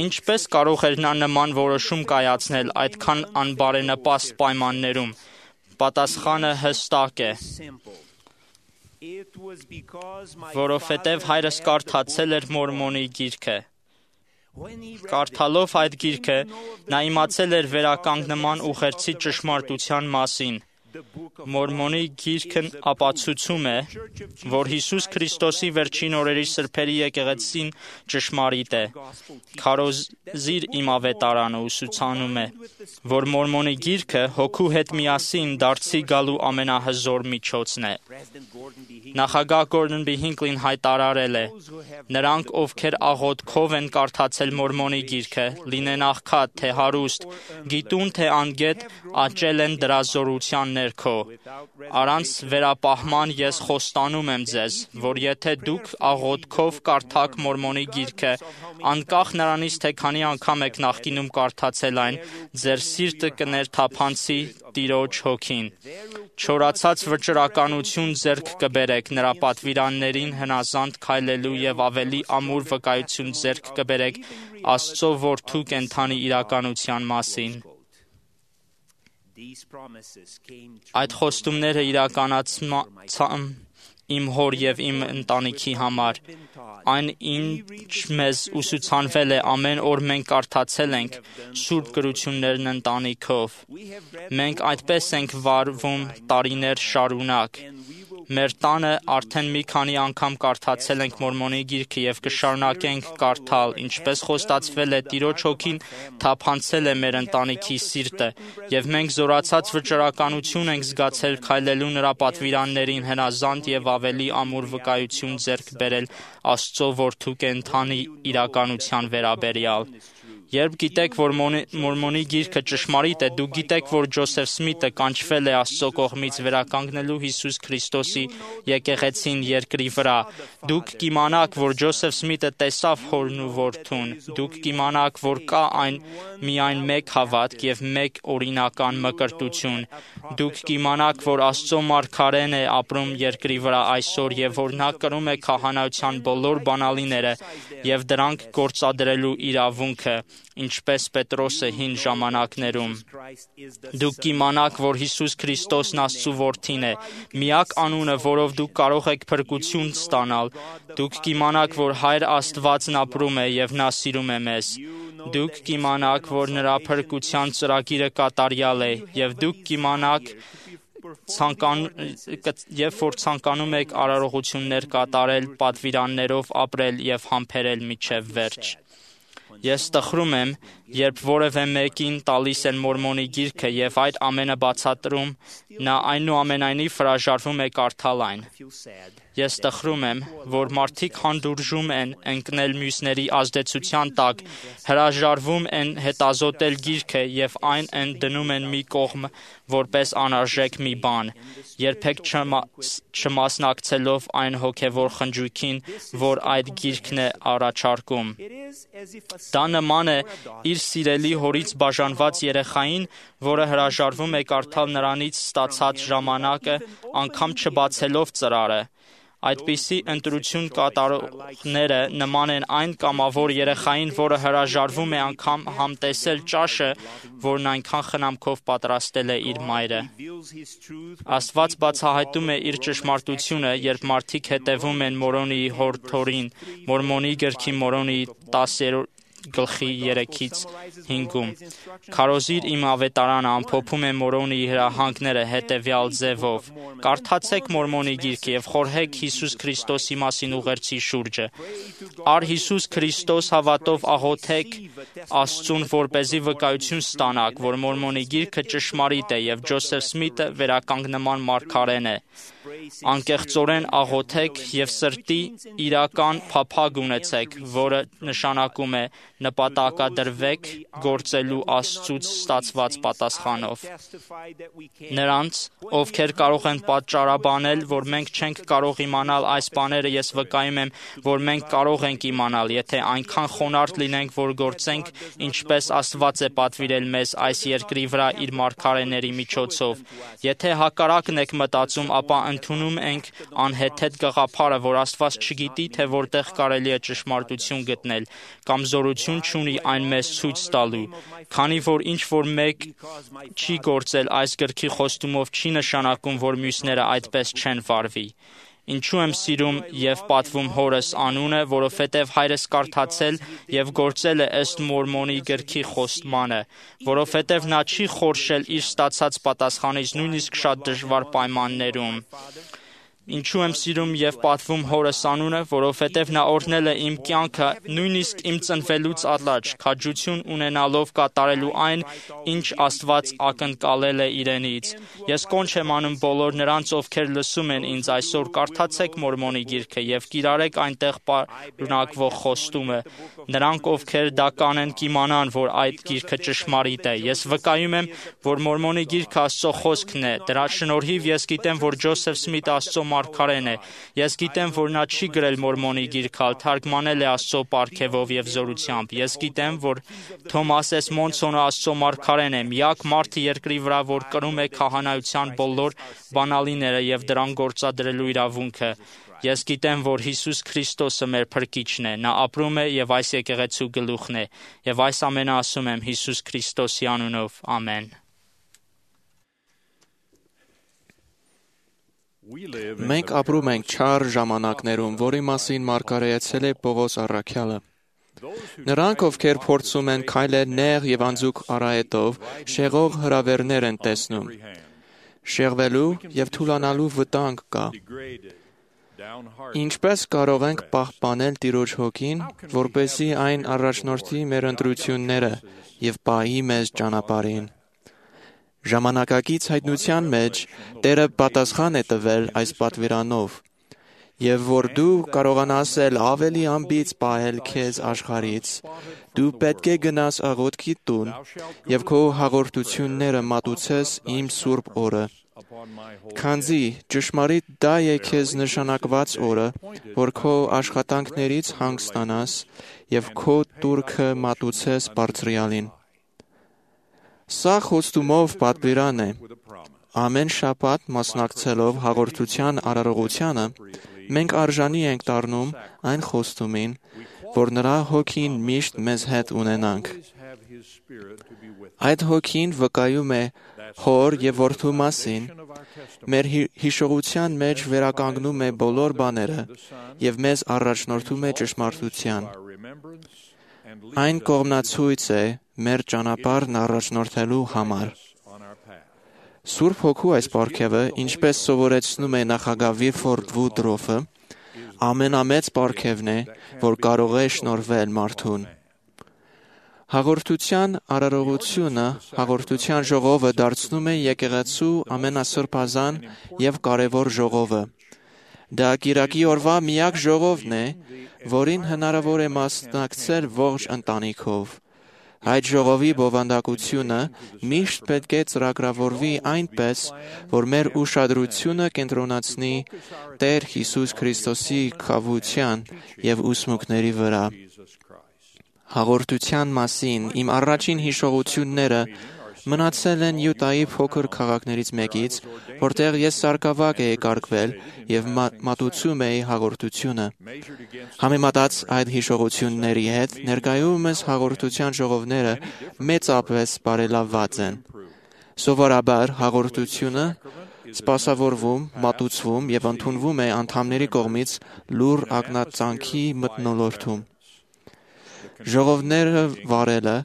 Ինչպես կարող էր նա նման որոշում կայացնել այդքան անբարենպաստ պայմաններում։ Պատասխանը հստակ է։ Որովհետև հայրս կարդացել էր մորմոնի գիրքը։ Կարդալով այդ գիրքը, նա իմացել էր վերականգնման ուղերձի ճշմարտության մասին։ Մորմոնի գիրքն ապացուցում է, որ Հիսուս Քրիստոսի վերջին օրերի սրբերի եկեղեցին ճշմարիտ է։ Քարոզիր իմ ավետարանը ուսուցանում է, որ մորմոնի գիրքը հոգու հետ միասին դարձի գալու ամենահզոր միջոցն է։ Նախագահ Գորդոն B. Հինկլին հայտարարել է. նրանք, ովքեր աղոթքով են կարդացել մորմոնի գիրքը, լինեն աղքատ, թե հարուստ, գիտուն, թե անգետ, աճել են դրա զորության ներքո։ Առանց վերապահման ես խոստանում եմ ձեզ, որ եթե դուք աղոթքով կարդաք մորմոնի գիրքը, անկախ նրանից, թե քանի անգամ եք նախկինում կարդացել այն, ձեր սիրտը կներթափանցի Տիրոջ հոգին։ Չորացած վճռականություն ձեռք կբերեք նրա պատվիրաններին հնազանդ քայլելու եւ ավելի ամուր վկայություն ձեռք կբերեք Աստծո որդու կենդանի իրականության մասին։ Այդ խոստումները իրականացան իմ հոր եւ իմ ընտանիքի համար։ Այն, ինչ մեզ ուսուցանվել է ամեն օր մենք կարդացել ենք Սուրբ գրություններն ընտանիքով։ Մենք այդպես ենք վարվում տարիներ շարունակ։ Մեր տանը արդեն մի քանի անգամ կարդացել ենք Մորմոնի գիրքը եւ կշարունակենք կարդալ, ինչպես խոստացվել է Տիրոջ հոգին թափանցել է մեր ընտանիքի սիրտը, եւ մենք զորացած վճռականություն ենք զգացել քայլելու նրա պատվիրաններին հնազանդ եւ ավելի ամուր վկայություն ձեռք բերել Աստծո որդու կենդանի իրականության վերաբերյալ։ Երբ գիտեք, որ Մորմոնի գիրքը ճշմարիտ է, դուք գիտեք, որ Ջոսեֆ Սմիթը կանչվել է Աստծո կողմից վերականգնելու Հիսուս Քրիստոսի եկեղեցին երկրի վրա։ Դուք կիմանաք, որ Ջոսեֆ Սմիթը տեսավ հորն ու որդուն։ Դուք կիմանաք, որ կա միայն մեկ հավատք եւ մեկ օրինական մկրտություն։ Դուք կիմանաք, որ Աստծո մարգարեն է ապրում երկրի վրա այսօր եւ որ նա կրում է քահանայության բոլոր բանալիները եւ դրանք գործադրելու իրավունքը, ինչպես Պետրոսը հին ժամանակներում։ Դուք կիմանաք, որ Հիսուս Քրիստոսն Աստծո որդին է, միակ անունը, որով դուք կարող եք փրկություն ստանալ։ Դուք կիմանաք, որ Հայր Աստվածն ապրում է եւ նա սիրում է մեզ։ Դուք կիմանաք, որ նրա փրկության ծրագիրը կատարյալ է եւ դուք կիմանաք, երբ որ ցանկանում եք արարողություններ կատարել, պատվիրաններով ապրել եւ համբերել մինչեւ վերջ։ Ես տխրում եմ, երբ որևէ մեկին տալիս են Մորմոնի գիրքը եւ այդ ամենը բացատրում, նա այնուամենայնիվ հրաժարվում է կարդալ այն։ Ես տխրում եմ, որ մարդիկ հանդուրժում են ընկնել մյուսների ազդեցության տակ, հրաժարվում են հետազոտել գիրքը եւ այն են դնում են մի կողմ որպես անարժեք մի բան, երբեք չմասնակցելով այն հոգևոր խնջույքին, որ այդ գիրքն է առաջարկում։ Դա նման է իր սիրելի հորից բաժանված երեխային, որը հրաժարվում է կարդալ նրանից ստացած ժամանակը, անգամ չբացելով ծրարը։ Այդպիսի ընտրություն կատարողները նման են այն կամավոր երեխային, որը հրաժարվում է անգամ համտեսել ճաշը, որն այնքան խնամքով պատրաստել է իր մայրը։ Աստված բացահայտում է իր ճշմարտությունը, երբ մարդիկ հետևում են Մորոնի հորդորին, Մորմոնի գրքի Մորոնի 10 գլխի 3-5-ում։ Քարոզիր իմ ավետարանը ամփոփում է Մորոնի հրահանգները հետևյալ ձևով. Կարդացեք Մորմոնի գիրքը եւ խորհեք Հիսուս Քրիստոսի մասին ուղերձի շուրջը։ Առ Հիսուս Քրիստոս հավատով աղոթեք Աստծուն, որպեսզի վկայություն ստանաք, որ Մորմոնի գիրքը ճշմարիտ է եւ Ջոսեֆ Սմիթը վերականգնման մարգարեն է։ Անկեղծորեն աղոթեք եւ սրտի իրական փափագ ունեցեք, որը նշանակում է նպատակադրվեք գործելու Աստծուց ստացված պատասխանով։ Նրանց, ովքեր կարող են պատճառաբանել, որ մենք չենք կարող իմանալ այս բաները, ես վկայում եմ, որ մենք կարող ենք իմանալ, եթե այնքան խոնարհ լինենք, որ գործենք, ինչպես Աստված է պատվիրել մեզ այս երկրի վրա իր մարգարեների միջոցով։ Եթե հակառակն եք մտածում, ապա ընդունում ենք անհեթեթ գաղափարը, որ Աստված չգիտի, թե որտեղ կարելի է ճշմարտություն գտնել, կամ զորություն չունի այն մեզ ցույց տալու, քանի որ ինչ որ մեկ չի գործել այս գրքի խոստումով չի նշանակում, որ մյուսները այդպես չեն վարվի։ Ինչու եմ սիրում եւ պատվում հորս անունը, որովհետեւ հայրս կարդացել եւ գործել է ըստ Մորմոնի գրքի խոստմանը, որովհետեւ նա չի խորշել իր ստացած պատասխանից նույնիսկ շատ դժվար պայմաններում։ Ինչու եմ սիրում եւ պատվում հորս անունը, որովհետեւ նա օրհնել է իմ կյանքը նույնիսկ իմ ծնվելուց առաջ, քաջություն ունենալով կատարելու այն, ինչ Աստված ակնկալել է իրենից։ Ես կոչ եմ անում բոլոր նրանց, ովքեր լսում են ինձ այսօր, կարդացեք Մորմոնի գիրքը եւ կիրառեք այնտեղ պարունակվող խոստումը։ Նրանք, ովքեր դա կանեն, կիմանան, որ այդ գիրքը ճշմարիտ է։ Ես վկայում եմ, որ Մորմոնի գիրքը Աստծո խոսքն է։ Դրա շնորհիվ ես գիտեմ, որ Ջոսեֆ Սմիթը Աստծո մարգարեն է։ Ես գիտեմ, որ նա չի գրել Մորմոնի գիրքը, թարգմանել է Աստծո պարգևով եւ զորությամբ։ Ես գիտեմ, որ Թոմաս Մոնսոնը Աստծո մարգարեն է, միակ մարդը երկրի վրա, որ կրում է քահանայության բոլոր բանալիները եւ դրան գործադրելու իրավունքը։ Ես գիտեմ, որ Հիսուս Քրիստոսը մեր փրկիչն է, նա ապրում է եւ այս եկեղեցու գլուխն է, եւ այս ամենը ասում եմ Հիսուս Քրիստոսի անունով, ամեն։ Մենք ապրում ենք չար ժամանակներում, որի մասին մարգարեացել է Պողոս առաքյալը։ Նրանք, ովքեր փորձում են քայլել նեղ եւ անձուկ արահետով, շեղող հրավերներ են տեսնում։ Շեղվելու եւ թուլանալու վտանգ կա։ Ինչպես կարող ենք պահպանել Տիրոջ հոգին, որպեսզի այն առաջնորդի մեր ընտրությունները եւ պահի մեզ ճանապարհին։ Ժամանակակից հայտնության մեջ Տերը պատասխան է տվել այս պատվիրանով, եւ որ դու կարողանաս ավելի ամբից պահել քեզ աշխարհից, դու պետք է գնաս աղոթքի տուն եւ քո հաղորդությունները մատուցես իմ սուրբ օրը։ Քանզի ճշմարիտ դա է քեզ նշանակված օրը, որ քո աշխատանքներից հանգստանաս եւ քո տուրքը մատուցես Բարձրյալին։ Սա խոստումով պատվիրան է։ Ամեն շաբաթ մասնակցելով հաղորդության արարողությանը, մենք արժանի ենք դառնում այն խոստումին, որ նրա հոգին միշտ մեզ հետ ունենանք։ Այդ հոգին վկայում է Հոր եւ Որդու մասին, մեր հիշողության մեջ վերականգնում է բոլոր բաները եւ մեզ առաջնորդում է ճշմարտության։ Այն կողմնացույց է մեր ճանապարհն առաջնորդելու համար։ Սուրբ Հոգու այս պարգևը, ինչպես սովորեցնում է նախագահ Վիլֆորդ Վուդրոֆը, ամենամեծ պարգևն է, որ կարող է շնորհվել մարդուն։ Հաղորդության արարողությունը, հաղորդության ժողովը դարձնում է եկեղեցու ամենասրբազան եւ կարևոր ժողովը։ Դա կիրակի օրվա միակ ժողովն է, որին հնարավոր է մասնակցել ողջ ընտանիքով։ Այդ ժողովի բովանդակությունը միշտ պետք է ծրագրավորվի այնպես, որ մեր ուշադրությունը կենտրոնացնի Տեր Հիսուս Քրիստոսի քավության եւ ուսմունքների վրա։ Հաղորդության մասին իմ առաջին հիշողությունները մնացել են Յուտայի փոքր քաղաքներից մեկից, որտեղ ես սարկավակ էի կարգվել եւ մատուցում էի հաղորդությունը։ Համեմատած այդ հիշողությունների հետ, ներկայումս հաղորդության ժողովները մեծապես բարելավված են։ Սովորաբար հաղորդությունը սպասավորվում, մատուցվում եւ ընդունվում է անդամների կողմից լուր ակնածանքի մթնոլորտում։ Ժողովները վարելը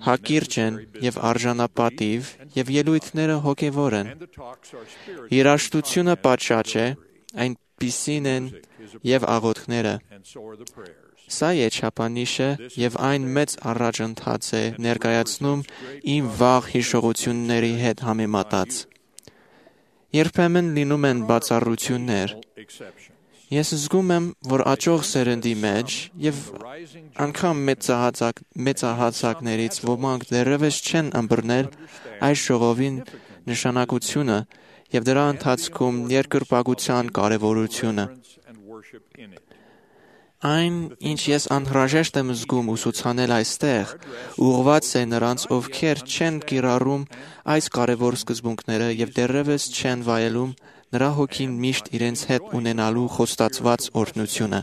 հակիրճ են եւ արժանապատիվ եւ ելույթները հոգեվոր են։ Երաժշտությունը պատշաճ է, այնպիսին են եւ աղոթքները։ Սա է չափանիշը եւ այն մեծ առաջընթաց է ներկայացնում իմ վաղ հիշողությունների հետ համեմատած։ Երբեմն լինում են բացառություններ։ Ես զգում եմ, որ աճող սերնդի մեջ եւ անգամ մեծահասակներից ոմանք դեռևս չեն ըմբռնել այս ժողովին նշանակությունը եւ դրա ընթացքում երկրպագության կարեւորությունը։ Այն, ինչ ես անհրաժեշտ եմ զգում ուսուցանել այստեղ, ուղղված է նրանց, ովքեր չեն կիրառում այս կարևոր սկզբունքները եւ դեռևս չեն վայելում նրա հոգին միշտ իրենց հետ ունենալու խոստացված օրհնությունը։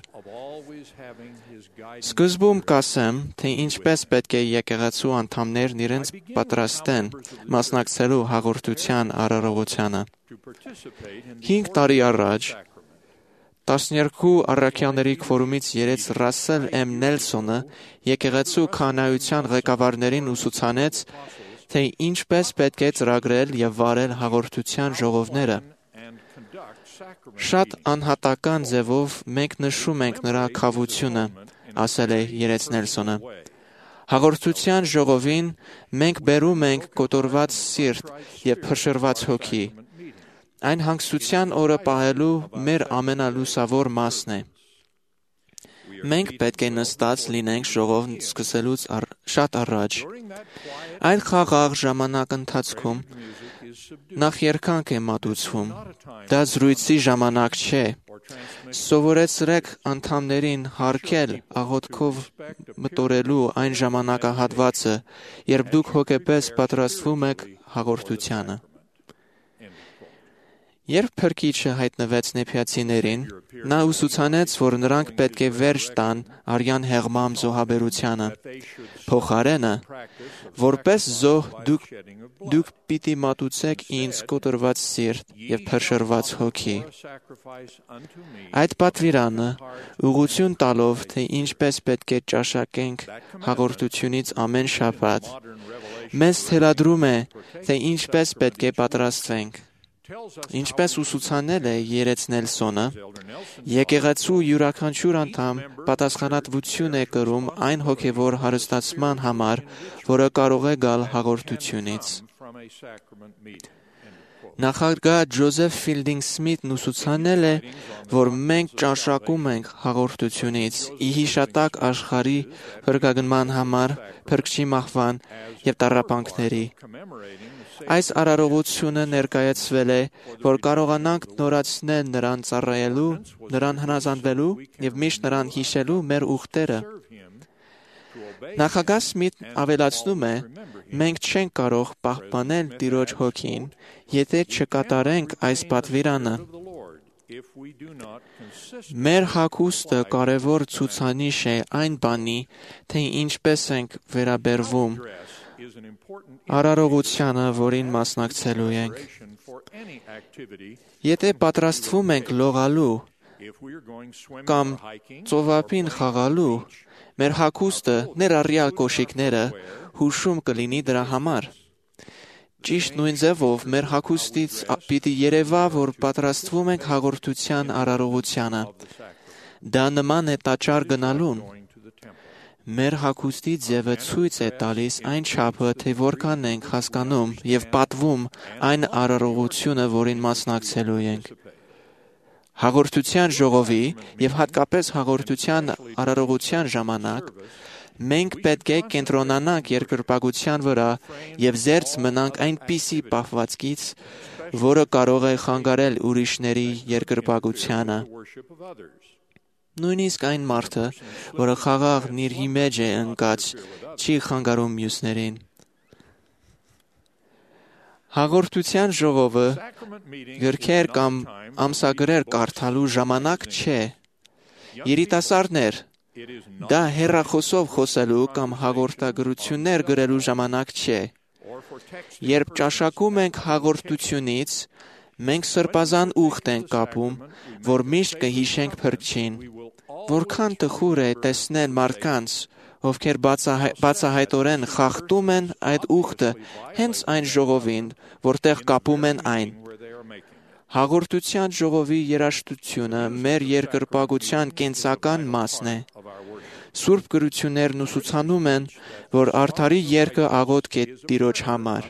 Սկզբում կասեմ, թե ինչպես պետք է եկեղեցու անդամներն իրենց պատրաստեն մասնակցելու հաղորդության արարողությանը։ 5 տարի առաջ 12 առաքյալների քվորումից երեց Ռասել Էմ Նելսոնը եկեղեցու քահանայության ղեկավարներին ուսուցանեց, թե ինչպես պետք է ծրագրել եւ վարել հաղորդության ժողովները։ Շատ անհատական ձևով մենք նշում ենք նրա քավությունը, ասել է երեց Նելսոնը։ Հաղորդության ժողովին մենք բերում ենք կոտորված սիրտ եւ փշրված հոգի։ Այն հանգստության օրը պահելու մեր ամենալուսավոր մասն է։ Մենք պետք է նստած լինենք ժողովն սկսելուց շատ առաջ։ Այդ խաղաղ ժամանակ ընթացքում նախ երկանք է մատուցվում։ Դա զրույցի ժամանակ չէ։ Սովորեցրեք անդամներին հարգել աղոթքով մտորելու այն ժամանակահատվածը, երբ դուք հոգեպես պատրաստվում եք հաղորդությանը։ Երբ Փրկիչը հայտնվեց նեփյացիներին, նա ուսուցանեց, որ նրանք պետք է վերջ տան արյան հեղմամ զոհաբերությանը։ Փոխարենը, որպես զոհ դուք պիտի մատուցեք ինձ կոտրված սիրտ և փրշրված հոգի։ Այդ պատվիրանը ուղղություն տալով, թե ինչպես պետք է ճաշակենք հաղորդությունից ամեն շաբաթ, մեզ թելադրում է, թե ինչպես պետք է պատրաստվենք։ Ինչպես ուսուցանել է Երեց Նելսոնը, եկեղեցու յուրաքանչյուր անդամ պատասխանատվություն է կրում այն հոգևոր հարստացման համար, որը կարող է գալ հաղորդությունից։ Նախագահ Ջոզեֆ Ֆիլդինգ Սմիթն ուսուցանել է, որ մենք ճաշակում ենք հաղորդությունից ի հիշատակ աշխարհի փրկագնման համար, Փրկչի մահվան և տառապանքների։ Այս արարողությունը ներկայացվել է, որ կարողանանք նորացնել նրան ծառայելու, նրան հնազանդվելու և միշտ նրան հիշելու մեր ուխտերը։ Նախագահ Սմիթն ավելացնում է, մենք չենք կարող պահպանել Տիրոջ հոգին, եթե չկատարենք այս պատվիրանը։ Մեր հագուստը կարևոր ցուցանիշ է այն բանի, թե ինչպես ենք վերաբերվում արարողությանը, որին մասնակցելու ենք։ Եթե պատրաստվում ենք լողալու կամ ծովափին խաղալու, մեր հագուստը, ներառյալ կոշիկները, հուշում կլինի դրա համար։ Ճիշտ նույն ձևով մեր հագուստից պիտի երևա, որ պատրաստվում ենք հաղորդության արարողությանը։ Դա նման է տաճար գնալուն։ Մեր հագուստի ձևը ցույց է տալիս այն չափը, թե որքան ենք հասկանում և պատվում այն արարողությունը, որին մասնակցելու ենք։ Հաղորդության ժողովի և հատկապես հաղորդության արարողության ժամանակ մենք պետք է կենտրոնանանք երկրպագության վրա և զերծ մնանք այնպիսի պահվածքից, որը կարող է խանգարել ուրիշների երկրպագությանը։ Նույնիսկ այն մարդը, որը խաղաղ նիրհի մեջ է ընկած, չի խանգարում մյուսներին։ Հաղորդության ժողովը գրքեր կամ ամսագրեր կարդալու ժամանակ չէ։ Երիտասարդներ, դա հեռախոսով խոսելու կամ հաղորդագրություններ գրելու ժամանակ չէ։ Երբ ճաշակում ենք հաղորդությունից, մենք սրբազան ուխտ ենք կապում, որ միշտ կհիշենք Փրկչին։ Որքան տխուր է տեսնել մարդկանց, ովքեր բացահայտորեն խախտում են այդ ուխտը հենց այն ժողովին, որտեղ կապում են այն։ Հաղորդության ժողովի երաժշտությունը մեր երկրպագության կենսական մասն է։ Սուրբ գրություններն ուսուցանում են, որ արդարի երգը աղոթք է Տիրոջ համար։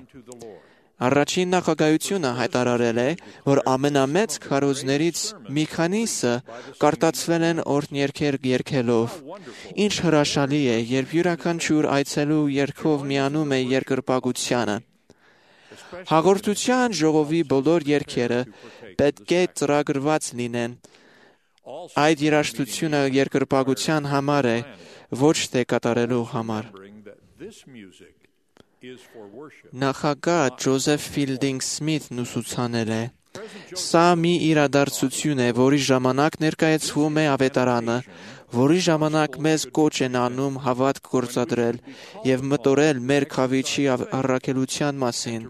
Առաջին նախագահությունը հայտարարել է, որ ամենամեծ քարոզներից մի քանիսը կարտացվել են օրհներգեր երգելով։ Ինչ հրաշալի է, երբ յուրաքանչյուր այցելու երգով միանում է երկրպագությանը։ Հաղորդության ժողովի բոլոր երգերը պետք է ծրագրված լինեն։ Այդ երաժշտությունը երկրպագության համար է, ոչ թե կատարելու համար։ Նախագահ Ջոզեֆ Ֆիլդինգ Սմիթն ուսուցանել է. Սա մի իրադարձություն է, որի ժամանակ ներկայացվում է ավետարանը, որի ժամանակ մեզ կոչ են անում հավատք գործադրել և մտորել մեր քավիչի առաքելության մասին,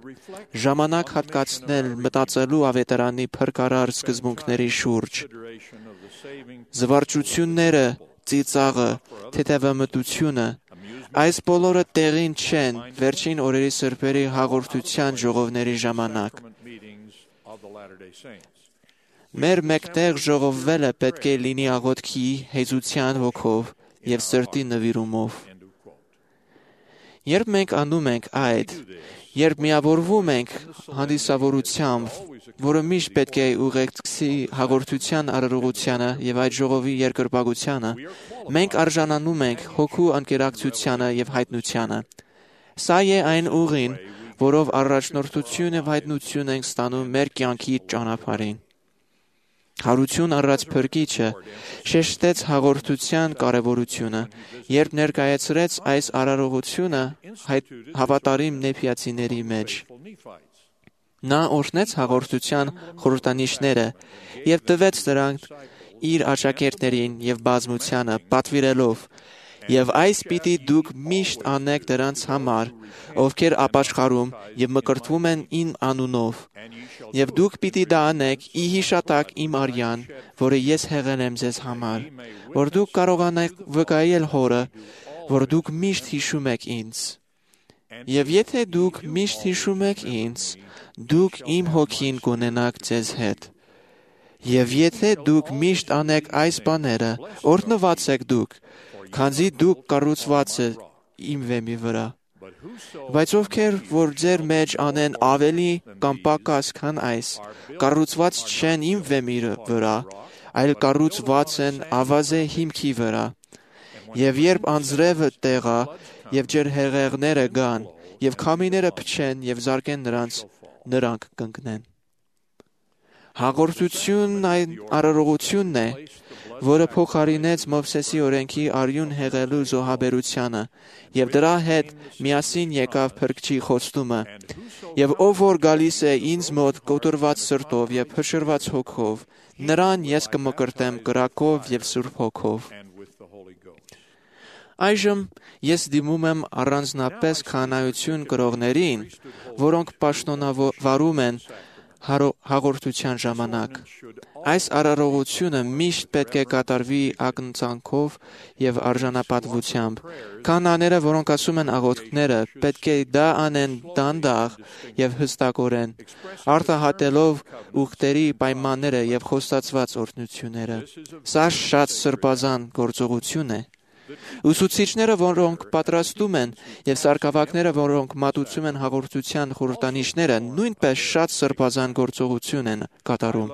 ժամանակ հատկացնել մտածելու ավետարանի փրկարար սկզբունքների շուրջ։ Զվարճությունները, ծիծաղը, թեթևամտությունը, այս բոլորը տեղին չեն վերջին օրերի սրբերի հաղորդության ժողովների ժամանակ։ Մեր մեկտեղ ժողովվելը պետք է լինի աղոթքի, հեզության հոգով և սրտի նվիրումով։ Երբ մենք անում ենք այդ, երբ միավորվում ենք հանդիսավորությամբ, որը միշտ պետք է ուղեկցի հաղորդության արարողությանը և այդ ժողովի երկրպագությանը, մենք արժանանում ենք հոգու անկերակցությանը և հայտնությանը։ Սա է այն ուղին, որով առաջնորդություն եւ հայտնություն ենք ստանում մեր կյանքի ճանապարհին։ Հարություն առած Փրկիչը շեշտեց հաղորդության կարևորությունը, երբ ներկայացրեց այս արարողությունը հավատարիմ նեփիացիների մեջ։ Նա օրհնեց հաղորդության խորհրդանիշները եւ տվեց դրանք իր աշակերտներին եւ բազմությանը պատվիրելով. «Եվ այս պիտի դուք միշտ անեք դրանց համար, ովքեր ապաշխարում եւ մկրտվում են իմ անունով, եւ դուք պիտի դա անեք ի հիշատակ իմ արյան, որը ես հեղել եմ ձեզ համար, որ դուք կարողանաք վկայել հորը, որ դուք միշտ հիշում եք ինձ։ Եվ եթե դուք միշտ հիշում եք ինձ, դուք իմ հոգին կունենաք ձեզ հետ։ Եվ եթե դուք միշտ անեք այս բաները, օրհնված եք դուք, քանզի դուք կառուցված եք իմ վեմի վրա։ Բայց ովքեր որ ձեր մեջ անեն ավելի կամ պակաս քան այս, կառուցված չեն իմ վեմի վրա, այլ կառուցված են ավազե հիմքի վրա։ Եվ երբ անձրևը տեղա, եւ ջրհեղեղները գան, եւ քամիները փչեն եւ զարկեն նրանք կընկնեն։ Հաղորդությունն այն արարողությունն է, որը փոխարինեց Մովսեսի օրենքի արյուն հեղելու զոհաբերությանը, եւ դրա հետ միասին եկավ Փրկչի խոստումը. «Եվ ով որ գալիս է ինձ մոտ կոտրված սրտով եւ փշրված հոգով, նրան ես կմկրտեմ կրակով եւ Սուրբ Հոգով»։ Այժմ ես դիմում եմ առանձնապես քահանայություն կրողներին, որոնք պաշտոնավարում են հաղորդության ժամանակ։ Այս արարողությունը միշտ պետք է կատարվի ակնածանքով եւ արժանապատվությամբ։ Քահանաները, որոնք ասում են աղոթքները, պետք է դա անեն դանդաղ եւ հստակորեն, արտահայտելով ուխտերի պայմանները եւ խոստացված օրհնությունները։ Սա շատ սրբազան գործողություն է։ Ուսուցիչները, որոնք պատրաստում են, եւ սարգսակները, որոնք մատուցում են հաղորդության խորհրդանիշները, նույնպես շատ սրբազան գործողություն են կատարում։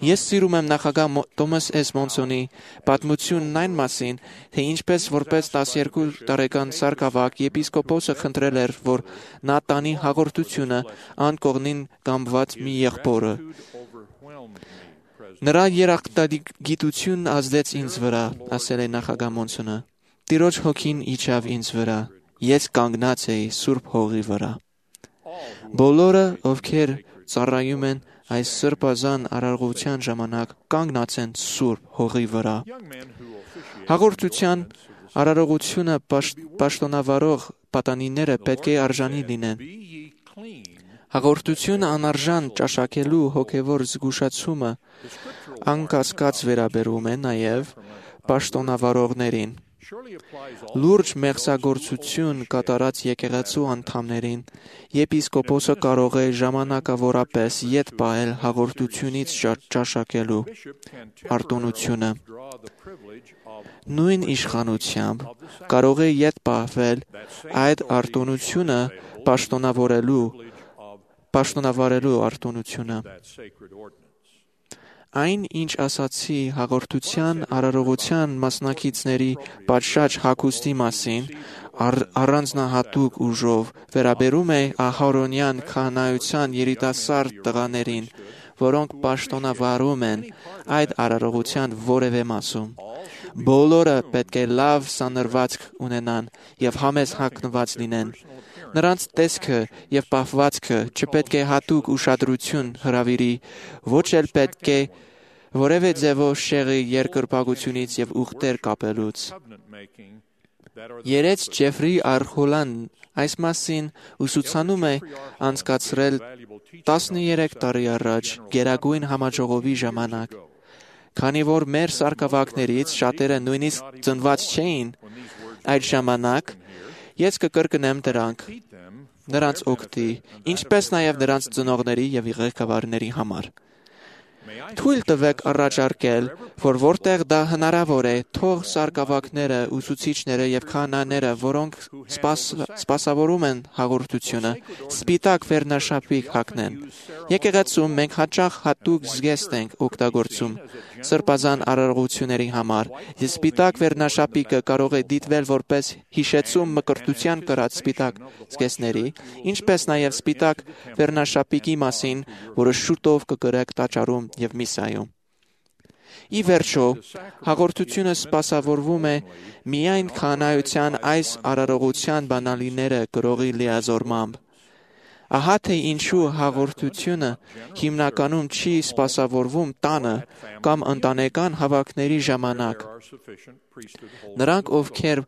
Ես սիրում եմ նախագահ Թոմաս Էս Մոնսոնի պատմությունն այն մասին, թե ինչպես որպես 12 տարեկան սարգսակ եպիսկոպոսը խնդրել էր, որ նա տանի հաղորդությունը անկողնին կամված մի եղբորը։ Նրա երախտագիտությունն ազդեց ինձ վրա, ասել է նախագահ Մոնսոնը։ Տիրոջ հոգին իջավ ինձ վրա, ես կանգնած էի Սուրբ Հողի վրա։ Բոլորը, ովքեր ծառայում են այս սրբազան արարողության ժամանակ, կանգնած են Սուրբ Հողի վրա։ Հաղորդության արարողությունը պաշտոնավարող պատանիները պետք է արժանի լինեն։ Հաղորդությունը անարժան ճաշակելու հոգևոր զգուշացումը անկասկած վերաբերում է նաև պաշտոնավարողներին։ Լուրջ մեղսագործություն կատարած եկեղեցու անդամներին եպիսկոպոսը կարող է ժամանակավորապես ետ պահել հաղորդությունից ճաշակելու արտոնությունը։ Նույն իշխանությամբ կարող է ետ պահվել այդ արտոնությունը պաշտոնավարելու արտոնությունը։ Այն, ինչ ասացի հաղորդության արարողության մասնակիցների պատշաճ հագուստի մասին, առանձնահատուկ ուժով վերաբերում է ահարոնյան քահանայության երիտասարդ տղաներին, որոնք պաշտոնավարում են այդ արարողության որևէ մասում։ Բոլորը պետք է լավ սանրվածք ունենան եւ համեստ հագնված լինեն։ Նրանց տեսքը եւ պահվածքը չպետք է հատուկ ուշադրություն հրավիրի, ոչ էլ պետք է որևէ ձևով շեղի երկրպագությունից եւ ուխտեր կապելուց։ Երեց Ջեֆրի Արխոլան այս մասին ուսուցանում է անցկացրել 13 տարի առաջ Գերագույն համաժողովի ժամանակ։ Քանի որ մեր սարգսակներից շատերը նույնիսկ ծնված չէին այդ ժամանակ, ես կկրկնեմ նրանց օգտի, ինչպես նաև նրանց ծնողների եւ ղեկավարների համար։ Թույլ տվեք առաջարկել, որ որտեղ դա հնարավոր է, թող սարգսակները, ուսուցիչները եւ քահանաները, որոնք սպասավորում են հաղորդությունը, սպիտակ վերնաշապիկ հագնեն։ Եկեղեցում մենք հաճախ հատուկ զգեստ ենք օգտագործում, սրբազան արարողությունների համար։ Եվ սպիտակ վերնաշապիկը կարող է դիտվել որպես հիշեցում մկրտության կրած սպիտակ զգեստների, ինչպես նաև սպիտակ վերնաշապիկի մասին, որը շուտով կգրեք տաճարում եւ միսայում։ Ի վերջո, հաղորդությունը սպասավորվում է միայն քահանայության այս արարողության բանալիները գրողի լիազորմամբ։ Ահա թե ինչու հաղորդությունը հիմնականում չի սպասավորվում տանը կամ ընտանեկան հավաքների ժամանակ։ Նրանք, ովքեր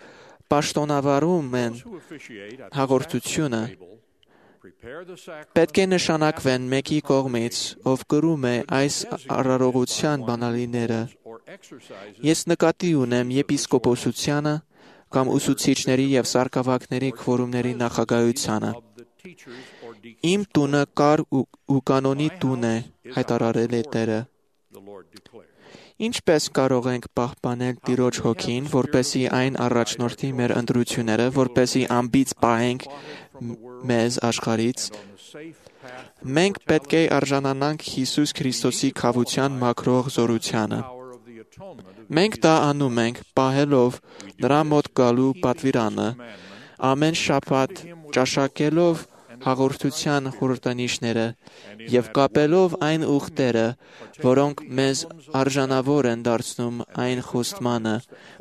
պաշտոնավարում են հաղորդությունը, պետք է նշանակվեն մեկի կողմից, ով կրում է այս արարողության բանալիները։ Ես նկատի ունեմ եպիսկոպոսությանը կամ ուսուցիչների եւ սարկավակների քվորումների նախագահությանը։ Իմ տունը կար ու կանոնի տուն է, հայտարարել է Տերը։ Ինչպես կարող ենք պահպանել Տիրոջ հոգին, որպեսզի այն առաջնորդի մեր ընտրությունները, որպեսզի անբիծ պահենք մեզ աշխարհից։ Մենք պետք է արժանանանք Հիսուս Քրիստոսի քավության մաքրող զորությանը։ Մենք դա անում ենք, պահելով նրա մոտ գալու պատվիրանը, ամեն շաբաթ ճաշակելով հաղորդության խորհրդանիշները եւ կապելով այն ուխտերը, որոնք մեզ արժանավոր են դարձնում այն խոստմանը,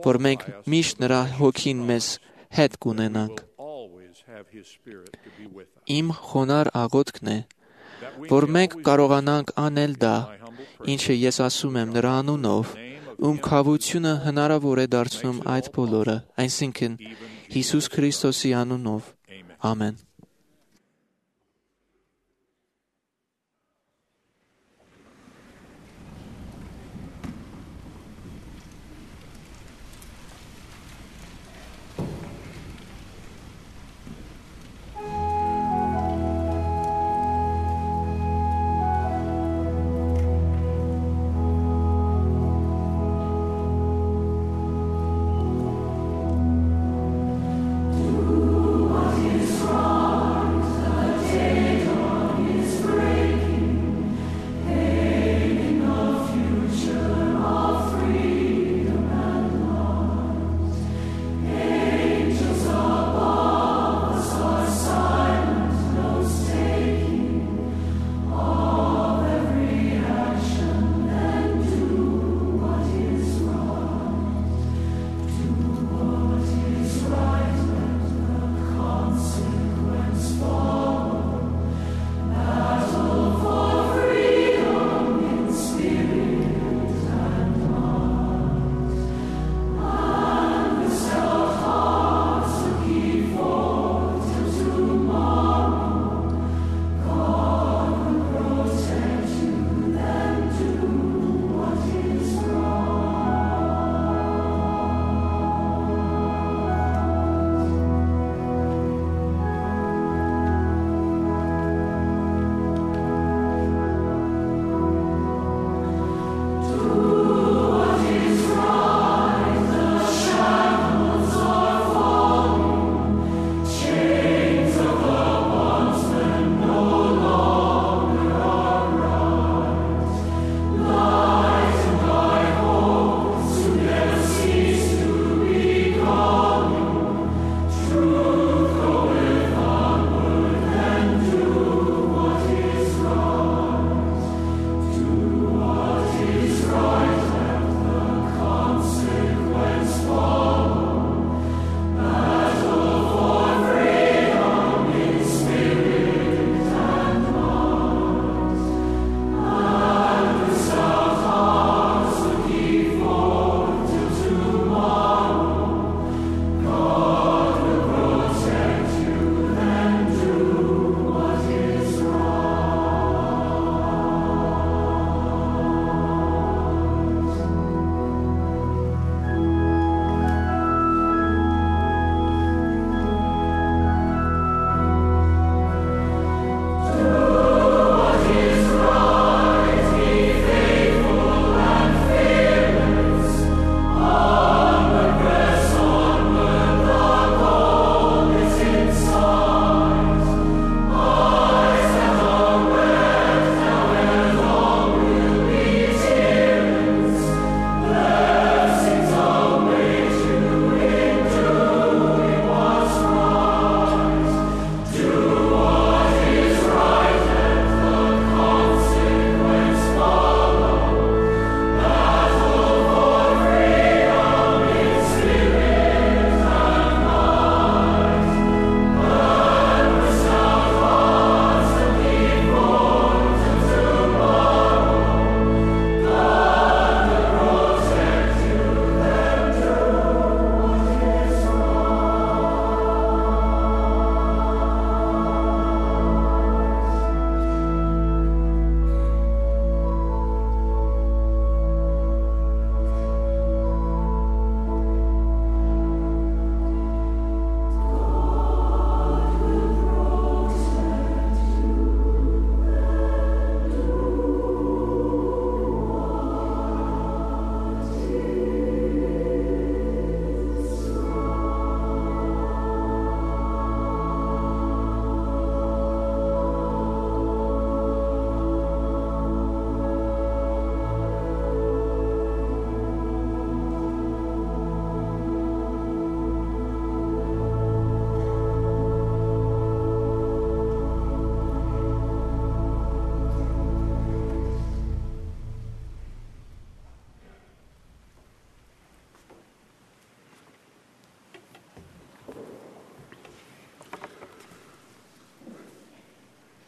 որ մենք միշտ նրա հոգին մեզ հետ կունենանք։ Իմ խոնար աղոթքն է, որ մենք կարողանանք անել դա, ինչը ես ասում եմ նրա անունով, ում քավությունը հնարավոր է դարձնում այդ բոլորը, այսինքն Հիսուս Քրիստոսի անունով։ Ամեն։ Strong.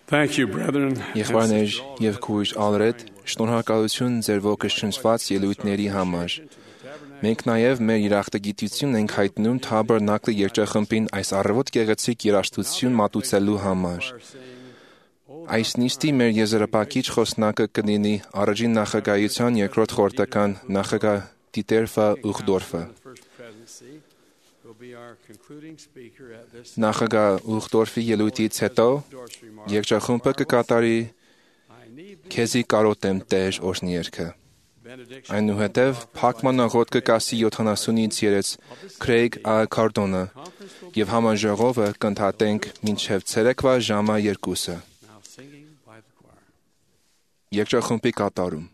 Thank you, brethren. Եղբայրներ եւ քույր Ալրեդ, շնորհակալություն ձեր ողջունված ելույթների համար։ Մենք նաև մեր երախտագիտությունն ենք հայտնում Թաբերնակլի երգչախմբին այս առավոտ գեղեցիկ երաժշտություն մատուցելու համար։ Այս նիստի մեր եզրափակիչ խոսնակը կլինի առաջին նախագահության երկրորդ խորհրդական նախագահ Դիտեր Ուխդորֆը։ Նախագահ Ուխդորֆի ելույթից հետո երգչախումբը կկատարի «Քեզի կարոտեմ Տեր» օրհնիերգը։ Այնուհետև փակման աղոթքը կասի 70-ից երես Քրեյգ Քարդոնը եւ համաժողովը կընդհատենք մինչև ցերեկվա ժամը 2-ը։ Երգչախումբի կատարում։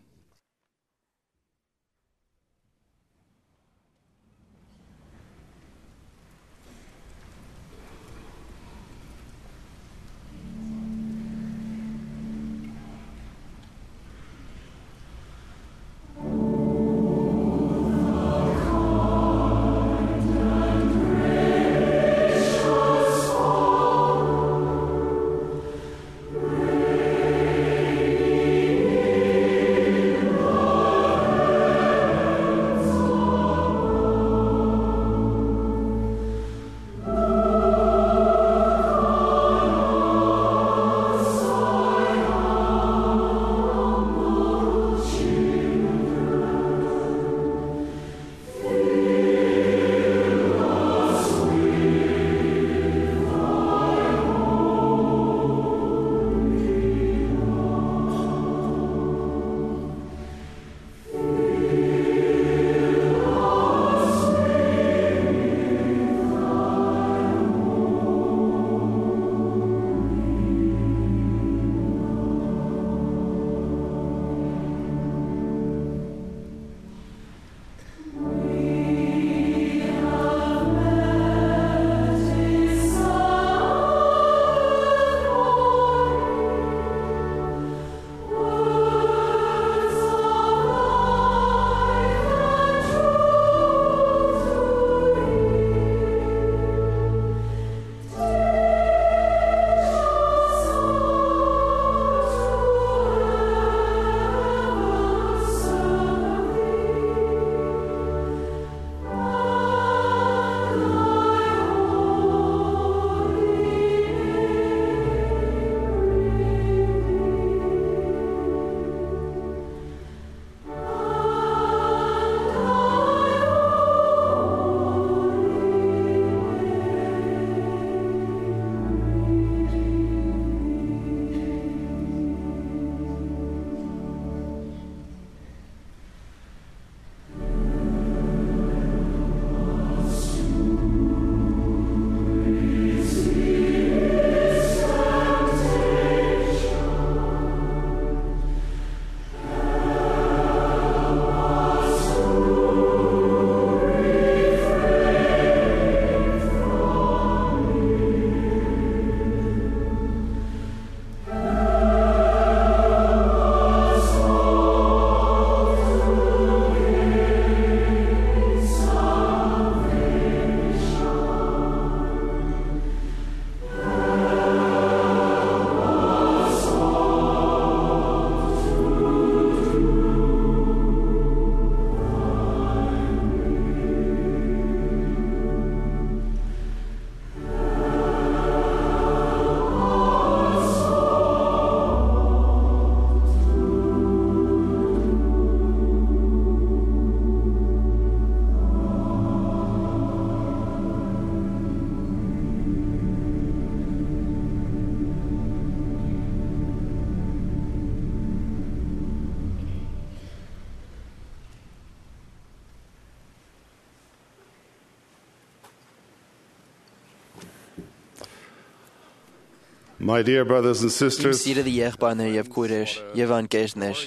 My dear brothers and sisters, Սիրելի եղբայրներ եւ քույրեր եւ անկերներ,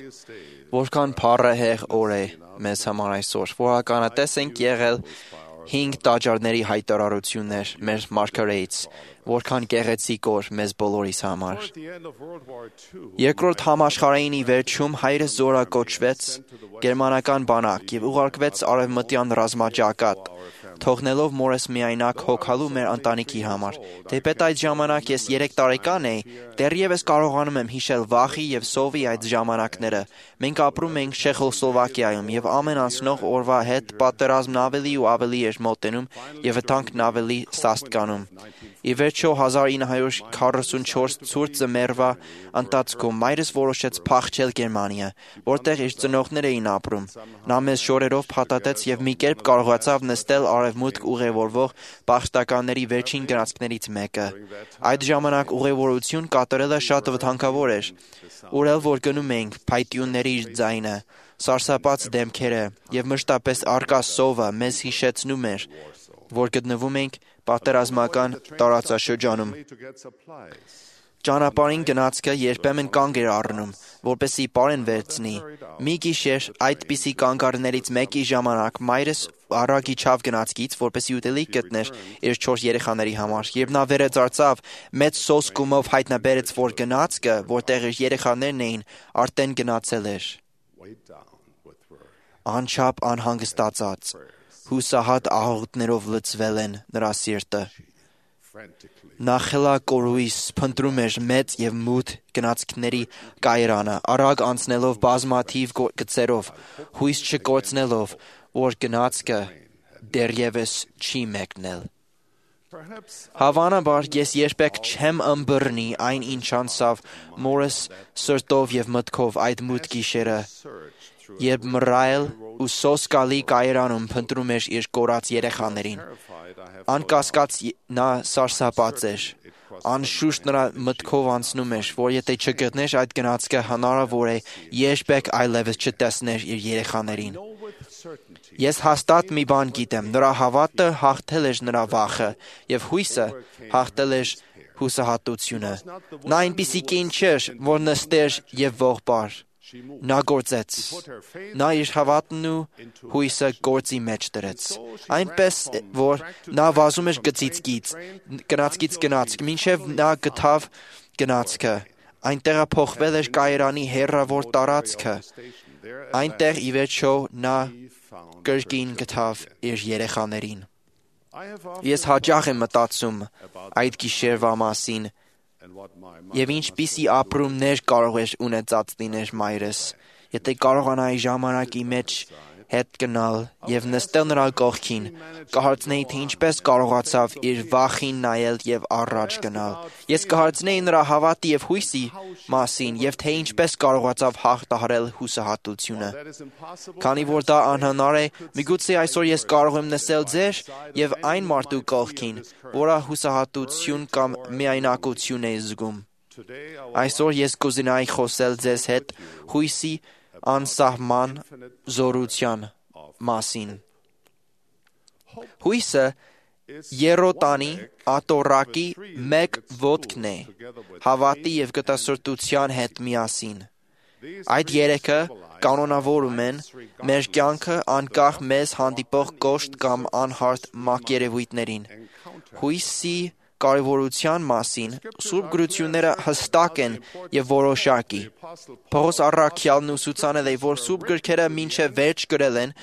որքան փառահեղ օր է մեզ համար այսօր, որականատես ենք եղել 5 տաճարների հայտարարություններ մեր մարգարեից, որքան գեղեցիկ օր մեզ բոլորիս համար։ Երկրորդ համաշխարհայինի վերջում հայրը զորակոչվեց գերմանական բանակ եւ ուղարկվեց արևմտյան ռազմաճակատ, թողնելով մորս միայնակ հոգալու մեր ընտանիքի համար։ Թեպետ այդ ժամանակ ես 3 տարեկան էի, դեռևս կարողանում եմ հիշել վախի եւ սովի այդ ժամանակները։ Մենք ապրում ենք Չեխոսլովակիայում եւ ամեն անցնող օրվա հետ պատերազմն ավելի ու ավելի էր մոտենում եւ վտանգն ավելի սաստկանում։ Ի վերջո 1944 ցուրտ ձմեռվա ընթացքում մայրս որոշեց փախչել Գերմանիա, որտեղ իր ծնողներ էին ապրում։ Նա մեզ շորերով փաթաթեց եւ մի կերպ կարողացավ նստել արևմուտք ուղևորվող պաշտականների վերջին գնացքներից մեկը։ Այդ ժամանակ ուղևորություն կատարելը շատ վտանգավոր էր։ Ուր էլ որ գնում էինք, փայտյունների ձայնը, սարսափած դեմքերը եւ մշտապես արկա սովը մեզ հիշեցնում էր, որ գտնվում ենք պատերազմական տարածաշրջանում։ Ճանապարհին գնացքը երբեմն կանգ էր առնում, որպեսզի պարեն վերցնի։ Մի գիշեր այդպիսի կանգառներից մեկի ժամանակ մայրս առակ իջավ գնացքից, որպեսզի ուտելիք գտներ իր 4 երեխաների համար, երբ նա վերածարծավ, մեծ սոսկումով հայտնաբերեց, որ գնացքը, որտեղ իր երեխաներն էին, արդեն գնացել էր։ Անչափ անհանգստացած, հուսահատ աղոթներով լցվել են նրա սիրտը։ Նա խելակորույս փնտրում էր մեծ եւ մութ գնացքների կայարանը, արագ անցնելով բազմաթիվ գծերով, հույս չկորցնելով, որ գնացքը դեռևս չի մեկնել։ Հավանաբար ես երբեք չեմ ըմբռնի այն ինչ անցավ մորս սրտով եւ մտքով այդ մութ գիշերը, երբ մռայլ ու սոսկալի կայարանում փնտրում էր իր կորած երեխաներին։ Անկասկած նա սարսափած էր։ Անշուշտ նրա մտքով անցնում էր, որ եթե չգտներ այդ գնացքը, հնարավոր է երբեք այլևս չտեսներ իր երեխաներին։ Ես հաստատ մի բան գիտեմ, նրա հավատը հաղթել էր նրա վախը, եւ հույսը հաղթել էր հուսահատությունը։ Նա այնպիսի կին չէր, որ նստեր եւ ողբար։ Նա գործեց։ Նա իր հավատն ու հույսը գործի մեջ դրեց։ Այնպես որ նա վազում էր գծից գնացքից գնացք, մինչև նա գտավ գնացքը։ Այնտեղ փոխվել էր կայարանի հեռավոր տարածքը։ Այնտեղ ի վերջո նա կրկին գտավ իր երեխաներին։ Ես հաճախ եմ մտածում այդ գիշերվա մասին եւ ինչպիսի ապրումներ կարող էր ունեցած լիներ մայրս, եթե կարողանայի ժամանակի մեջ հետ գնալ եւ նստել նրա կողքին, կհարցնեի, թե ինչպես կարողացավ իր վախին նայել եւ առաջ գնալ։ Ես կհարցնեի նրա հավատի եւ հույսի մասին եւ թե ինչպես կարողացավ հաղթահարել հուսահատությունը։ Քանի որ դա անհնար է, միգուցե այսօր ես կարող եմ նստել ձեր եւ այն մարդու կողքին, որը հուսահատություն կամ միայնակություն է զգում։ Այսօր ես կուզենայի խոսել ձեզ հետ հույսի անսահման զորության մասին։ Հույսը երոտանի ատորակի մեկ ոտքն է, հավատի եւ գտասրտության հետ միասին։ Այդ երեքը կանոնավորում են մեր կյանքը անկախ մեզ հանդիպող կոշտ կամ անհարթ մակերևույթներին։ Հույսի կարևորության մասին Սուրբ գրությունները հստակ են եւ որոշակի։ Պողոս առաքյալն ուսուցանել է, որ Սուրբ գրքերը մինչև վերջ գրել են,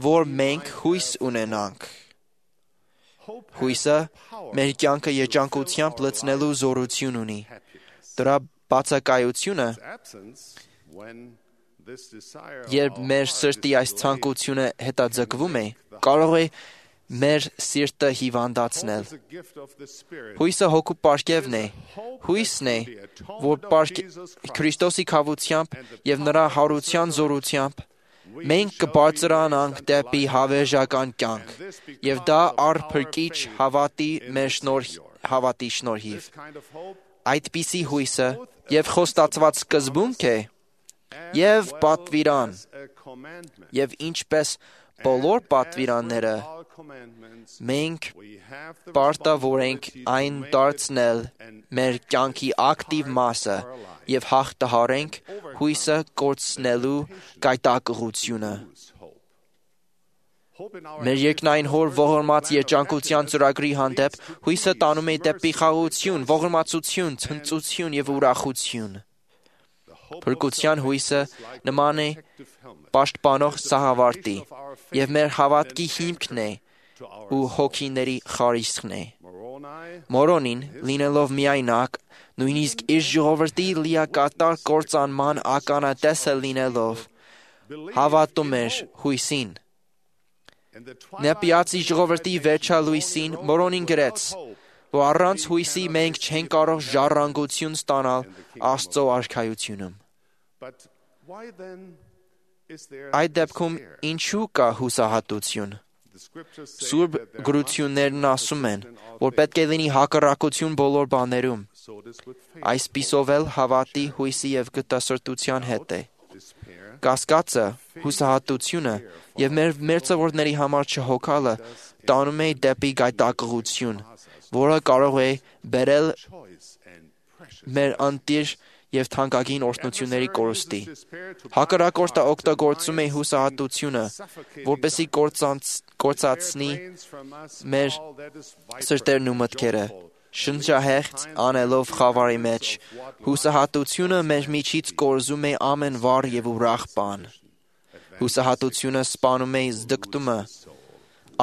որ մենք հույս ունենանք։ Հույսը մեր կյանքը երջանկությամբ լցնելու զորություն ունի։ Դրա բացակայությունը, երբ մեր սրտի այս ցանկությունը հետաձգվում է, կարող է մեր սիրտը հիվանդացնել։ Հույսը հոգու պարգևն է։ Հույսն է, որ Քրիստոսի քավությամբ եւ նրա հարության զորությամբ մենք կբարձրանանք դեպի հավերժական կյանք, եւ դա առփրկիչ հավատի շնորհիվ։ Այդպիսի հույսը եւ խոստացված սկզբունք է, եւ պատվիրան, եւ ինչպես բոլոր պատվիրանները, մենք պարտավոր ենք այն դարձնել մեր կյանքի ակտիվ մասը եւ հաղթահարենք հույսը կորցնելու գայթակղությունը։ Մեր երկնային հոր ողորմած երջանկության ծրագրի հանդեպ հույսը տանում է դեպի խաղաղություն, ողորմածություն, ցնծություն եւ ուրախություն։ Փրկության հույսը նման է պաշտպանող սահավարտի եւ մեր հավատքի հիմքն է, ու հոգիների խարիսքն է։ Մորոնին, լինելով միայնակ, նույնիսկ իր ժողովրդի լիակատար կործանման ականատեսը լինելով, հավատում էր հույսին։ Նեպիացի ժողովրդի վերջալույսին Մորոնին գրեց, որ առանց հույսի մենք չենք կարող ժառանգություն ստանալ Աստծո արքայությունում։ Այդ դեպքում ինչու կա հուսահատություն։ Սուրբ գրություններն ասում են, որ պետք է լինի հակառակություն բոլոր բաներում։ Այսպիսով էլ հավատի, հույսի և գտասրտության հետ է։ Կասկածը, հուսահատությունը և մեր մերձավորների համար չհոգալը տանում է դեպի գայթակղություն, որը կարող է բերել մեր անտիր և թանկագին օրհնությունների կորուստի։ Հակառակորդը օգտագործում է հուսահատությունը, որպեսզի կործացնի մեր սրտերն ու մտքերը, շնչահեղձ անելով խավարի մեջ։ Հուսահատությունը մեր միջից կորզում է ամեն վառ և ուրախ բան։ Հուսահատությունը սպանում է զդկտումը,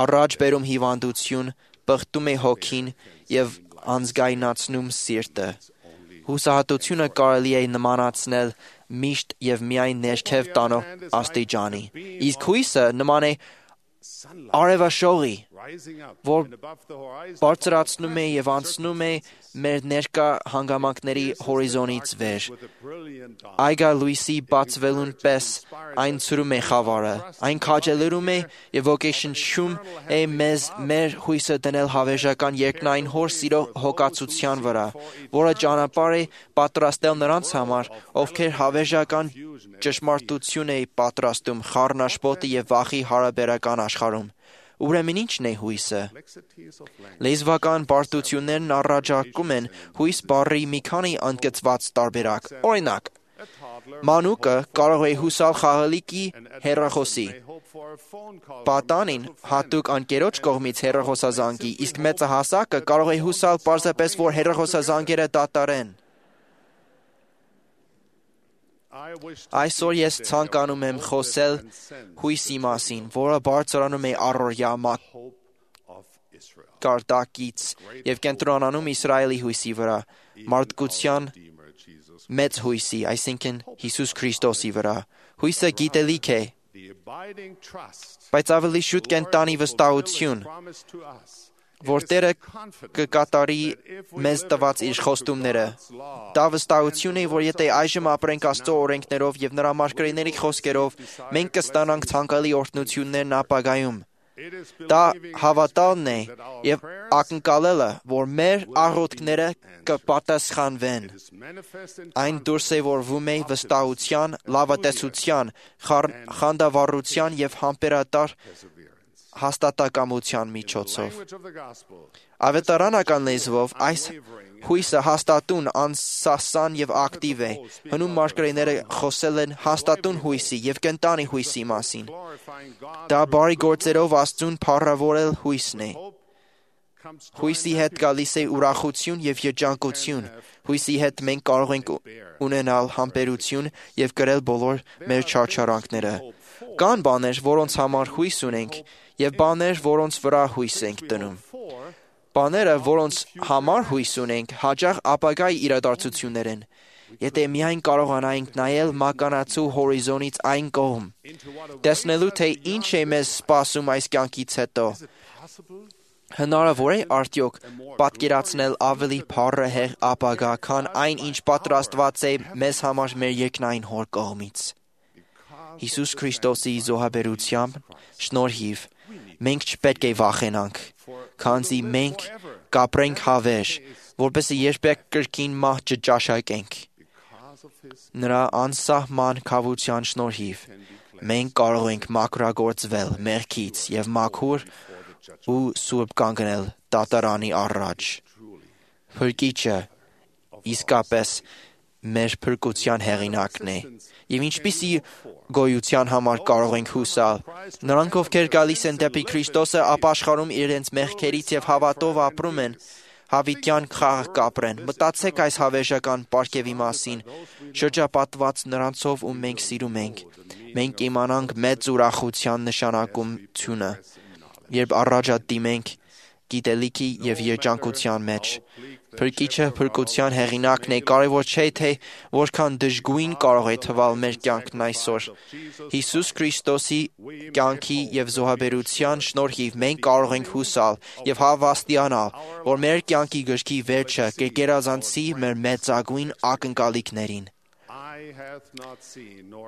առաջ բերում հիվանդություն, պղտում է հոգին և անզգայնացնում սիրտը։ Հուսահատությունը կարելի է նմանացնել միշտ և միայն ներքև տանող աստիճանի, իսկ հույսը նման է արևաշողի, որ բարձրացնում է և անցնում է մեր ներկա հանգամանքների հորիզոնից վեր։ Այգալույսի բացվելուն պես այն ցրում է խավարը, այն քաջալերում է և ոգեշնչում է մեզ մեր հույսը դնել հավերժական երկնային Հոր սիրո հոգացության վրա, որը ճանապարհ է պատրաստել նրանց համար, ովքեր հավերժական ճշմարտություն է պատրաստում խառնաշփոթի և վախի հարաբերական աշխարհում։ Ուրեմն ի՞նչն է հույսը։ Լեզվական բարդություններն առաջարկում են հույս բառի մի քանի ընդգծված տարբերակ։ Օրինակ, մանուկը կարող է հուսալ խաղալիքի հեռախոսի, պատանին հատուկ ընկերոջ կողմից հեռախոսազանգի, իսկ մեծահասակը կարող է հուսալ պարզապես, որ հեռախոսազանգերը դատարեն։ Այսօր ես ցանկանում եմ խոսել հույսի մասին, որը բարձրանում է առօրյա մակարդակից և կենտրոնանում Իսրայելի հույսի վրա, մարդկության մեծ հույսի, այսինքն Հիսուս Քրիստոսի վրա։ Հույսը գիտելիք է, բայց ավելի շուտ կենտանի վստահություն, որ Տերը կկատարի մեզ տված իր խոստումները։ Դա վստահություն է, որ եթե այժմ ապրենք Աստծո օրենքներով և Նրա մարգարեների խոսքերով, մենք կստանանք ցանկալի օրհնություններն ապագայում։ Դա հավատալն է և ակնկալելը, որ մեր աղոթքները կպատասխանվեն։ Այն դուրսևորվում է վստահության, լավատեսության, խանդավառության և համբերատար հաստատակամության միջոցով։ Ավետարանական լեզվով այս հույսը հաստատուն, անսասան և ակտիվ է։ Հնում մարգարեները խոսել են հաստատուն հույսի և կենտանի հույսի մասին։ Դա բարի գործերով Աստծուն փառավորել հույսն է։ Հույսի հետ գալիս է ուրախություն և երջանկություն։ Հույսի հետ մենք կարող ենք ունենալ համբերություն և կրել բոլոր մեր չարչարանքները։ Կան բաներ, որոնց համար հույս ունենք, և բաներ, որոնց վրա հույս ենք դնում։ Բաները, որոնց համար հույս ունենք, հաճախ ապագայի իրադարձություններ են։ Եթե միայն կարողանայինք նայել մականացու հորիզոնից այն կողմ, տեսնելու, թե ինչ է մեզ սպասում այս կյանքից հետո, հնարավոր է արդյոք պատկերացնել ավելի փառահեղ ապագա, քան այն, ինչ պատրաստված է մեզ համար մեր երկնային Հոր կողմից։ Հիսուս Քրիստոսի զոհաբերությամբ շնորհիվ մենք չպետք է վախենանք, քանզի մենք կապրենք հավերժ, որպեսզի երբեք կրկին մահ չճաշակենք։ Նրա անսահման քավության շնորհիվ մենք կարող ենք մաքրագործվել մեղքից և մաքուր ու սուրբ կանգնել դատարանի առաջ։ Փրկիչը իսկապես մեր փրկության հեղինակն է, և ինչպիսի գոյության համար կարող ենք հուսալ։ Նրանք, ովքեր գալիս են դեպի Քրիստոսը, ապաշխարում իրենց մեղքերից և հավատով ապրում են, հավիտյան խաղ կապրեն։ Մտածեք այս հավերժական պարգևի մասին, շրջապատված նրանցով, ում մենք սիրում ենք։ Մենք իմանանք մեծ ուրախության նշանակությունը։ երբ առաջադիմենք գիտելիքի եւ երջանկության մեջ։ Փրկիչը փրկության հեղինակն է, կարևոր չէ թե որքան դժգույն կարող է թվալ մեր կյանքն այսօր։ Հիսուս Քրիստոսի կյանքի եւ զոհաբերության շնորհիվ մենք կարող ենք հուսալ եւ հավաստիանալ, որ մեր կյանքի գրքի վերջը կգերազանցի մեր մեծագույն ակնկալիքներին։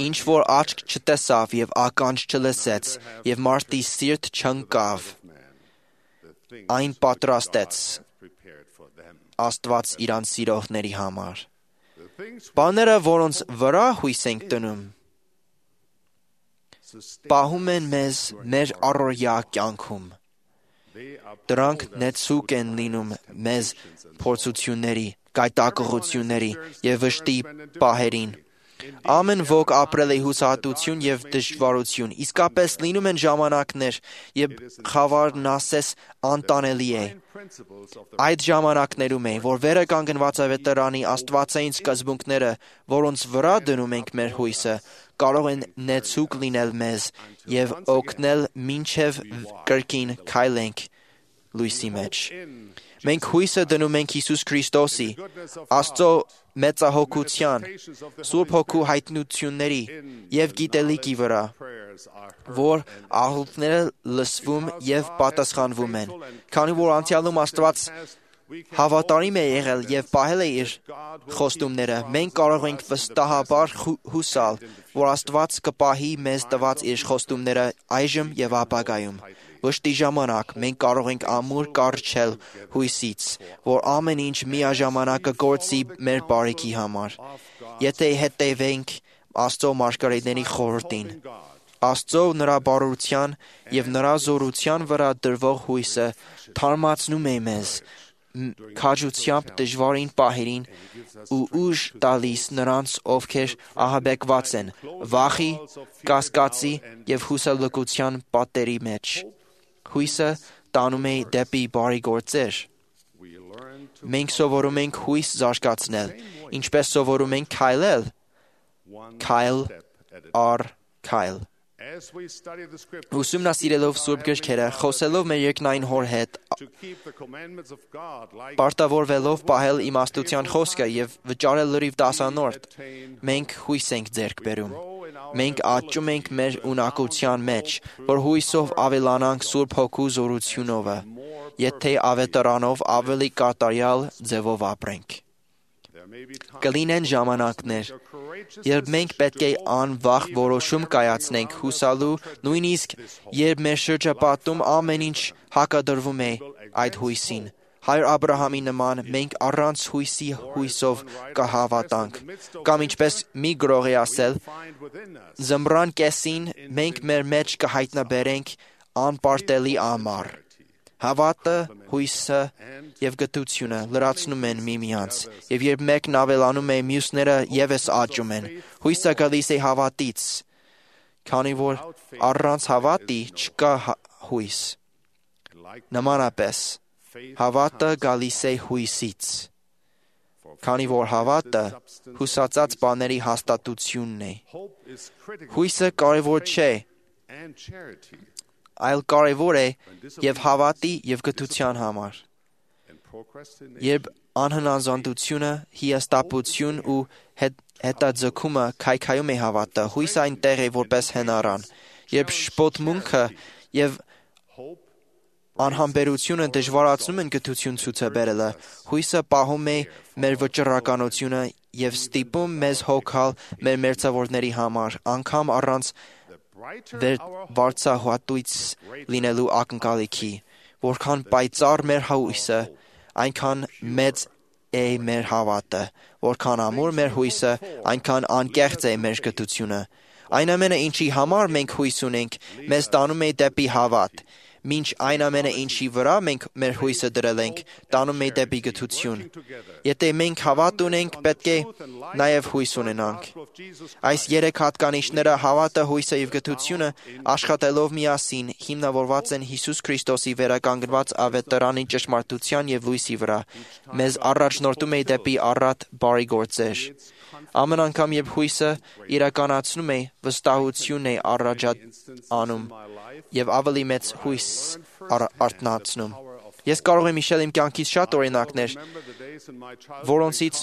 Ինչ որ աչք չտեսավ եւ ականջ չլսեց եւ մարդի սիրտ չընկավ, այն պատրաստեց Աստված իրան սիրողների համար։ Բաները, որոնց վրա հույս ենք դնում, պահում են մեզ մեր առօրյա կյանքում։ Դրանք նեցուկ են լինում մեզ փորձությունների, գայթակղությունների եւ վշտի պահերին։ Ամեն ոք ապրել է հուսահատություն եւ դժվարություն, իսկապես լինում են ժամանակներ, երբ խավարն ասես անտանելի է։ Այդ ժամանակներում է, որ վերը կանգնված ավետարանի աստվածային սկզբունքները, որոնց վրա դնում ենք մեր հույսը, կարող են նեցուկ լինել մեզ եւ օգնել մինչեւ կրկին քայլենք լույսի մեջ։ Մենք հույսը դնում ենք Հիսուս Քրիստոսի, Աստծո մեծահոգության, Սուրբ Հոգու հայտնությունների եւ գիտելիքի վրա, որ աղոթքները լսվում եւ պատասխանվում են։ Քանի որ անցյալում Աստված հավատարիմ է եղել եւ պահել է իր խոստումները, մենք կարող ենք վստահաբար հուսալ, որ Աստված կպահի մեզ տված իր խոստումները այժմ եւ ապագայում։ Վշտի ժամանակ մենք կարող ենք ամուր կառչել հույսից, որ ամեն ինչ միաժամանակ կգործի մեր բարիքի համար, եթե հետևենք Աստծո մարգարեների խորհրդին։ Աստծո նրա բարության եւ նրա զորության վրա դրվող հույսը թարմացնում է մեզ քաջությամբ դժվարին պահերին ու ուժ տալիս նրանց, ովքեր ահաբեկված են վախի, կասկածի եւ հուսալքության պատերի մեջ։ Հույսը տանում է դեպի բարի գործեր։ Մենք սովորում ենք հույս զարգացնել, ինչպես սովորում ենք քայլել, քայլ առ քայլ։ Ուսումնասիրելով Սուրբ գրքերը, խոսելով մեր երկնային Հոր հետ, պարտավորվելով պահել իմաստության խոսքը եւ վճարել լրիվ դասանորդ, մենք հույս ենք ձեռք բերում։ Մենք աճում ենք մեր ունակության մեջ, որ հույսով ավելանանք Սուրբ Հոգու զորությունով, եթե ավետարանով ավելի կատարյալ ձևով ապրենք։ Կլինեն ժամանակներ, երբ մենք պետք է անվախ որոշում կայացնենք հուսալու, նույնիսկ երբ մեր շրջապատում ամեն ինչ հակադրվում է այդ հույսին։ Հայր Աբրահամի նման մենք առանց հույսի հույսով կհավատանք, կամ ինչպես մի գրող է ասել, զմռան կեսին մենք մեր մեջ կհայտնաբերենք անպարտելի ամառ։ Հավատը, հույսը եւ գթությունը լրացնում են միմյանց, եւ երբ մեկն ավելանում է, մյուսները եւս աճում են։ Հույսը գալիս է հավատից, քանի որ առանց հավատի չկա հույս։ Նմանապես, հավատը գալիս է հույսից, քանի որ հավատը հուսացած բաների հաստատությունն է։ Հույսը կարևոր չէ, այլ կարևոր է եւ հավատի եւ գթության համար։ Երբ անհնազանդությունը, հիասթափություն ու հետաձգումը քայքայում է հավատը, հույսը այնտեղ է որպես հնարան։ Երբ շփոթմունքը եւ անհամբերությունը դժվարացնում են գթություն ցույց բերելը, հույսը պահում է մեր վճռականությունը եւ ստիպում մեզ հոգալ մեր մերձավորների համար, անգամ առանց վարձահատույց լինելու ակնկալիքի, որքան պայծառ մեր հույսը, այնքան մեծ է մեր հավատը, որքան ամուր մեր հույսը, այնքան անկեղծ է մեր գթությունը։ Այն ամենը, ինչի համար մենք հույս ունենք, մեզ տանում է դեպի հավատ, մինչ այն ամենը, ինչի վրա մենք մեր հույսը դրել ենք, տանում է դեպի գթություն։ Եթե մենք հավատ ունենք, պետք է նաև հույս ունենանք։ Այս երեք հատկանիշները՝ հավատը, հույսը եւ գթությունը, աշխատելով միասին, հիմնավորված են Հիսուս Քրիստոսի վերականգնված ավետարանի ճշմարտության եւ լույսի վրա, մեզ առաջնորդում է դեպի առատ բարի գործեր։ Ամեն անգամ, երբ հույսը իրականացնում է, վստահությունն է առաջանում եւ ավելի մեծ հույս արթնացնում։ Ես կարող եմ հիշել իմ կյանքից շատ օրինակներ, որոնցից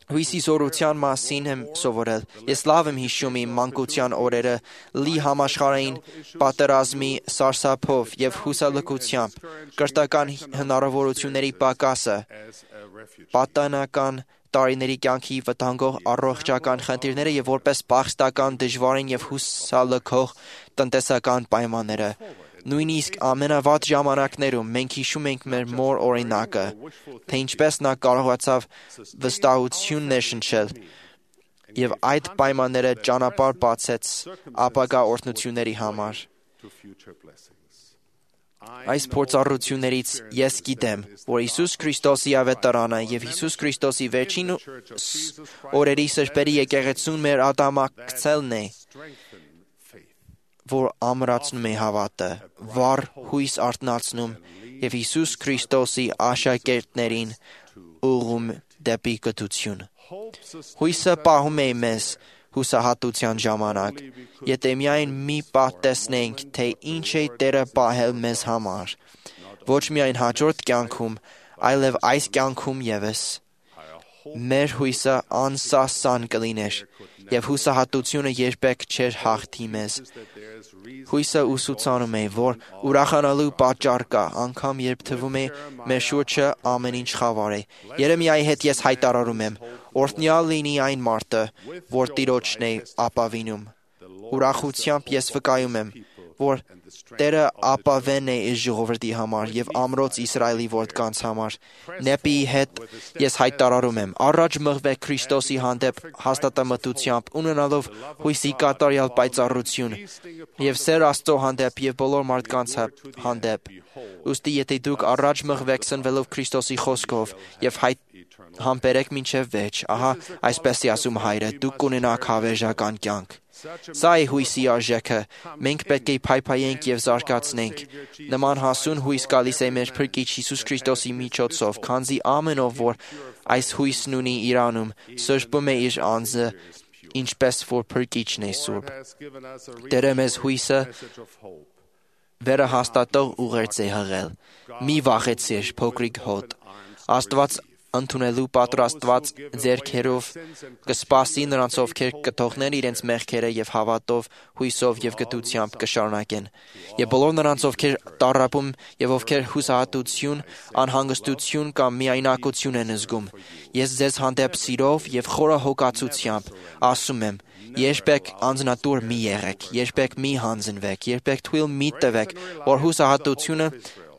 հույսի զորության մասին եմ սովորել։ Ես լավ եմ հիշում իմ մանկության օրերը լի համաշխարհային պատերազմի սարսափով եւ հուսալքությամբ, կրթական հնարավորությունների պակասը, պատանական տարիների կյանքի վտանգող առողջական խնդիրները եւ որպես փախստական դժվարին եւ հուսալքող տնտեսական պայմանները։ Նույնիսկ ամենավատ ժամանակներում մենք հիշում ենք մեր մոր օրինակը, թե ինչպես նա կարողացավ վստահություն ներշնչել եւ այդ պայմանները ճանապարհ բացեց ապագա օրհնությունների համար։ Այս փորձառություններից ես գիտեմ, որ Հիսուս Քրիստոսի ավետարանը եւ Հիսուս Քրիստոսի վերջին օրերի սրբերի եկեղեցուն մեր ադամակցելն է, որ ամրացնում է հավատը, վառ հույս արթնացնում եւ Հիսուս Քրիստոսի աշակերտներին ուղղում դեպի գթություն։ Հույսը պահում է մեզ հուսահատության ժամանակ, եթե միայն մի պահ տեսնենք, թե ինչ է Տերը պահել մեզ համար, ոչ միայն հաջորդ կյանքում, այլև այս կյանքում եւս։ Մեր հույսը անսասան կլիներ, եւ հուսահատությունը երբեք չէր հաղթի մեզ։ Հույսը ուսուցանում է, որ ուրախանալու պատճառ կա, անգամ երբ թվում է մեր շուրջը ամեն ինչ խավար է։ Երեմիայի հետ ես հայտարարում եմ. օրհնյալ լինի այն մարդը, որ Տիրոջն է ապավինում։ Ուրախությամբ ես վկայում եմ, որ Տերը ապավեն է իր ժողովրդի համար եւ ամրոց Իսրայելի որդկանց համար։ Նեպիի հետ ես հայտարարում եմ. առաջ մղվեք Քրիստոսի հանդեպ հաստատամտությամբ, ունենալով հույսի կատարյալ պայծառություն եւ սեր Աստծո հանդեպ եւ բոլոր մարդկանց հանդեպ։ Ուստի եթե դուք առաջ մղվեք սնվելով Քրիստոսի խոսքով եւ համբերեք մինչև վերջ, ահա այսպես է ասում Հայրը, դուք կունենաք հավերժական կյանք։ Սա է հույսի արժեքը, մենք պետք է փայփայենք եւ զարգացնենք։ Նման հասուն հույս գալիս է մեր Փրկիչ Հիսուս Քրիստոսի միջոցով, քանզի ամեն ով, որ այս հույսն ունի իրանում, սրբում է իր անձը, ինչպես որ Փրկիչն է սուրբ։ Տերը մեզ հույսը վերահաստատող ուղերձ է հղել։ Մի վախեցիր, փոքրիկ հոտ։ Աստված ընդունելու պատրաստված ձեռքերով կսպասի նրանց, ովքեր կթողնեն իրենց մեղքերը եւ հավատով, հույսով եւ գթությամբ կշարունակեն։ Եվ բոլոր նրանց, ովքեր տառապում եւ ովքեր հուսահատություն, անհանգստություն կամ միայնակություն են զգում, ես ձեզ հանդեպ սիրով եւ խորը հոգացությամբ ասում եմ. երբեք անձնատուր մի եղեք, երբեք մի հանձնվեք, երբեք թույլ մի տվեք, որ հուսահատությունը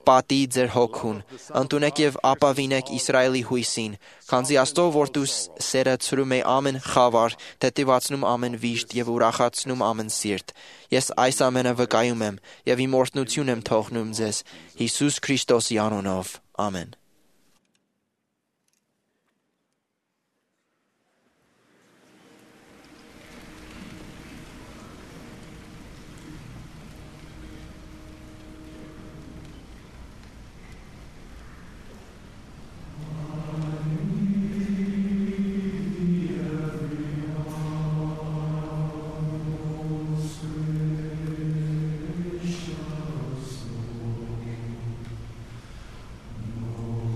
պատի ձեր հոգուն, ընդունեք եւ ապավինեք Իսրայելի հույսին, քանզի Աստծո որդու սերը ցրում է ամեն խավար, թեթևացնում ամեն վիշտ եւ ուրախացնում ամեն սիրտ։ Ես այս ամենը վկայում եմ եւ իմ օրհնություն եմ թողնում ձեզ Հիսուս Քրիստոսի անունով։ Ամեն։ Oh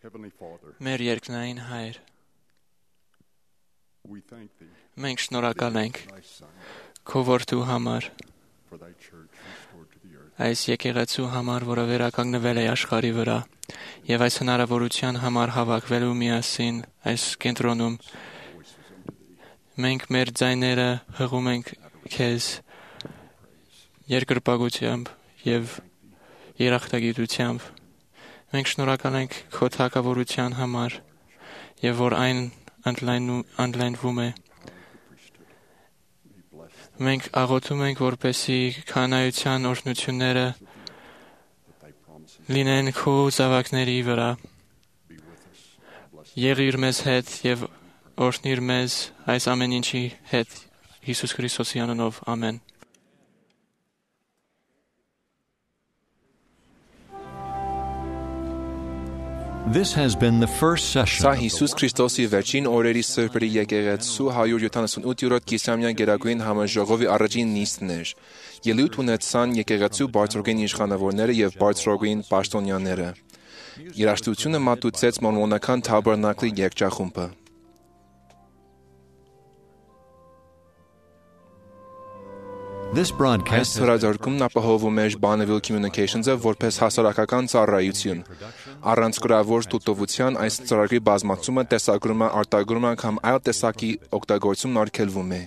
Մեր երկնային Հայր, մենք շնորհակալ ենք քո որդու համար, այս եկեղեցու համար, որը վերականգնվել է աշխարհի վրա, եւ այս հնարավորության համար հավաքվելու միասին այս կենտրոնում, մենք մեր ձայները հղում ենք քեզ երկրպագությամբ եւ երախտագիտությամբ։ Մենք շնորհակալ ենք քո թագավորության համար եւ որ այն ընդլայնվում է։ Մենք աղոթում ենք, որպեսզի քահանայության օրհնությունները լինեն քո զավակների վրա։ Եղիր մեզ հետ եւ օրհնիր մեզ այս ամեն ինչի հետ Հիսուս Քրիստոսի անունով, ամեն։ This has been the first session. Սա Հիսուս Քրիստոսի վերջին օրերի սրբերի եկեղեցու 178-րդ կիսամյա գերագույն համաժողովի առաջին նիստն էր։ Ելույթ ունեցան եկեղեցու բարձրագույն իշխանավորները եւ բարձրագույն պաշտոնյաները։ Երաժշտությունը մատուցեց մորմոնական թաբերնակլի երգչախումբը։ This Այս broadcast հրաժարումն ապահովում էր Bonneville Communications-ը որպես հասարակական ծառայություն։ Առանց գրավոր տուտովության այս ծրագրի բազմացումը, տեսագրումը, արտագրումը կամ այլ տեսակի օգտագործումն արգելվում է։